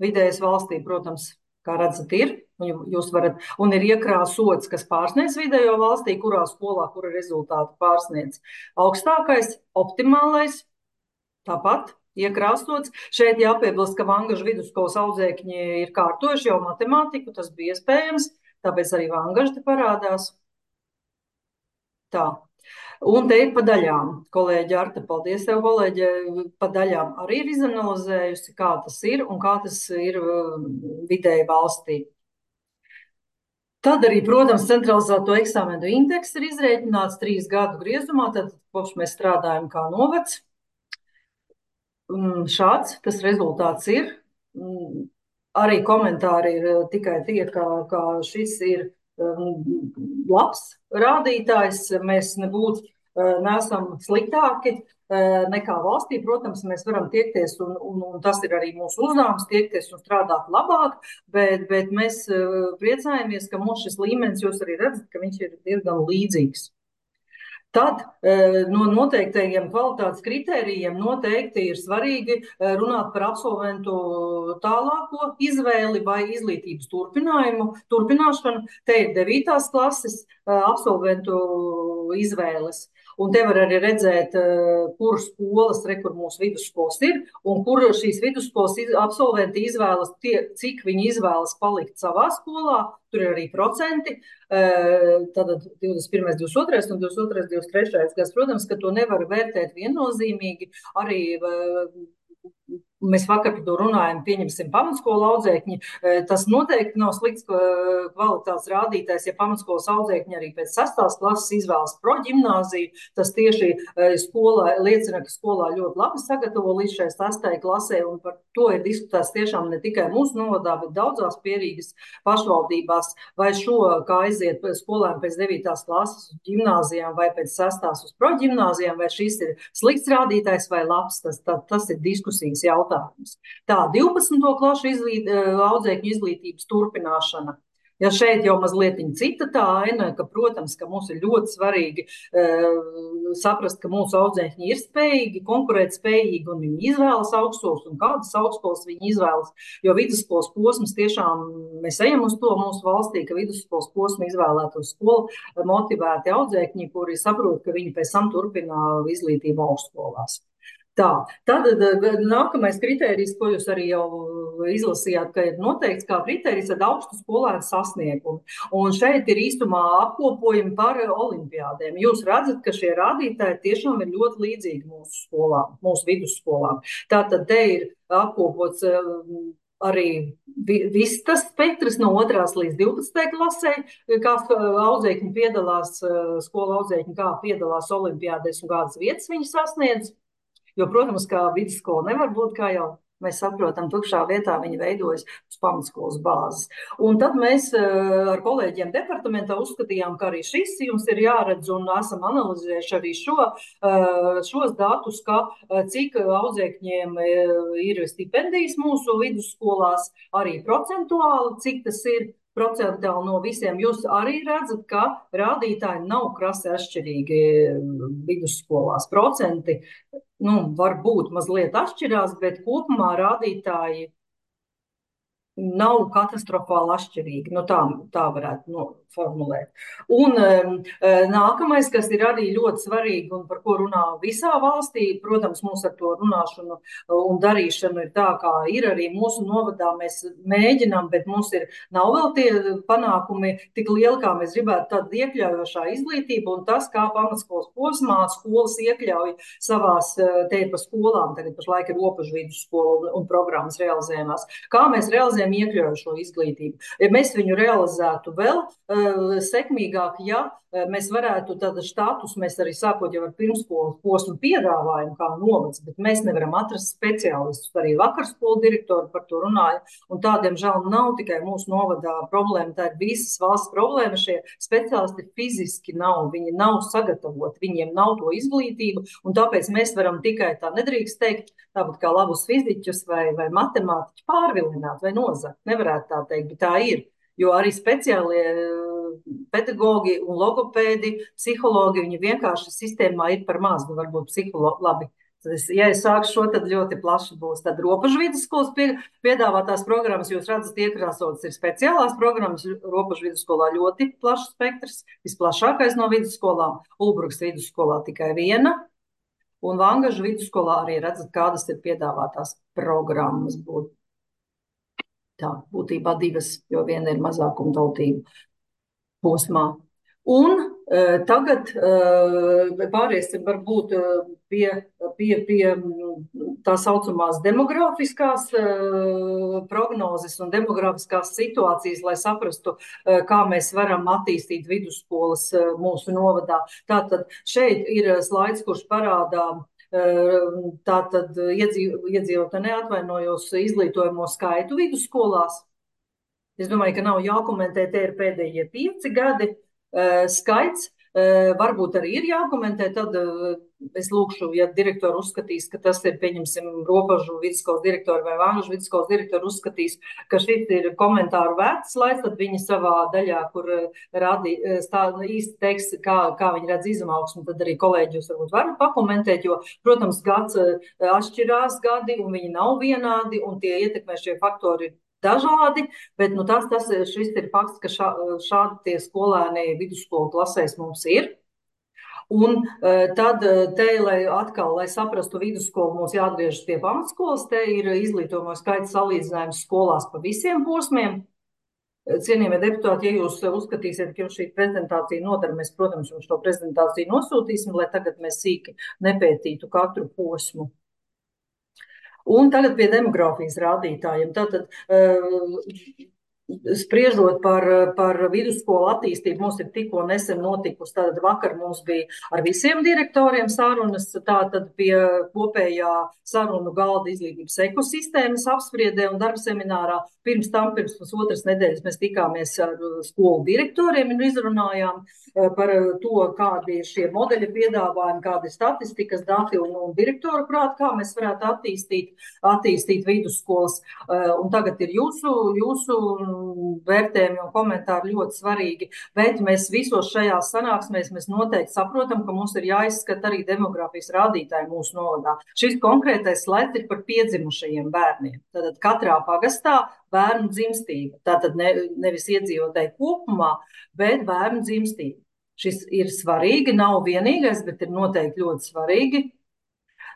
H: Vidējais valstī, protams, kā redzat, ir. Jūs varat, un ir iekrāsots, kas pārsniedz vidējo valstī, kurā skolā, kura rezultāti pārsniedz. Augstākais, optimālais, tāpat iekrāsots. Šeit jāpiebilst, ka Vangažu vidusskolas audzēkņi ir kārtojuši jau matemātiku, tas bija iespējams, tāpēc arī Vangaža te parādās. Tā. Un te ir pa daļām. Kolēģi Arta, paldies tev, kolēģi, pa daļām arī ir izanalizējusi, kā tas ir un kā tas ir vidēji valstī. Tad arī, protams, centralizēto eksāmenu indeks ir izrēķināts trīs gadu griezumā, tad kopš mēs strādājam kā novads. Šāds tas rezultāts ir. Arī komentāri ir tikai tie, ka, ka šis ir labs rādītājs. Mēs nebūtu neesam sliktāki nekā valstī. Protams, mēs varam tiekties, un, un, un tas ir arī mūsu uzdevums, tiekties un strādāt labāk, bet, bet mēs priecājamies, ka mums šis līmenis, jūs arī redzat, ka viņš ir diezgan līdzīgs. Tad no noteiktajiem kvalitātes kritērijiem noteikti ir svarīgi runāt par absolventu tālāko izvēli vai izglītības turpinājumu, turpināšanu. Te ir devītās klases absolventu izvēles. Un te var arī redzēt, kur skolas, re, kur mūsu vidusskolas ir, un kur šīs vidusskolas absolventi izvēlas, tie, cik viņi izvēlas palikt savā skolā. Tur ir arī procenti, tātad divdesmit pirmais, divdesmit otrais un divdesmit otrais, divdesmit trešais gads. Protams, ka to nevar vērtēt viennozīmīgi. Arī mēs vakar par to runājam, pieņemsim pamatskolu audzēkņi, tas noteikti nav slikts kvalitātes rādītājs, ja pamatskolas audzēkņi arī pēc sastās klases izvēlas proģimnāziju, tas tieši skolā, liecina, ka skolā ļoti labi sagatavo līdz šai sastai klasē, un par to ir diskutēts tiešām ne tikai mūsu novadā, bet daudzās pierīgas pašvaldībās, vai šo, kā aiziet skolēni pēc devītās klases uz ģimnāzijām, vai pēc sastās uz proģimnāzijām, vai šis ir slikts rādītājs vai labs, tas, tā, tas ir diskusijas jautājums. Tā, divpadsmito klašu izglīt, audzēkņu izglītības turpināšana. Ja šeit jau mazliet cita tā aina, ka, protams, ka mums ir ļoti svarīgi uh, saprast, ka mūsu audzēkņi ir spējīgi, konkurēt spējīgi, un viņi izvēlas augstskolas, un kādas augstskolas viņi izvēlas, jo vidusskolas posms tiešām, mēs ejam uz to mūsu valstī, ka vidusskolas posmu izvēlētu uz skolu motivēti audzēkņi, kuri saprot, ka viņi pēc tam turpina izglītību augstskolās. Tā, tad nākamais kritērijs, ko jūs arī jau izlasījāt, ka ir noteikts kā kritērijs, tad augstu skolēnu sasniegumu. Un šeit ir īstumā apkopojumi par olimpiādēm. Jūs redzat, ka šie rādītāji tiešām ir ļoti līdzīgi mūsu skolām, mūsu vidusskolām. Tātad te ir apkopots arī viss tas spektrs no otrās līdz divpadsmitajai klasē, kā audzēkņi piedalās, skola audzēkņi kā piedalās olimpiādēs un kādas vietas viņi sasniedz. Jo, protams, kā vidusskola nevar būt, kā jau mēs saprotam, tukšā vietā viņi veidojas uz pamatskolas bāzes. Un tad mēs ar kolēģiem departamentā uzskatījām, ka arī šis jums ir jāredz, un esam analizējuši arī šo, šos datus, ka cik audzēkņiem ir stipendijas mūsu vidusskolās, arī procentuāli, cik tas ir procentuāli no visiem. Jūs arī redzat, ka rādītāji nav krasi atšķirīgi vidusskolās. Procenti nu, varbūt mazliet atšķirās, bet kopumā rādītāji nav katastrofāli atšķirīgi. Nu, tā, tā varētu nu, formulēt. Un um, nākamais, kas ir arī ļoti svarīgi un par ko runā visā valstī, protams, mums ar to runāšanu un darīšanu ir tā, kā ir arī mūsu novadā. Mēs mēģinām, bet mums ir nav vēl tie panākumi tik lieli, kā mēs gribētu, tāda iekļaujošā izglītība un tas, kā pamatskolas posmā skolas iekļauj savās te pa skolām, tagad pašlaik ir robežu vidusskola un, un programmas realizējumās. Kā mēs realizējam iekļaujošo izglītību? Ja mēs viņu realizētu vēl sekmīgāk, ja mēs varētu tādu štatus, mēs arī sākot jau ar pirmskolas posmu piedāvājumu kā novads, bet mēs nevaram atrast speciālistus. Arī vakar skolu direktori par to runāja, un tādiem žēl nav tikai mūsu novadā problēma, tā ir visas valsts problēma. Šie speciālisti fiziski nav, viņi nav sagatavoti, viņiem nav to izglītību, un tāpēc mēs varam tikai tā nedrīkst teikt, tāpat kā labus fiziķus vai, vai matemātiķus pārvilināt vai nozakt. Nevarētu tā teikt, bet tā ir. Jo arī speciālie pedagogi un logopēdi, psihologi, viņi vienkārši sistēmā ir par maz, nu varbūt psihologi, labi. Es, ja es sāku šo, tad ļoti plaši būs. Tad robežu vidusskolas pie, piedāvātās programmas, jūs redzat, iekrāsotas ir speciālās programmas, robežu vidusskolā ļoti plašs spektrs, visplašākais no vidusskolām, Ulbrukas vidusskolā tikai viena, un Vangažu vidusskolā arī redzat, kādas ir piedāvātās programmas būtu. Tā, būtībā divas, jo viena ir mazākuma tautība posmā. Un e, tagad e, pāriesim varbūt pie, pie, pie tā saucamās demografiskās e, prognozes un demografiskās situācijas, lai saprastu, e, kā mēs varam attīstīt vidusskolas e, mūsu novadā. Tātad šeit ir slaids, kurš parādā tātad iedzīvotāji neatvainojos izglītojamo skaitu vidusskolās. Es domāju, ka nav jākomentē, te ir pēdējie pieci gadi skaits. Varbūt arī ir jākomentē, tad es lūkšu, ja direktori uzskatīs, ka tas ir, pieņemsim, robežu vidusskolas direktori vai Vangažu vidusskolas direktori uzskatīs, ka šis ir komentāru vērts slaids, tad viņi savā daļā, kur radi, stā, īsti teiks, kā, kā viņi redz izaugsmu, tad arī kolēģi jūs varbūt varat pakomentēt, jo, protams, gads atšķirās gadi un viņi nav vienādi un tie ietekmē šie faktori dažādi, bet nu, tas, tas, šis ir fakts, ka šā, šādi tie skolēni vidusskolu klasēs mums ir. Un tad te, lai atkal, lai saprastu vidusskolu, mums jāatgriežas pie pamatskolas, te ir izglītojamo skaita salīdzinājums skolās pa visiem posmiem. Cienījamie deputāti, ja jūs uzskatīsiet, ka jums šī prezentācija nodara, mēs, protams, jums šo prezentāciju nosūtīsim, lai tagad mēs sīki nepētītu katru posmu. Un tagad pie demogrāfijas rādītājiem. Tātad, spriežot par, par vidusskolu attīstību, mums ir tikko nesen notikusi, tātad vakar mums bija ar visiem direktoriem sarunas, tātad pie kopējā sarunu galda izglītības ekosistēmas apspriedē un darba seminārā. Pirms tam, pirms pusotras nedēļas mēs tikāmies ar skolu direktoriem un izrunājām par to, kādi ir šie modeļi piedāvājumi, kādi ir statistikas dati un, un direktoru prāt, kā mēs varētu attīstīt, attīstīt vidusskolas. Un tagad ir jūsu, jūsu vērtējumi un komentāri ļoti svarīgi, bet mēs visos šajās sanāksmēs mēs noteikti saprotam, ka mums ir jāizskata arī demogrāfijas rādītāji mūsu novadā. Šis konkrētais slaids ir par piedzimušajiem bērniem. Tātad katrā pagastā bērnu dzimstība. Tātad ne, nevis iedzīvotāji kopumā, bet bērnu dzimstība. Šis ir svarīgi, nav vienīgais, bet ir noteikti ļoti svarīgi.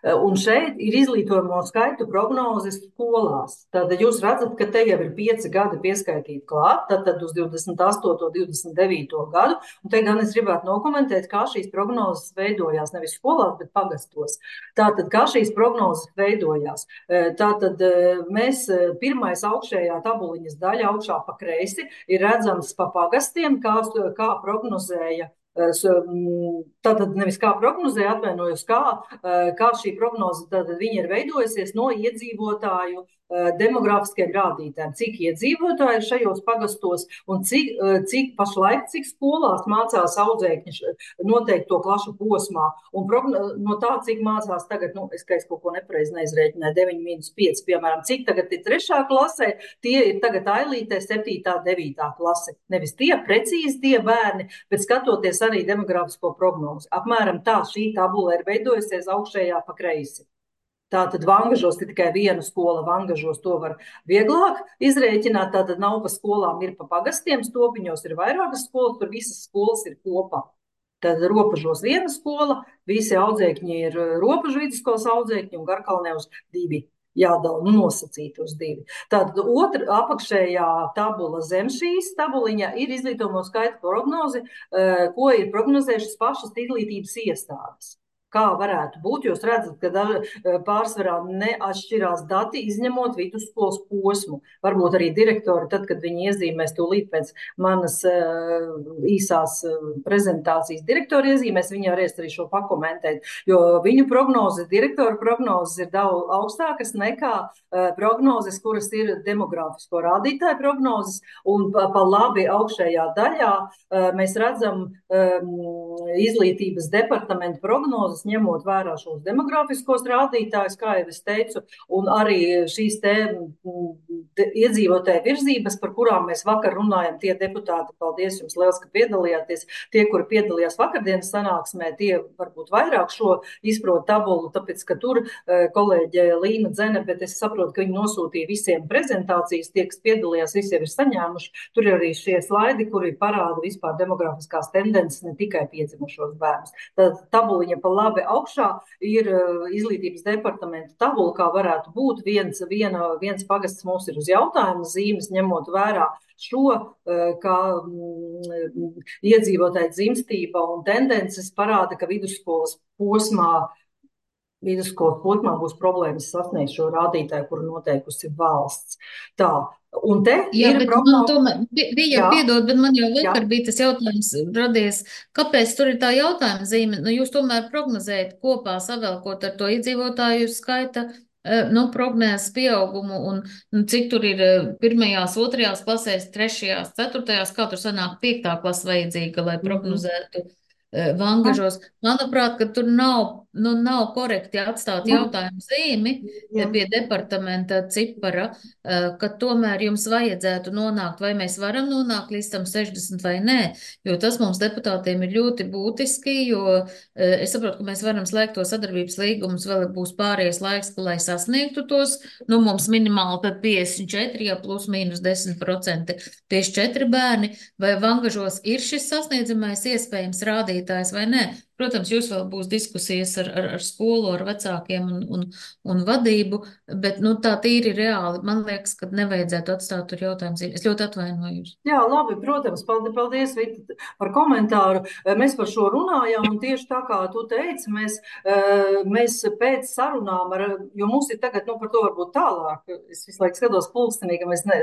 H: Un šeit ir izglītojamo skaitu prognozes skolās. Tātad jūs redzat, ka te jau ir pieci gadi pieskaitīti klāt, tātad uz divdesmit astoto, divdesmit devīto gadu. Un te gan es gribētu nokomentēt, kā šīs prognozes veidojās, nevis skolās, bet pagastos. Tātad, kā šīs prognozes veidojās. Tātad mēs pirmais augšējā tabuliņas daļa augšā pa kreisi ir redzams pa pagastiem, kā, kā prognozēja. Tātad nevis kā prognozēja, atvainojos, kā, kā šī prognoze, tātad viņa ir veidojusies no iedzīvotāju demogrāfiskiem rādītājiem, cik iedzīvotāji ir šajos pagastos un cik, cik pašlaik, cik skolās mācās audzēkņi noteikto klašu posmā. Un no tā, cik mācās tagad, nu, es, ka es kaut ko nepareizi neizrēķināju, deviņi mīnus pieci, piemēram, cik tagad ir trešā klasē, tie ir tagad ailītē septītā, devītā klase. Nevis tie precīzi tie bērni, bet skatoties arī demogrāfisko prognozi. Apmēram tā šī tabula ir veidojusies augšējā pa kreisi. Tātad Vangažos ir tikai viena skola, Vangažos to var vieglāk izrēķināt, tātad nav pa skolām, ir pa pagastiem, Stopiņos ir vairākas skolas, tur visas skolas ir kopā. Tad Ropažos viena skola, visi audzēkņi ir Ropažu vidusskolas audzēkņi un Garkalnē uz divi. Jādala, nu nosacīti uz divi. Tātad otra apakšējā tabula zem šīs tabuliņa ir izglītojamo skaitu prognozi, ko ir prognozējušas pašas izglītības iestādes. Kā varētu būt, jūs redzat, ka pārsvarā neatšķirās dati, izņemot vidusskolas posmu. Varbūt arī direktori, tad, kad viņi iezīmēs tūlīt pēc manas uh, īsās prezentācijas direktori iezīmēs, viņi varēs arī šo pakomentēt, jo viņu prognozes, direktoru prognozes ir daudz augstākas nekā uh, prognozes, kuras ir demogrāfisko rādītāju prognozes, un pa, pa labi augšējā daļā uh, mēs redzam um, izglītības departamenta prognozes, ņemot vērā šos demogrāfiskos rādītājus, kā jau es teicu, un arī šīs te iedzīvotāju virzības, par kurām mēs vakar runājam, tie deputāti, paldies jums liels, ka piedalījāties, tie, kuri piedalījās vakardienas sanāksmē, tie varbūt vairāk šo izprot tabulu, tāpēc, ka tur kolēģe Līna Dzene, bet es saprotu, ka viņi nosūtīja visiem prezentācijas, tie, kas piedalījās, visi jau ir saņēmuši, tur ir arī šie slaidi, kuri parāda vispār demografiskās tendences, ne tikai piedzimušos bērnus. Tad tabuliņa pa labi augšā ir izglītības departamenta tabula, kā varētu būt. Viens, viena, viens pagasts mums ir uz jautājumu zīmes, ņemot vērā šo, kā iedzīvotāju dzimstība un tendences parāda, ka vidusskolas posmā, vidusskolas posmā būs problēmas sasniegt šo rādītāju, kuru noteikusi valsts. Tā. Un te
F: Jā,
H: ir
F: bet
H: prognoze.
F: man tomēr, bija piedod, bet man jau vakar Jā. bija tas jautājums radies, kāpēc tur ir tā jautājuma zīme? Nu, jūs tomēr prognozējat kopā, savēlkot ar to iedzīvotāju skaita, nu, prognēs pieaugumu un nu, cik tur ir pirmajās, otrajās klasēs, trešajās, ceturtajās, kā tur sanāk piektā klasa vajadzīga, lai prognozētu mm-hmm. Vangažos. Manuprāt, ka tur nav, nu, nav korekti atstāt jautājumu zīmi Jā. pie departamenta cipara, ka tomēr jums vajadzētu nonākt, vai mēs varam nonākt līdz tam sešdesmit vai nē, jo tas mums deputātiem ir ļoti būtiski, jo es saprotu, ka mēs varam slēgt to sadarbības līgumus, vēl būs pārējais laiks, lai sasniegtu tos, nu mums minimāli tad piecdesmit četri, ja plus mīnus desmit procenti, tieši četri bērni, vai Vangažos ir šis sasniedzamais iespējams rādīt vadītājs vai nē. Protams, jūs vēl būs diskusijas ar, ar, ar skolu, ar vecākiem un, un, un vadību, bet, nu, tā tīri reāli, man liekas, ka nevajadzētu atstāt tur jautājumu zīmi. Es ļoti atvainojos.
H: Jā, labi, protams, paldies, paldies Vita, par komentāru. Mēs par šo runājām, un tieši tā kā tu teici, mēs, mēs pēc sarunām, ar, jo mums ir tagad, nu, par to varbūt tālāk, es visu laiku skatos pulkstenī, ka mēs ne,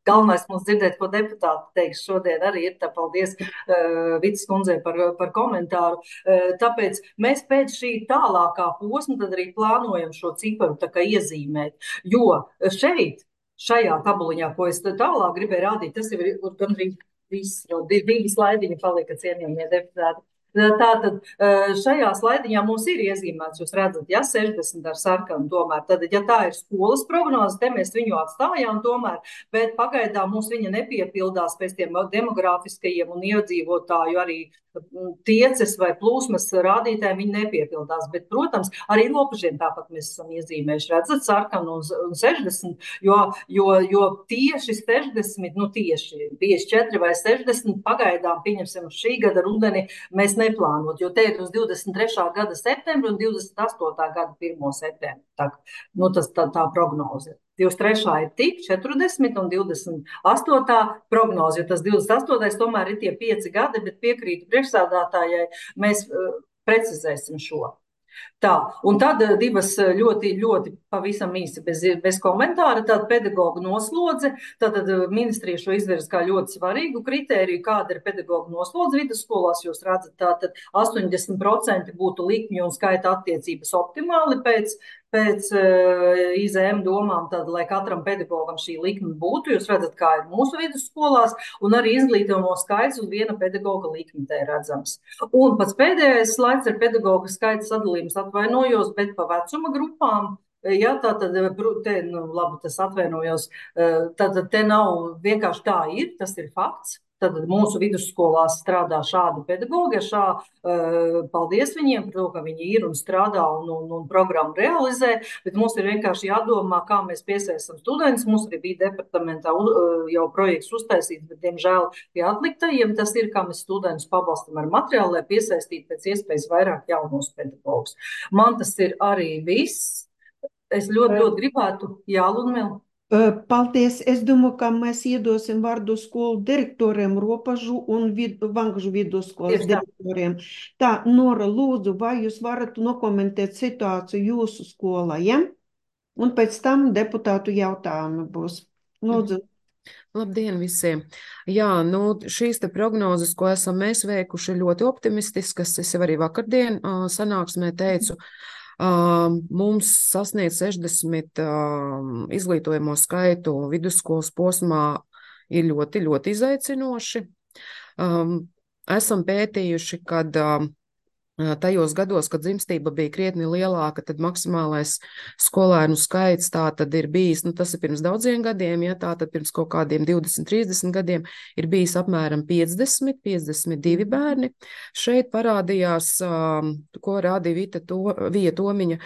H: galvenais mums dzirdēt, ko deputāti teiks šodien arī ir, tā paldies uh, Vitas kundzei par, par komentāru. Uh, tāpēc mēs pēc šī tālākā posma tad arī plānojam šo ciparu tā kā iezīmēt, jo šeit, šajā tabuliņā, ko es tālāk gribēju rādīt, tas ir gandrīz viss, jau divi slaidiņi palika, cienījamie deputāti. Tātad šajā slaidiņā mums ir iezīmēts, jūs redzat, ja sešdesmit ar sarkanu tomēr, tad, ja tā ir skolas prognoze, te mēs viņu atstājām tomēr, bet pagaidām mums viņa nepiepildās pēc tiem demografiskajiem un iedzīvotāju arī tieces vai plūsmas rādītājiem viņi nepiepildās, bet, protams, arī Lopažiem tāpat mēs esam iezīmējuši, redzat, sarkanu un, un sešdesmit, jo, jo, jo tieši sešdesmit, nu tieši piecdesmit četri vai sešdesmit pagaidām, pieņemsim, šī gada rudeni mēs neplānot, jo te ir uz divdesmit trešā gada septembri un divdesmit astotā gada pirmo septembri. Tā, nu, tas tā, tā prognoze. divdesmit trešā ir tik četrdesmit un divdesmit astotā prognoze, jo tas divdesmit astotais tomēr ir tie pieci gadi, bet piekrītu priekšsādātājai, mēs uh, precizēsim šo. Tā, un tad divas ļoti, ļoti pavisam īsi bez, bez komentāra, tāda pedagoģa noslodze, tātad ministrija šo izvirza kā ļoti svarīgu kritēriju, kāda ir pedagoģa noslodze vidusskolās, jūs redzat, tātad astoņdesmit procenti būtu likmju un skaita attiecības optimāli pēc, pēc uh, I Z M domām, tad, lai katram pedagogam šī likme būtu, jūs redzat, kā ir mūsu vidusskolās, un arī izglītojumu skaits uz viena pedagoga likmi te ir redzams. Un pats pēdējais slaids ir pedagoga skaita sadalījums, atvainojos, bet pa vecuma grupām. Jā, tā tad, te, nu, labi, tas atvainojos, tad te nav vienkārši tā ir, tas ir fakts. Tad mūsu vidusskolās strādā šādi pedagogi, šā, paldies viņiem par to, ka viņi ir un strādā un, un, un programmu realizē, bet mums ir vienkārši jādomā, kā mēs piesaistam studentus. Mums arī bija departamentā jau projekts uztaisīts, bet, diemžēl, pie atliktajiem tas ir, kā mēs studentus pabalstam ar materiālu, lai piesaistītu pēc iespējas vairāk jaunos pedagogus. Man tas ir arī viss. Es ļoti, ļoti gribētu, jā, Ludmila.
A: Paldies. Es domāju, ka mēs iedosim vārdu skolu direktoriem Ropažu un vid, Vangažu vidusskolas direktoriem. Tā, Nora, lūdzu, vai jūs varat nokomentēt situāciju jūsu skolā, ja? Un pēc tam deputātu jautājumi būs. Lūdzu.
J: Labdien visiem! Jā, nu, šīs te prognozes, ko esam mēs veikuši, ļoti optimistiskas. Es jau arī vakardien uh, sanāksmē teicu, Uh, mums sasniegt sešdesmit uh, izglītojamo skaitu vidusskolas posmā ir ļoti, ļoti izaicinoši. Um, esam pētījuši, kad uh, tajos gados, kad dzimstība bija krietni lielāka, tad maksimālais skolēnu skaits tā tad ir bijis, nu tas ir pirms daudziem gadiem, ja tā tad pirms kaut kādiem divdesmit, trīsdesmit gadiem ir bijis apmēram piecdesmit, piecdesmit divi bērni. Šeit parādījās, ko rādīja Vita to, Vija Tomiņa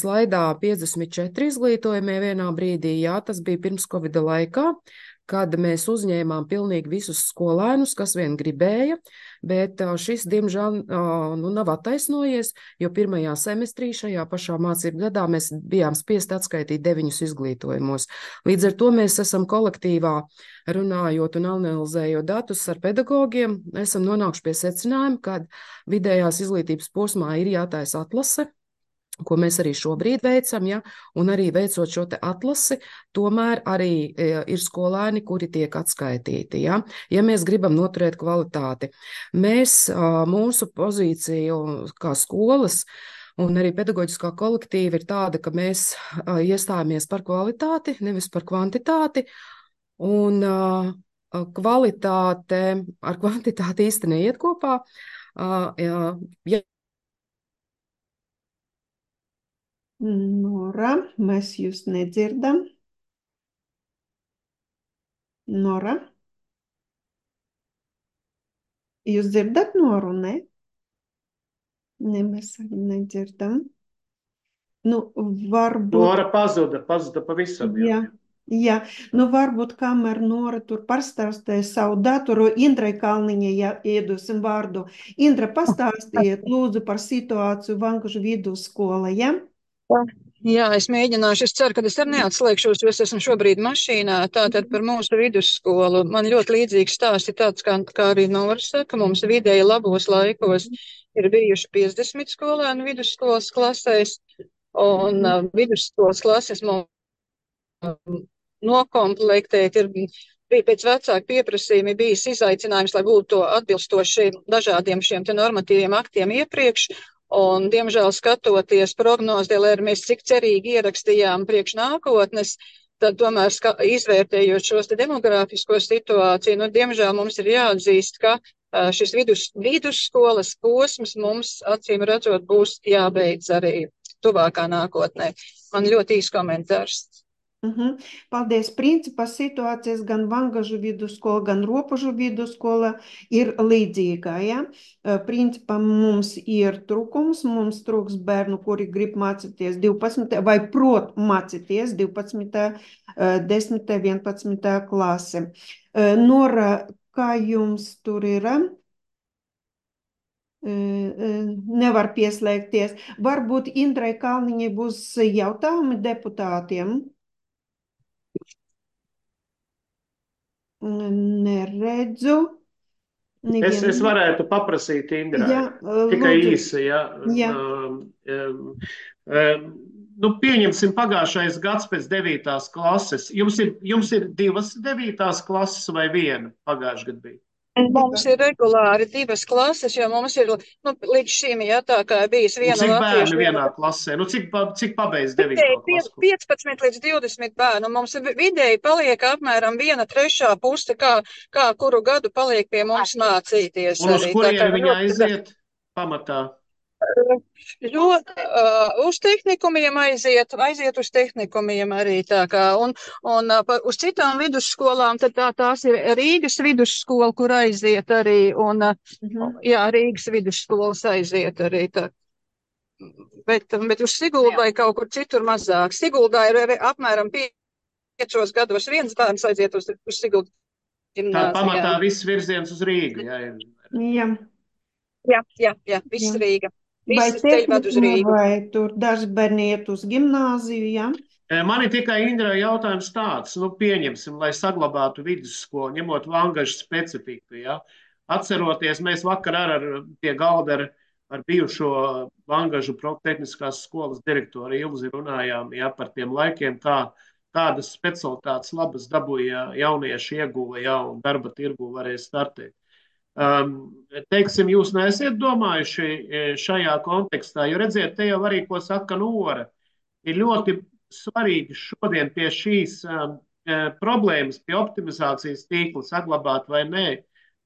J: slaidā, piecdesmit četri izglītojumie vienā brīdī, jā, tas bija pirms Covida laikā, kad mēs uzņēmām pilnīgi visus skolēnus, kas vien gribēja, bet šis, diemžēl, nu, nav attaisnojies, jo pirmajā semestrī šajā pašā mācību gadā mēs bijām spiest atskaitīt deviņus izglītojumos. Līdz ar to mēs esam kolektīvā runājot un analizējot datus ar pedagogiem, esam nonākuši pie secinājuma, ka vidējās izglītības posmā ir jātaisa atlase, ko mēs arī šobrīd veicam, ja, un arī veicot šo te atlasi, tomēr arī ir skolēni, kuri tiek atskaitīti, ja, ja mēs gribam noturēt kvalitāti. Mēs, mūsu pozīciju kā skolas un arī pedagoģiskā kolektīva ir tāda, ka mēs iestājamies par kvalitāti, nevis par kvantitāti, un kvalitāte ar kvantitāti īsti neiet kopā. Ja
A: Nora, mēs jūs nedzirdam. Nora? Jūs dzirdat Noru, ne? Ne, mēs arī nedzirdam. Nu, varbūt...
D: Nora pazuda, pazuda pavisam.
A: Jā, Jā, nu varbūt kamēr Nora tur pastāstīja savu datoru, Indrai Kalniņai ja, iedosim vārdu. Indra, pastāstiet lūdzu par situāciju Vangažu vidusskolā, ja?
K: Jā, es mēģināšu. Es ceru, ka es arī neatslēgšos, jo es esmu šobrīd mašīnā. Tātad par mūsu vidusskolu. Man ļoti līdzīgs stāsts ir tāds, kā, kā arī Nora saka, mums vidēji labos laikos ir bijuši piecdesmit skolēnu vidusskolas klasēs, un uh, vidusskolas klases mums nokomplektēt ir bija pēc vecāku pieprasījumi bijis izaicinājums, lai būtu to atbilstoši dažādiem šiem te normatīviem aktiem iepriekš. Un, diemžēl, skatoties prognozē, lai mēs cik cerīgi ierakstījām priekš nākotnes, tad tomēr ska, izvērtējot šos te demogrāfisko situāciju, nu, diemžēl mums ir jāatzīst, ka uh, šis vidus, vidusskolas posms mums, acīm redzot, būs jābeidz arī tuvākā nākotnē. Man ļoti īs komentārs.
A: Uh-huh. Paldies. Principā situācijas gan Vangažu vidusskola, gan Ropažu vidusskola ir līdzīga. Ja? Principā mums ir trūkums, mums trūks bērnu, kuri grib mācīties divpadsmitā vai prot mācīties divpadsmitā, desmitā, vienpadsmitā klase. Nora, kā jums tur ir? Nevar pieslēgties. Varbūt Indrai Kalniņai būs jautājumi deputātiem? Neredzu. Nevienu.
D: Es, es varētu paprasīt Indrai.
A: Jā,
D: tikai
A: lūdzu.
D: īsi. Ja.
A: Jā.
D: Um, um, um, nu, pieņemsim pagājušais gads pēc devītās klases. Jums ir, jums ir divas devītās klases vai viena pagājušajā gadā bija?
K: Mums ir regulāri divas klases, jo mums ir nu, līdz šim, ja tā kā bijis viena
D: latviešu. Cik bērni
K: viena...
D: vienā klasē? Nu, cik, cik pabeidz devīto klasu?
K: piecpadsmit līdz divdesmit bērnu. Mums vidēji paliek apmēram viena trešā puse, kā, kā kuru gadu paliek pie mums mācīties.
D: Un uz
K: arī.
D: kurien viņi aiziet pamatā?
K: Jo uh, uz tehnikumiem aiziet, aiziet uz tehnikumiem arī tā kā, un, un uh, uz citām vidusskolām, tad tā, tās ir Rīgas vidusskola, kur aiziet arī, un uh, uh-huh. jā, Rīgas vidusskolas aiziet arī tā. Bet, bet uz Siguldā ir kaut kur citur mazāk. Siguldā ir arī apmēram piecos gados viens bērns aiziet uz, uz Siguldu ģimnāzijā.
D: Tā pamatā viss virziens uz Rīgu, jā.
A: Jā.
K: Jā, jā, jā, viss jā. Rīga.
A: Vai tehnikuma, vai tur daži bērni iet uz gimnāziju, jā?
D: Man ir tikai Indrai jautājums tāds, nu pieņemsim, lai saglabātu vidusskolu, ņemot Vangažu specifiku, jā. Atceroties, mēs vakar ar, ar pie galda ar, ar bijušo Vangažu tehniskās skolas direktoru Ilzi runājām, jā, par tiem laikiem, kā, kādas specialitātes labas dabūja jaunieši ieguva, jā, un darba tirgu varēja startēt. Um, teiksim, jūs neesiet domājuši šajā kontekstā, jo redziet, te jau arī, ko saka Nora, ir ļoti svarīgi šodien pie šīs um, problēmas, pie optimizācijas tīkla saglabāt vai nē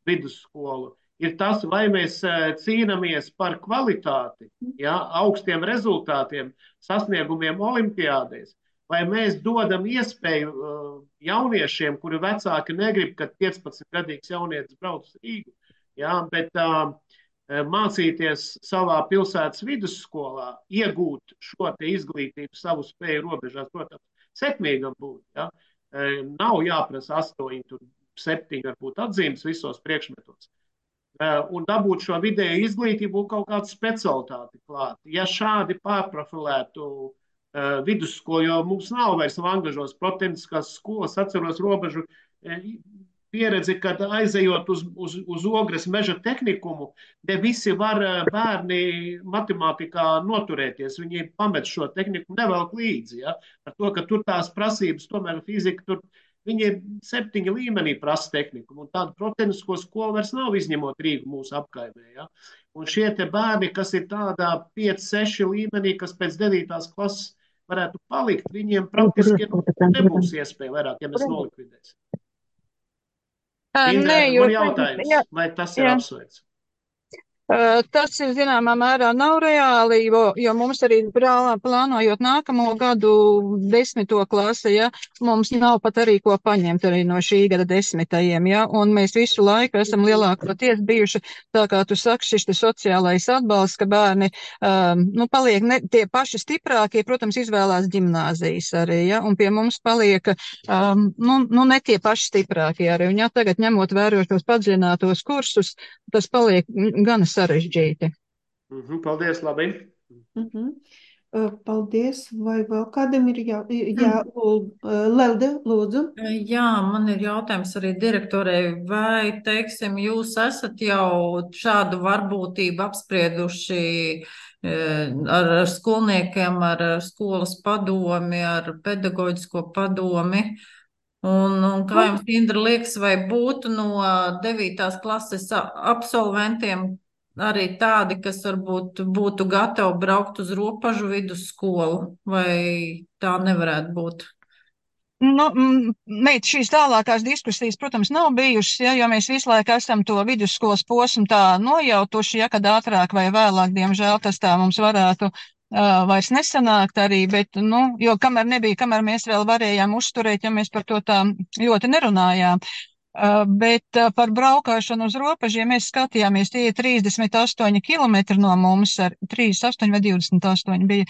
D: vidusskolu, ir tas, vai mēs uh, cīnamies par kvalitāti, ja, augstiem rezultātiem, sasniegumiem olimpiādēs, vai mēs dodam iespēju uh, jauniešiem, kuri vecāki negrib, kad piecpadsmitgadīgs jaunietis brauc uz Rīgu, jā, bet uh, mācīties savā pilsētas vidusskolā, iegūt šo te izglītību savu spēju robežās, protams, sekmīgam būt. Jā. Uh, nav jāprasa astoņi, tur septiņi varbūt atzīmes visos priekšmetos. Uh, un dabūt šo vidēju izglītību un kaut kādu specialitāti klāt. Ja šādi pārprofilētu Uh, vidusskolu, jo mums nav vairs Vangažos protehniskās skolas, atceros robežu e, pieredzi, kad aizejot uz, uz, uz Ogres meža tehnikumu, te visi var bērni matemātikā noturēties, viņi pamet šo tehniku nevelk līdzi, ja? Ar to, ka tur tās prasības, tomēr fizika, tur viņi ir septiņi līmenī prasa tehniku, un tādu protehnisko skolu vairs nav izņemot Rīgu mūsu apkaimē, ja? Un šie te bērni, kas ir tādā pieci seši līmenī, kas pēc devītās klases varētu palikt, viņiem praktiski nebūs iespēja vairāk, ja mēs nolikvidēsim. Indra, man jautājums, vai tas ir apsveic?
K: Uh, Tas ir zināmā mērā nav reāli, jo, jo mums arī prālā, plānojot nākamo gadu desmito klasi, ja, mums nav pat arī ko paņemt arī no šī gada desmitajiem, ja, un mēs visu laiku esam lielākoties bijuši, tā kā tu saki, šis te sociālais atbalsts, ka bērni, um, nu, paliek ne, tie paši stiprākie, protams, izvēlās ģimnāzijas arī, ja, un pie mums paliek, um, nu, nu, ne tie paši stiprākie arī, un ja tagad ņemot vērot tos padziļinātos kursus, tas paliek gan sarežģīti.
D: Mhm, paldies, labi.
A: Mhm. Uh, Paldies. Vai vēl kādam ir jā, jā Ul- uh, Lelde, lūdzu?
L: Jā, man ir jautājums arī direktorei, vai, teiksim, jūs esat jau šādu varbūtību apsprieduši eh, ar, ar skolniekiem, ar, ar skolas padomi, ar pedagoģisko padomi? Un, un kā jums, Indra, liekas, vai būtu no devītās klases a- absolventiem arī tādi, kas varbūt būtu gatavi braukt uz Ropažu vidusskolu, vai tā nevarētu būt?
K: Nu, m, meit, šīs tālākās diskusijas, protams, nav bijušas, ja, jo mēs visu laiku esam to vidusskolas posmu tā nojautuši, ja, kad ātrāk vai vēlāk, diemžēl, tas tā mums varētu uh, vairs nesanākt arī, bet, nu, jo kamēr nebija, kamēr mēs vēl varējām uzturēt, ja mēs par to tā ļoti nerunājām. Uh, bet uh, par braukāšanu uz robežiem mēs skatījāmies, tie ir trīsdesmit astoņi kilometri no mums, ar trīsdesmit astoņi vai divdesmit astoņi bija.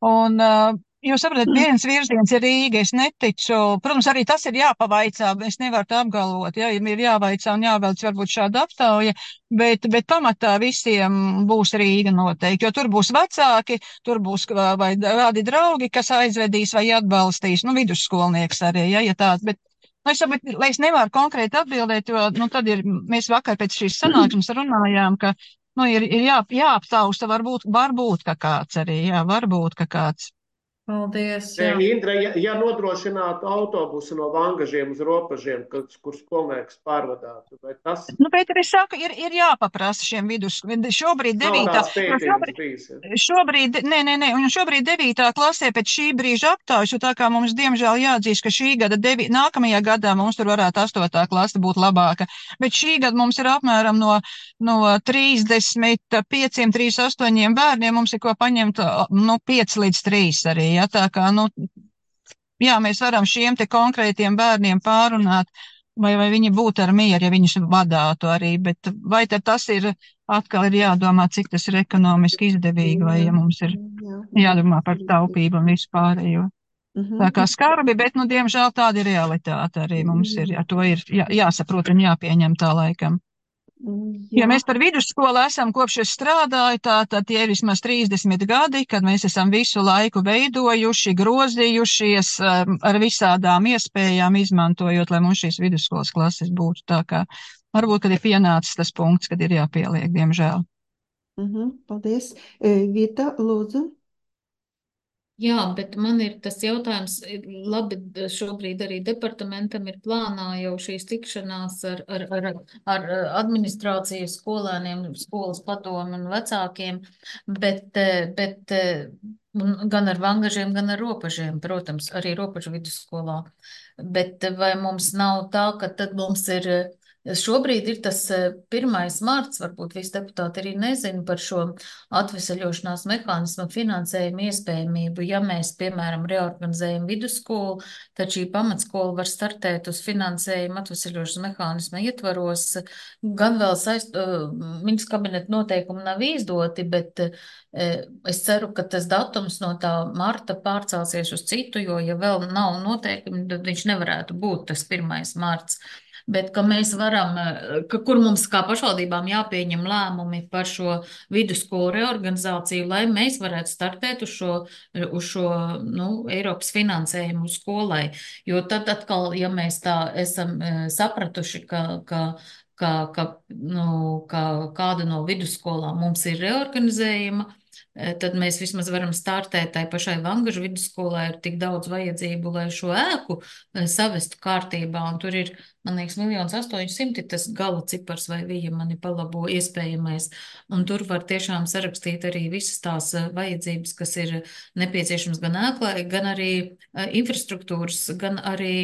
K: Un, uh, jūs saprotat, viens virziens ir Rīga, es neticu, protams, arī tas ir jāpavaicā, es nevaru tā apgalvot, ja, ir jāvaicā un jāvelc varbūt šāda aptauja, bet, bet pamatā visiem būs Rīga noteikti, jo tur būs vecāki, tur būs vai kādi draugi, kas aizvedīs vai atbalstīs, nu, vidusskolnieks arī, ja, ja tāds, bet Nu, es saprotu, lai es nevaru konkrēti atbildēt, jo, nu, tad ir, mēs vakar pēc šīs sanāksmes runājām, ka, nu, ir, ir jā, jāaptausta, varbūt, varbūt, ka kāds arī, jā, varbūt, ka kāds.
L: Paldies,
D: Nē,
L: jā.
D: Indra, ja, ja nodrošinātu autobusu no Vangažiem uz Ropažiem, kad, kur skolnieks pārvadātu, vai tas
K: Nu, Pēter, es saku, ir, ir jāpaprasa šiem vidus, šobrīd
D: nav
K: devītā,
D: tāds
K: jo
D: pētījums
K: šobrīd,
D: bijis? Ja?
K: šobrīd, nē, nē, nē, un šobrīd devītā klasē pēc šī brīža aptaujas, jo tā kā mums diemžēl jāatzīst, ka šī gada, devi, nākamajā gadā mums tur varētu astotā klase būt labāka, bet šī gada mums ir apmēram no, no trīsdesmit pieciem, trīsdesmit astoņiem bērniem, mums ir ko paņemt, nu, pieci līdz trīs arī, ja, tā kā, nu, jā, mēs varam šiem te konkrētiem bērniem pārunāt, vai, vai viņi būtu ar mieru, ja viņus vadātu arī, bet vai tad tas ir, atkal ir jādomā, cik tas ir ekonomiski izdevīgi, vai ja mums ir jādomā par taupību un visu pārējo. Tā kā skarbi, bet, nu, diemžēl tāda ir realitāte arī mums ir, ar to ir jā, jāsaprot un jāpieņem tā laikam.
A: Jā.
K: Ja mēs par vidusskolu esam kopš es strādāju, tā, tad tie ir vismaz trīsdesmit gadi, kad mēs esam visu laiku veidojuši, grozījušies ar visādām iespējām, izmantojot, lai mums šīs vidusskolas klases būtu. Tā kā varbūt, kad ir pienācis tas punkts, kad ir jāpieliek, diemžēl.
A: Mhm, paldies. Vita, lūdzu.
F: Jā, bet man ir tas jautājums, labi, šobrīd arī departamentam ir plānā jau šīs tikšanās ar, ar, ar, ar administrāciju, skolēniem, skolas padomu un vecākiem, bet, bet gan ar Vangažiem, gan ar Ropažiem, protams, arī Ropažu vidusskolā. Bet vai mums nav tā, ka tad mums ir Šobrīd ir tas pirmais marts, varbūt visi deputāti arī nezina par šo atvesaļošanās mehānismu finansējumu iespējamību. Ja mēs, piemēram, reorganizējam vidusskolu, tad šī pamatskola var startēt uz finansējumu atvesaļošanas mehānisma ietvaros. Gan vēl saist, ministrs kabineta noteikumi nav izdoti, bet es ceru, ka tas datums no tā marta pārcelsies uz citu, jo, ja vēl nav noteikumi, tad viņš nevarētu būt tas pirmais marts. Bet ka mēs varam, ka, kur mums kā pašvaldībām jāpieņem lēmumi par šo vidusskolu reorganizāciju, lai mēs varētu startēt uz šo, uz šo nu, Eiropas finansējumu skolai. Jo tad atkal, ja mēs tā esam sapratuši, ka, ka, ka, ka, nu, ka kāda no vidusskolām mums ir reorganizējama, tad mēs vismaz varam startēt tai pašai Vangažu vidusskolai, ir tik daudz vajadzību, lai šo ēku savestu kārtībā, un tur ir, man liekas, miljons astoņsimti tas gala cipars vai vija mani palabo iespējamais, un tur var tiešām sarakstīt arī visas tās vajadzības, kas ir nepieciešams gan ēklai, gan arī infrastruktūras, gan arī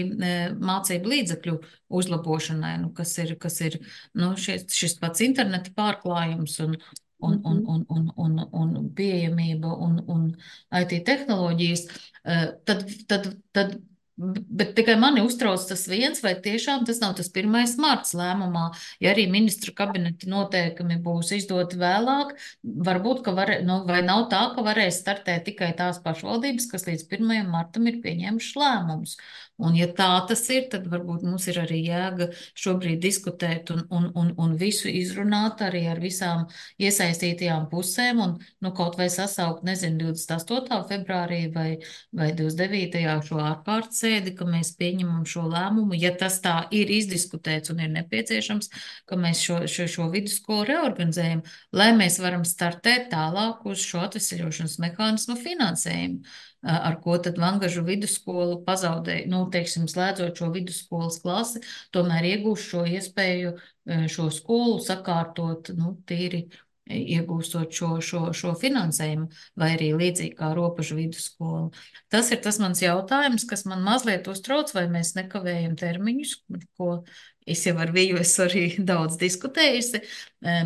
F: mācību līdzekļu uzlabošanai, nu, kas ir, kas ir nu, šis, šis pats interneta pārklājums un un, un,
A: Mhm.
F: un, un, un, un pieejamība un, un I T tehnoloģijas, eh, tad, tad, tad, bet tikai mani uztrauc tas viens, vai tiešām tas nav tas pirmais marts lēmumā, ja arī ministru kabineta noteikumi būs izdoti vēlāk, varbūt, ka var, nu, vai nav tā, ka varēs startēt tikai tās pašvaldības, kas līdz pirmajam martam ir pieņēmušas lēmumus. Un ja tā tas ir, tad varbūt mums ir arī jēga šobrīd diskutēt un, un, un, un visu izrunāt arī ar visām iesaistītajām pusēm un, nu, kaut vai sasaukt, nezinu, divdesmit astotajā februārī vai, vai divdesmit devītajā šo ārkārtas sēdi, ka mēs pieņemam šo lēmumu, ja tas tā ir izdiskutēts un ir nepieciešams, ka mēs šo, šo, šo vidusskolu reorganizējam, lai mēs varam startēt tālāk uz šo atveseļošanas mehānismu finansējumu, ar ko tad Vangažu vidusskola pazaudēja, nu, teiksim, slēdzot šo vidusskolas klasi, tomēr iegūst šo iespēju šo skolu sakārtot, nu, tīri iegūstot šo, šo, šo finansējumu, vai arī līdzīgi kā Ropažu vidusskola. Tas ir tas mans jautājums, kas man mazliet uztrauc, vai mēs nekavējam termiņus, ko es jau ar Viju esmu arī daudz diskutējusi,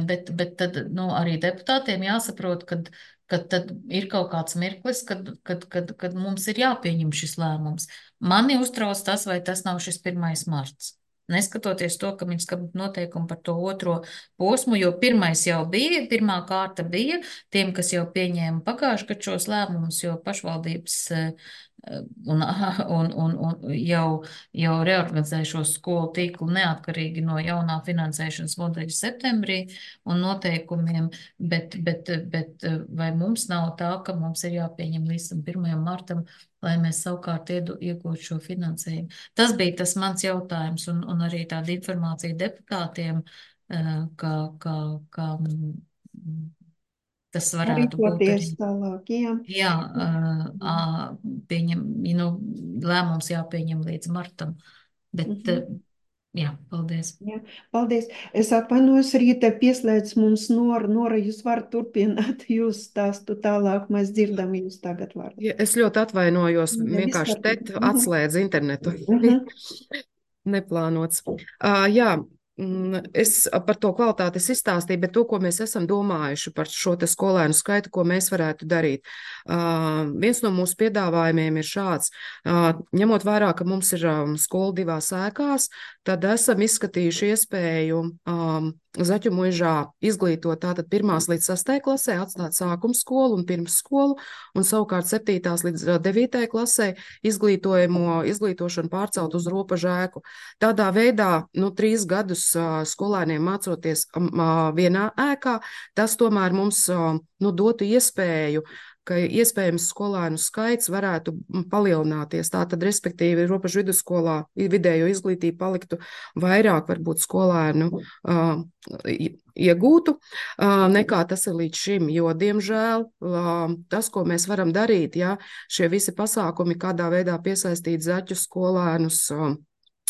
F: bet, bet tad, nu, arī deputātiem jāsaprot, kad kad tad ir kaut kāds mirklis, kad, kad, kad, kad mums ir jāpieņem šis lēmums. Mani uztrauc tas, vai tas nav šis pirmais marts. Neskatoties to, ka viņi skat noteikumu par to otro posmu, jo pirmais jau bija, pirmā kārta bija tiem, kas jau pieņēma pagājuši gadu šos lēmumus, jo pašvaldības un, un, un, un jau, jau reorganizēja šo skolu tīklu neatkarīgi no jaunā finansēšanas modeļa septembrī un noteikumiem, bet, bet, bet vai mums nav tā, ka mums ir jāpieņem līdz pirmajam martam, lai mēs savukārt iegūtu šo finansējumu. Tas bija tas mans jautājums un, un arī tāda informācija deputātiem, ka, ka, ka tas varētu būt arī.
A: Tālāk, jā.
F: Jā, pieņem, nu, lēmums jāpieņem līdz martam, bet, mm-hmm. jā, paldies.
A: Jā, paldies. Es atvainojos, Rīta pieslēdz mums Nora. Nora, jūs varat turpināt jūs stāstu tālāk, mēs dzirdam jūs tagad vārdu.
J: Ja, es ļoti atvainojos,
A: Jā,
J: vienkārši te
A: mm-hmm.
J: atslēdz internetu.
A: Mm-hmm.
J: Neplānots. Uh, jā. Es par to kvalitāti izstāstīju, bet to, ko mēs esam domājuši par šo te skolēnu skaitu, ko mēs varētu darīt. Uh, viens no mūsu piedāvājumiem ir šāds. Uh, ņemot vērā, ka mums ir um, skola divās ēkās, tad esam izskatījuši iespēju um, Zaķu muižā izglītot tātad pirmās līdz sastajai klasē, atstāt sākuma skolu un pirmsskolu, un savukārt septītās līdz devītajai klasē izglītojamo, izglītošanu pārcelt uz Ropažu ēku. Tādā veidā, nu, trīs gadus skolēniem mācoties vienā ēkā, tas tomēr mums, nu, dotu iespēju, ka iespējams skolēnu skaits varētu palielināties. Tātad, respektīvi, Ropažu vidusskolā vidējo izglītību paliktu vairāk, varbūt, skolēnu uh, iegūtu, uh, nekā tas ir līdz šim, jo, diemžēl, uh, tas, ko mēs varam darīt, ja šie visi pasākumi, kādā veidā piesaistīt zaķu skolēnus, uh,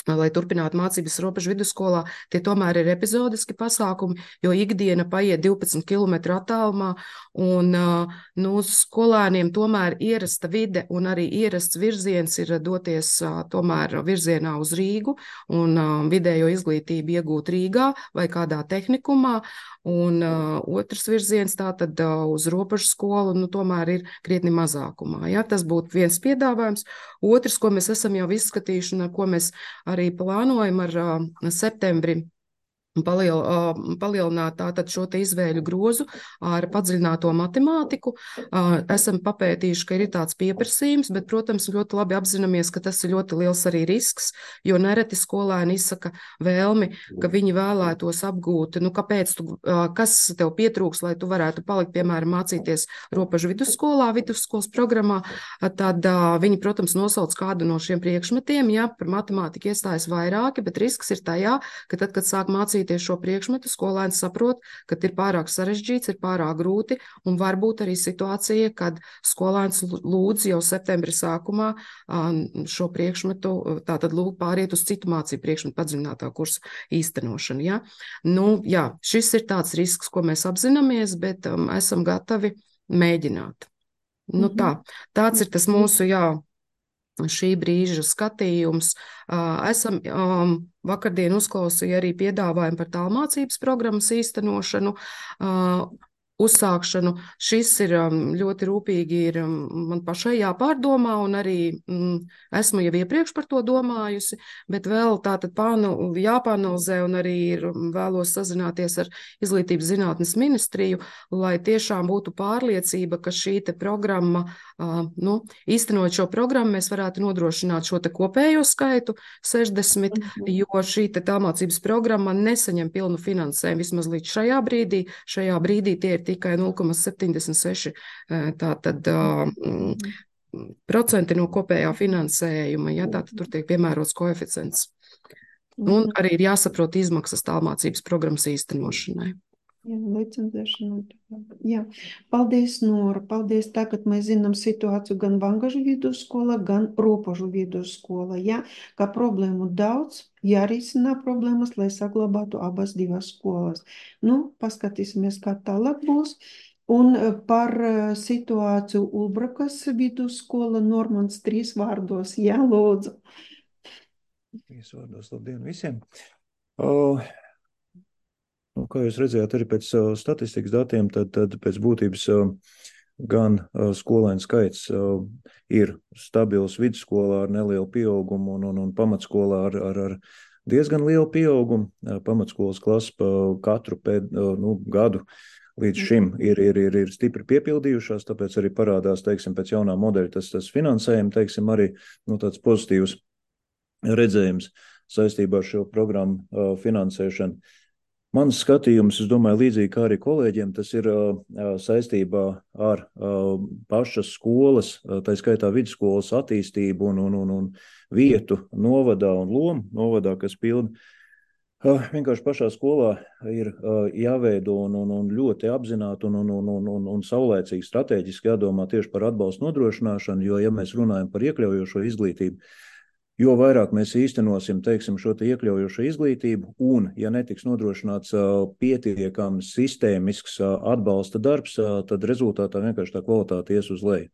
J: lai turpinātu mācības Ropažu vidusskolā, tie tomēr ir epizodiski pasākumi, jo ikdiena paiet divpadsmit kilometru attālumā, un nu, skolēniem tomēr ierasta vide un arī ierasts virziens ir doties tomēr virzienā uz Rīgu un vidējo izglītību iegūt Rīgā vai kādā tehnikumā, un uh, otrs virziens tātad uh, uz Ropažu skolu, nu, tomēr ir krietni mazākumā. Ja? Tas būtu viens piedāvājums. Otrs, ko mēs esam jau izskatījuši un ko mēs arī plānojam ar uh, septembri, Paliel, palielināt tātad šo te izvēļu grozu ar padziļināto matemātiku. Esam papētījuši, ka ir tāds pieprasījums, bet, protams, ļoti labi apzināmies, ka tas ir ļoti liels arī risks, jo nereti skolēni izsaka vēlmi, ka viņi vēlētos apgūt, nu, kāpēc tu, kas tev pietrūks, lai tu varētu palikt, piemēram, mācīties Ropažu vidusskolā, vidusskolas programmā, tad viņi, protams, nosauc kādu no šiem priekšmetiem, ja par matemātiku iestājas vairāki, bet risks ir tajā, ka tad, kad sāk mācīt šo priekšmetu, skolēns saprot, ka ir pārāk sarežģīts, ir pārāk grūti, un varbūt arī situācija, kad skolēns lūdz jau septembra sākumā šo priekšmetu, tātad lūk pāriet uz citu mācību priekšmetu padziļinātā kursa īstenošanu. Ja? Nu, jā, šis ir tāds risks, ko mēs apzināmies, bet um, esam gatavi mēģināt. Nu, tā, tāds ir tas mūsu, jā, šī brīža skatījums. Esam um, vakardien uzklausīja arī piedāvājumu par tālmācības programmas īstenošanu. Uh, uzsākšanu. Šis ir ļoti rūpīgi ir man pašai jāpārdomā, un arī mm, esmu jau iepriekš par to domājusi, bet vēl tātad pānu, jāpāanalizē, un arī ir, vēlos sazināties ar Izglītības zinātnes ministriju, lai tiešām būtu pārliecība, ka šī te programma, uh, nu, īstenot šo programmu, mēs varētu nodrošināt šo te kopējo skaitu sešdesmit, mm-hmm. jo šī te tālmācības programma nesaņem pilnu finansējumu vismaz līdz šajā brīdī. Šajā brīdī tie ir tikai nulle komats septiņdesmit seši tātad, uh, procenti no kopējā finansējuma, ja tātad tur tiek piemērots koeficients. Un arī ir jāsaprot izmaksas tālmācības programmas īstenošanai.
A: Jā, licencēšana. Jā, paldies, Nora. Paldies. Tagad mēs zinām situāciju gan Vangažu vidusskola, gan Ropožu vidusskola. Jā, ka problēmu daudz, jārisina problēmas, lai saglabātu abas divas skolas. Nu, paskatīsimies, kā tālāk būs. Un par situāciju Ulbrakas vidusskola Normans trīs vārdos. Jā, lūdzu.
M: Trīs vārdos, labdien visiem. Uh... Nu, kā jūs redzējāt, arī pēc uh, statistikas datiem, tad, tad pēc būtības uh, gan uh, skolēnu skaits uh, ir stabils vidusskolā ar nelielu pieaugumu un, un, un pamatskolā ar, ar, ar diezgan lielu pieaugumu. Uh, pamatskolas klasa pa katru pēd, uh, nu, gadu līdz šim ir, ir, ir, ir stipri piepildījušās, tāpēc arī parādās, teiksim, pēc jaunā modeļa tas, tas finansējumi, teiksim, arī nu, tāds pozitīvs redzējums saistībā ar šo programmu uh, finansēšanu. Mans skatījums, es domāju, līdzīgi kā arī kolēģiem, tas ir uh, saistībā ar uh, pašas skolas, uh, tā skaitā vidusskolas attīstību un, un, un, un vietu novadā un lomu novadā, kas pilda. Uh, vienkārši pašā skolā ir uh, jāveido un, un, un ļoti apzināti un, un, un, un, un, un saulēcīgi strateģiski jādomā tieši par atbalstu nodrošināšanu, jo, ja mēs runājam par iekļaujošo izglītību, jo vairāk mēs īstenosim, teiksim, šo te iekļaujošo izglītību un, ja netiks nodrošināts uh, pietiekams sistēmisks uh, atbalsta darbs, uh, tad rezultātā vienkārši tā kvalitāte ies uz leju.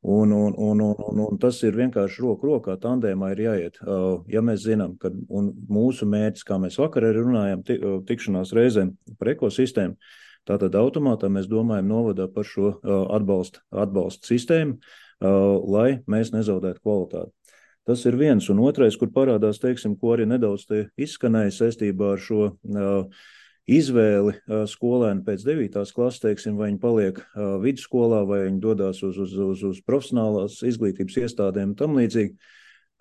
M: Un, un, un, un, un, un tas ir vienkārši roku rokā, tandēmā ir jāiet. Uh, ja mēs zinām, ka un mūsu mērķis, kā mēs vakar arī runājam, tikšanās reizēm par ekosistēmu, tātad automātā mēs domājam novadā par šo uh, atbalsta, atbalsta sistēmu, uh, lai mēs nezaudētu kvalitāti. Tas ir viens, un otrais, kur parādās, teiksim, ko arī nedaudz te izskanēja saistībā ar šo uh, izvēli uh, skolēnu pēc devītās klases, teiksim, vai viņi paliek uh, vidusskolā, vai viņi dodās uz, uz, uz, uz profesionālās izglītības iestādēm un tam līdzīgi.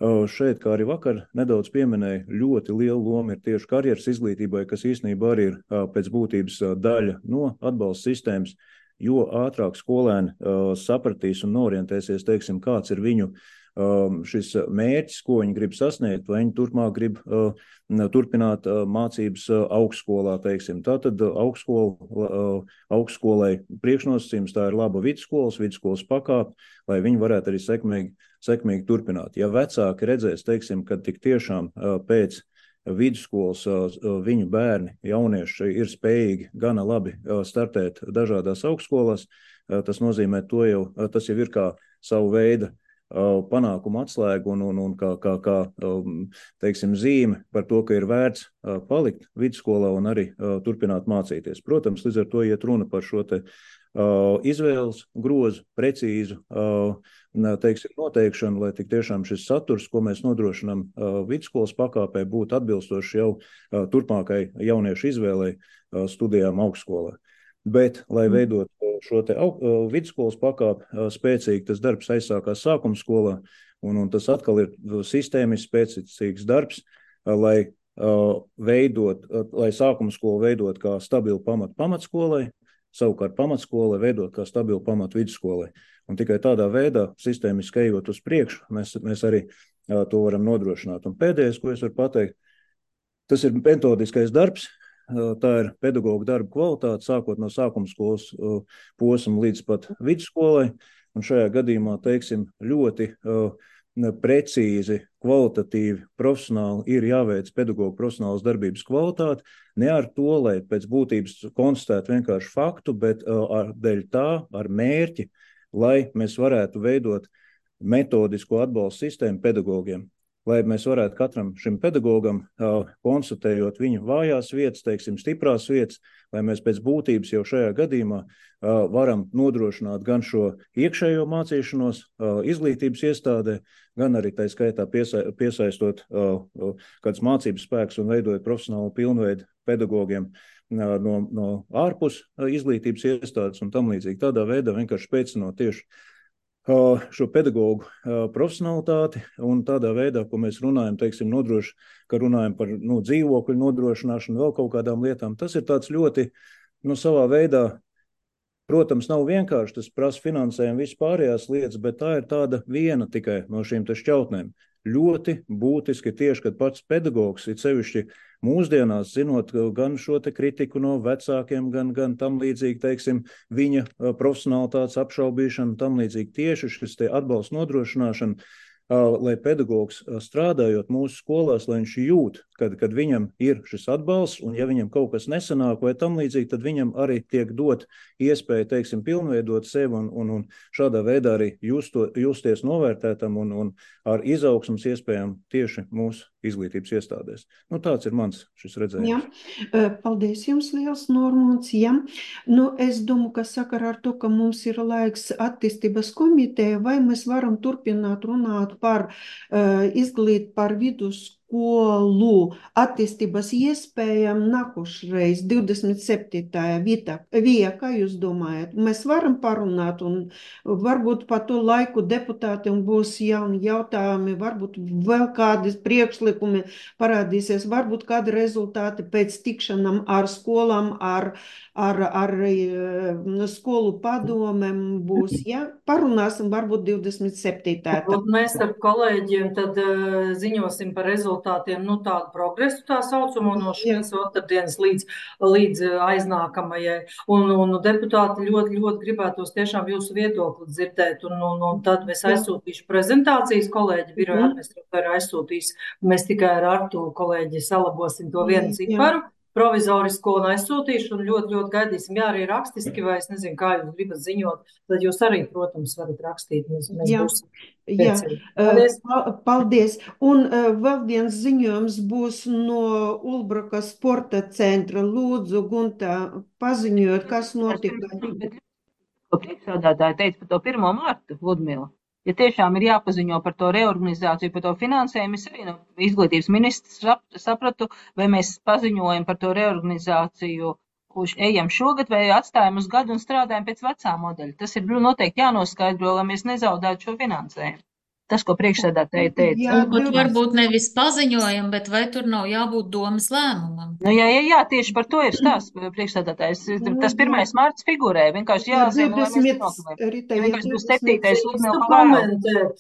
M: Uh, šeit, kā arī vakar nedaudz pieminēja, ļoti liela loma ir tieši karjeras izglītībai, kas īstenībā arī ir uh, pēc būtības uh, daļa no atbalsta sistēmas, jo ātrāk skolēni uh, sapratīs un orientēsies, teiksim, kāds ir viņu šis mērķis, ko viņi grib sasniegt, vai viņi turpmāk grib uh, turpināt uh, mācības uh, augstskolā, teiksim. Tātad uh, augstskola, uh, augstskolai priekšnosacījums tā ir laba vidusskolas, vidusskolas pakāpe, lai viņi varētu arī sekmīgi, sekmīgi turpināt. Ja vecāki redzēs, teiksim, ka tik tiešām uh, pēc vidusskolas uh, viņu bērni, jaunieši ir spējīgi gana labi uh, startēt dažādās augstskolās, uh, tas nozīmē to jau, uh, tas jau ir kā savu veidu panākumu atslēgu un, un, un kā, kā, kā teiksim, zīme par to, ka ir vērts palikt vidusskolā un arī turpināt mācīties. Protams, līdz ar to iet runa par šo te izvēles grozu, precīzu teiksim, noteikšanu, lai tik tiešām šis saturs, ko mēs nodrošinām vidusskolas pakāpē, būtu atbilstoši jau turpmākai jauniešu izvēlei studijām augstskolā. Bet, lai veidot šo te vidusskolas pakāpi spēcīgi, tas darbs aizsākās sākuma skolā, un, un tas atkal ir sistēmisks, spēcīgs darbs, lai veidot, lai sākuma skolu veidot kā stabilu pamatu pamatskolai, savukārt pamatskolai veidot kā stabilu pamatu vidusskolai. Un tikai tādā veidā, sistēmiski ejot uz priekšu, mēs, mēs arī to varam nodrošināt. Un pēdējais, ko es varu pateikt, tas ir metodiskais darbs. Tā ir pedagoga darba kvalitāte, sākot no sākuma skolas posma līdz pat vidusskolai. Un šajā gadījumā, teiksim, ļoti uh, precīzi, kvalitatīvi, profesionāli ir jāveic pedagoga profesionālas darbības kvalitāte. Ne ar to, lai pēc būtības konstatētu vienkārši faktu, bet uh, ar dēļ tā, ar mērķi, lai mēs varētu veidot metodisko atbalstu sistēmu pedagogiem. lai mēs varētu katram šim pedagogam, konstatējot viņu vājās vietas, teiksim, stiprās vietas, lai mēs pēc būtības jau šajā gadījumā varam nodrošināt gan šo iekšējo mācīšanos izglītības iestādē, gan arī tā skaitā piesaistot kāds mācības spēks un veidojot profesionālu pilnveidu pedagogiem no, no ārpus izglītības iestādes un tam līdzīgi. Tādā veidā vienkārši spēcinot tieši šo pedagogu profesionalitāti un tādā veidā, ko mēs runājam, teiksim, nodroši, ka runājam par nu, dzīvokļu nodrošināšanu, vēl kaut kādām lietām. Tas ir tāds ļoti, nu, savā veidā, protams, nav vienkārši, tas prasa finansējumu vispārējās lietas, bet tā ir tāda viena tikai no šīm te šķautnēm. Ļoti būtiski tieši, kad pats pedagogs ir sevišķi mūsdienās, zinot gan šo te kritiku no vecākiem, gan, gan tam līdzīgi, teiksim, viņa profesionalitātes apšaubīšana, tam līdzīgi tieši šis te atbalsts nodrošināšana, lai pedagogs strādājot mūsu skolās, lai viņš jūt, kad, kad viņam ir šis atbalsts, un ja viņam kaut kas nesanāk vai tam līdzīgi, tad viņam arī tiek dot iespēja, teiksim, pilnveidot sevi un, un, un šādā veidā arī justo, justies novērtētam un, un ar izaugsmas iespējām tieši mūsu izglītības iestādēs. Nu, tāds ir mans šis redzējums.
A: Jā, paldies jums liels, Normons. Jā. Nu, es domāju, ka sakarā ar to, ka mums ir laiks attīstības komiteja, vai mēs varam turpināt runāt par uh, izglīt par vidusskolu attīstības iespējām nākošreiz, divdesmit septītajā vietā. Vija, kā jūs domājat? Mēs varam parunāt un varbūt pa to laiku deputātiem būs jauni jautājumi, varbūt vēl kādi priekšlikumi parādīsies, varbūt kādi rezultāti pēc tikšanām ar skolām, ar, ar, ar skolu padomēm būs. Ja? Parunāsim varbūt divdesmit septītajā.
H: Mēs ar kolēģiem tad uh, ziņosim par rezultātiem. Nu, tādu progresu tā saucamo no šīs otrdienas līdz, līdz aiznākamajai. Un, un deputāti ļoti, ļoti gribētos tiešām jūsu viedokli dzirdēt. Un, un, un tad es aizsūtīšu prezentācijas, kolēģi biroja administratori aizsūtīs. Mēs tikai ar Artu kolēģi salabosim to vienu ciparu. Provizorisko un aizsūtīšu un ļoti, ļoti gaidīsim. Jā, arī rakstiski, vai es nezinu, kā jūs gribat ziņot, tad jūs arī, protams, varat rakstīt. Mēs, mēs
A: jā, jā.
H: Paldies.
A: Paldies. Un uh, vēl viens ziņojums būs no Ulbraka sporta centra. Lūdzu, Gunta, paziņojot, kas notika.
G: Priekšsēdētāji teica par to pirmo mārtu, Ludmila. Ja tiešām ir jāpaziņo par to reorganizāciju, par to finansējumu, es arī no izglītības ministrs sapratu, vai mēs paziņojam par to reorganizāciju, kurš ejam šogad vai atstājam uz gadu un strādājam pēc vecā modeļa. Tas ir noteikti jānoskaidro, lai mēs nezaudētu šo finansējumu. Tas, ko priekšsēdētāji teica.
F: Jā, bet varbūt nevis paziņojam, bet vai tur nav jābūt domas lēmumam?
G: Nu, jā, jā, jā, tieši par to ir stāsts priekšsēdētājs. Tas pirmais mārts figurē, vienkārši jāzina, lai mēs nenokavēm. Vienkārši būs septītais uzmēl pavēl.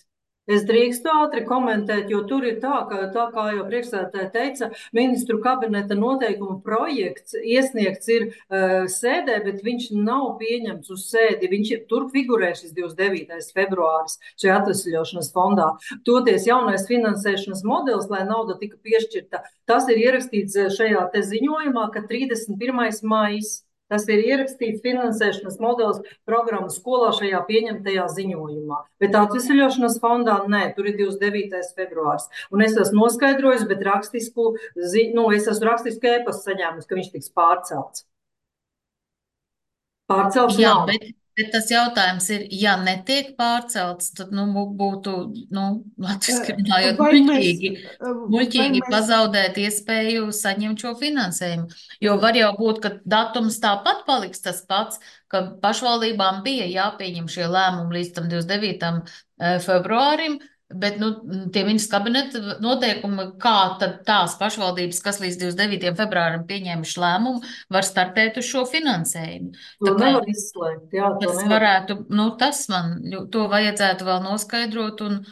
H: Es drīkstu ātri komentēt, jo tur ir tā, ka tā kā jau priekšsēdētāji teica, ministru kabineta noteikuma projekts iesniegts ir uh, sēdē, bet viņš nav pieņemts uz sēdi. Viņš tur figurē šis divdesmit devītais februāris šajā atvesļošanas fondā. Toties jaunais finansēšanas modelis, lai nauda tika piešķirta, tas ir ierakstīts šajā te ziņojumā, ka trīsdesmit pirmais maijs. Tas ir ierakstīts finansēšanas modelis programmu skolā šajā pieņemtajā ziņojumā. Bet atvesļošanas fondā nē, tur ir divdesmit devītais februārs. Un es esmu noskaidrojis, bet rakstisku, nu, es esmu rakstisku ēpastu saņēmusi, ka viņš tiks pārcelts. Pārcelts
F: Jā,
H: nav.
F: bet, bet tas jautājums ir, ja netiek pārcelts, tad nu, būtu, nu, latviski runājot,
A: Vai
F: muļķīgi,
A: mēs-
F: muļķīgi
A: vai mēs-
F: pazaudēt iespēju saņemt šo finansējumu. Jo var jau būt, ka datums tāpat paliks tas pats, ka pašvaldībām bija jāpieņem šie lēmumi līdz tam divdesmit devītam februārim, bet nu, tie ministrs kabineta noteikumi, kā tad tās pašvaldības, kas līdz divdesmit devītajam februārim pieņēmuši lēmumu, var startēt uz šo finansējumu.
H: To
F: Tā kā
H: nevar izslēgt, jā, to
F: tas
H: nevar.
F: varētu, nu tas man, to vajadzētu vēl noskaidrot, un,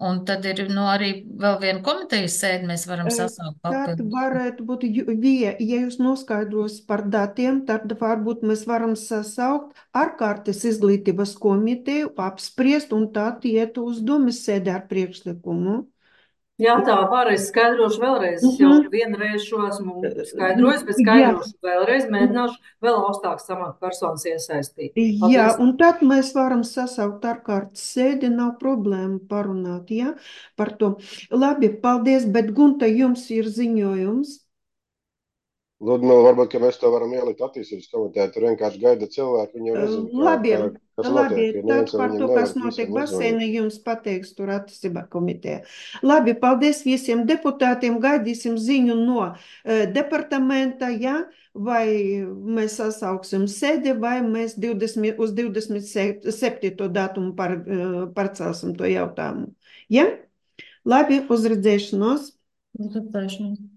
F: un tad ir nu, arī vēl viena komitejas sēde, mēs varam sasaukt
A: Tad
F: papildus.
A: varētu būt, ju- Vija, ja jūs noskaidros par datiem, tad varbūt mēs varam sasaukt ārkārtas izglītības komiteju, apspriest un tad iet uz domas sēdi ar priekšlikumu.
H: Jā, tā var. Es skaidrošu vēlreiz. Es jau
A: Mhm.
H: vienreiz šo esmu skaidrojis, bet
A: Jā,
H: skaidrošu vēlreiz. Mēģināšu vēl augstākas amatpersonas iesaistīt.
A: jā,
H: Paldies.
A: un tad mēs varam sasaukt ārkārtas sēdi, nav problēma parunāt, jā, par to. Labi, paldies, bet Gunta, jums ir ziņojums.
E: Ludmila, varbūt, ka mēs to varam ielikt attīstības komitejā. Tur vienkārši gaida cilvēki, viņi jau nezina, kā,
A: Labi,
E: kā, kas
A: labi,
E: notiek. Jo
A: tad
E: neviens jau
A: par
E: viņam
A: to,
E: nevar
A: kas notiek
E: visiem uzzvanīt.
A: basēnā, jums pateiks tur attīstībā komitejā. Labi, paldies visiem deputātiem, gaidīsim ziņu no uh, departamenta, ja, vai mēs sasauksim sēdi, vai mēs divdesmit, uz divdesmit septīto datumu par, uh, parcelsim to jautājumu. Ja? Labi, uz redzēšanos.
F: Uz redzēšanos.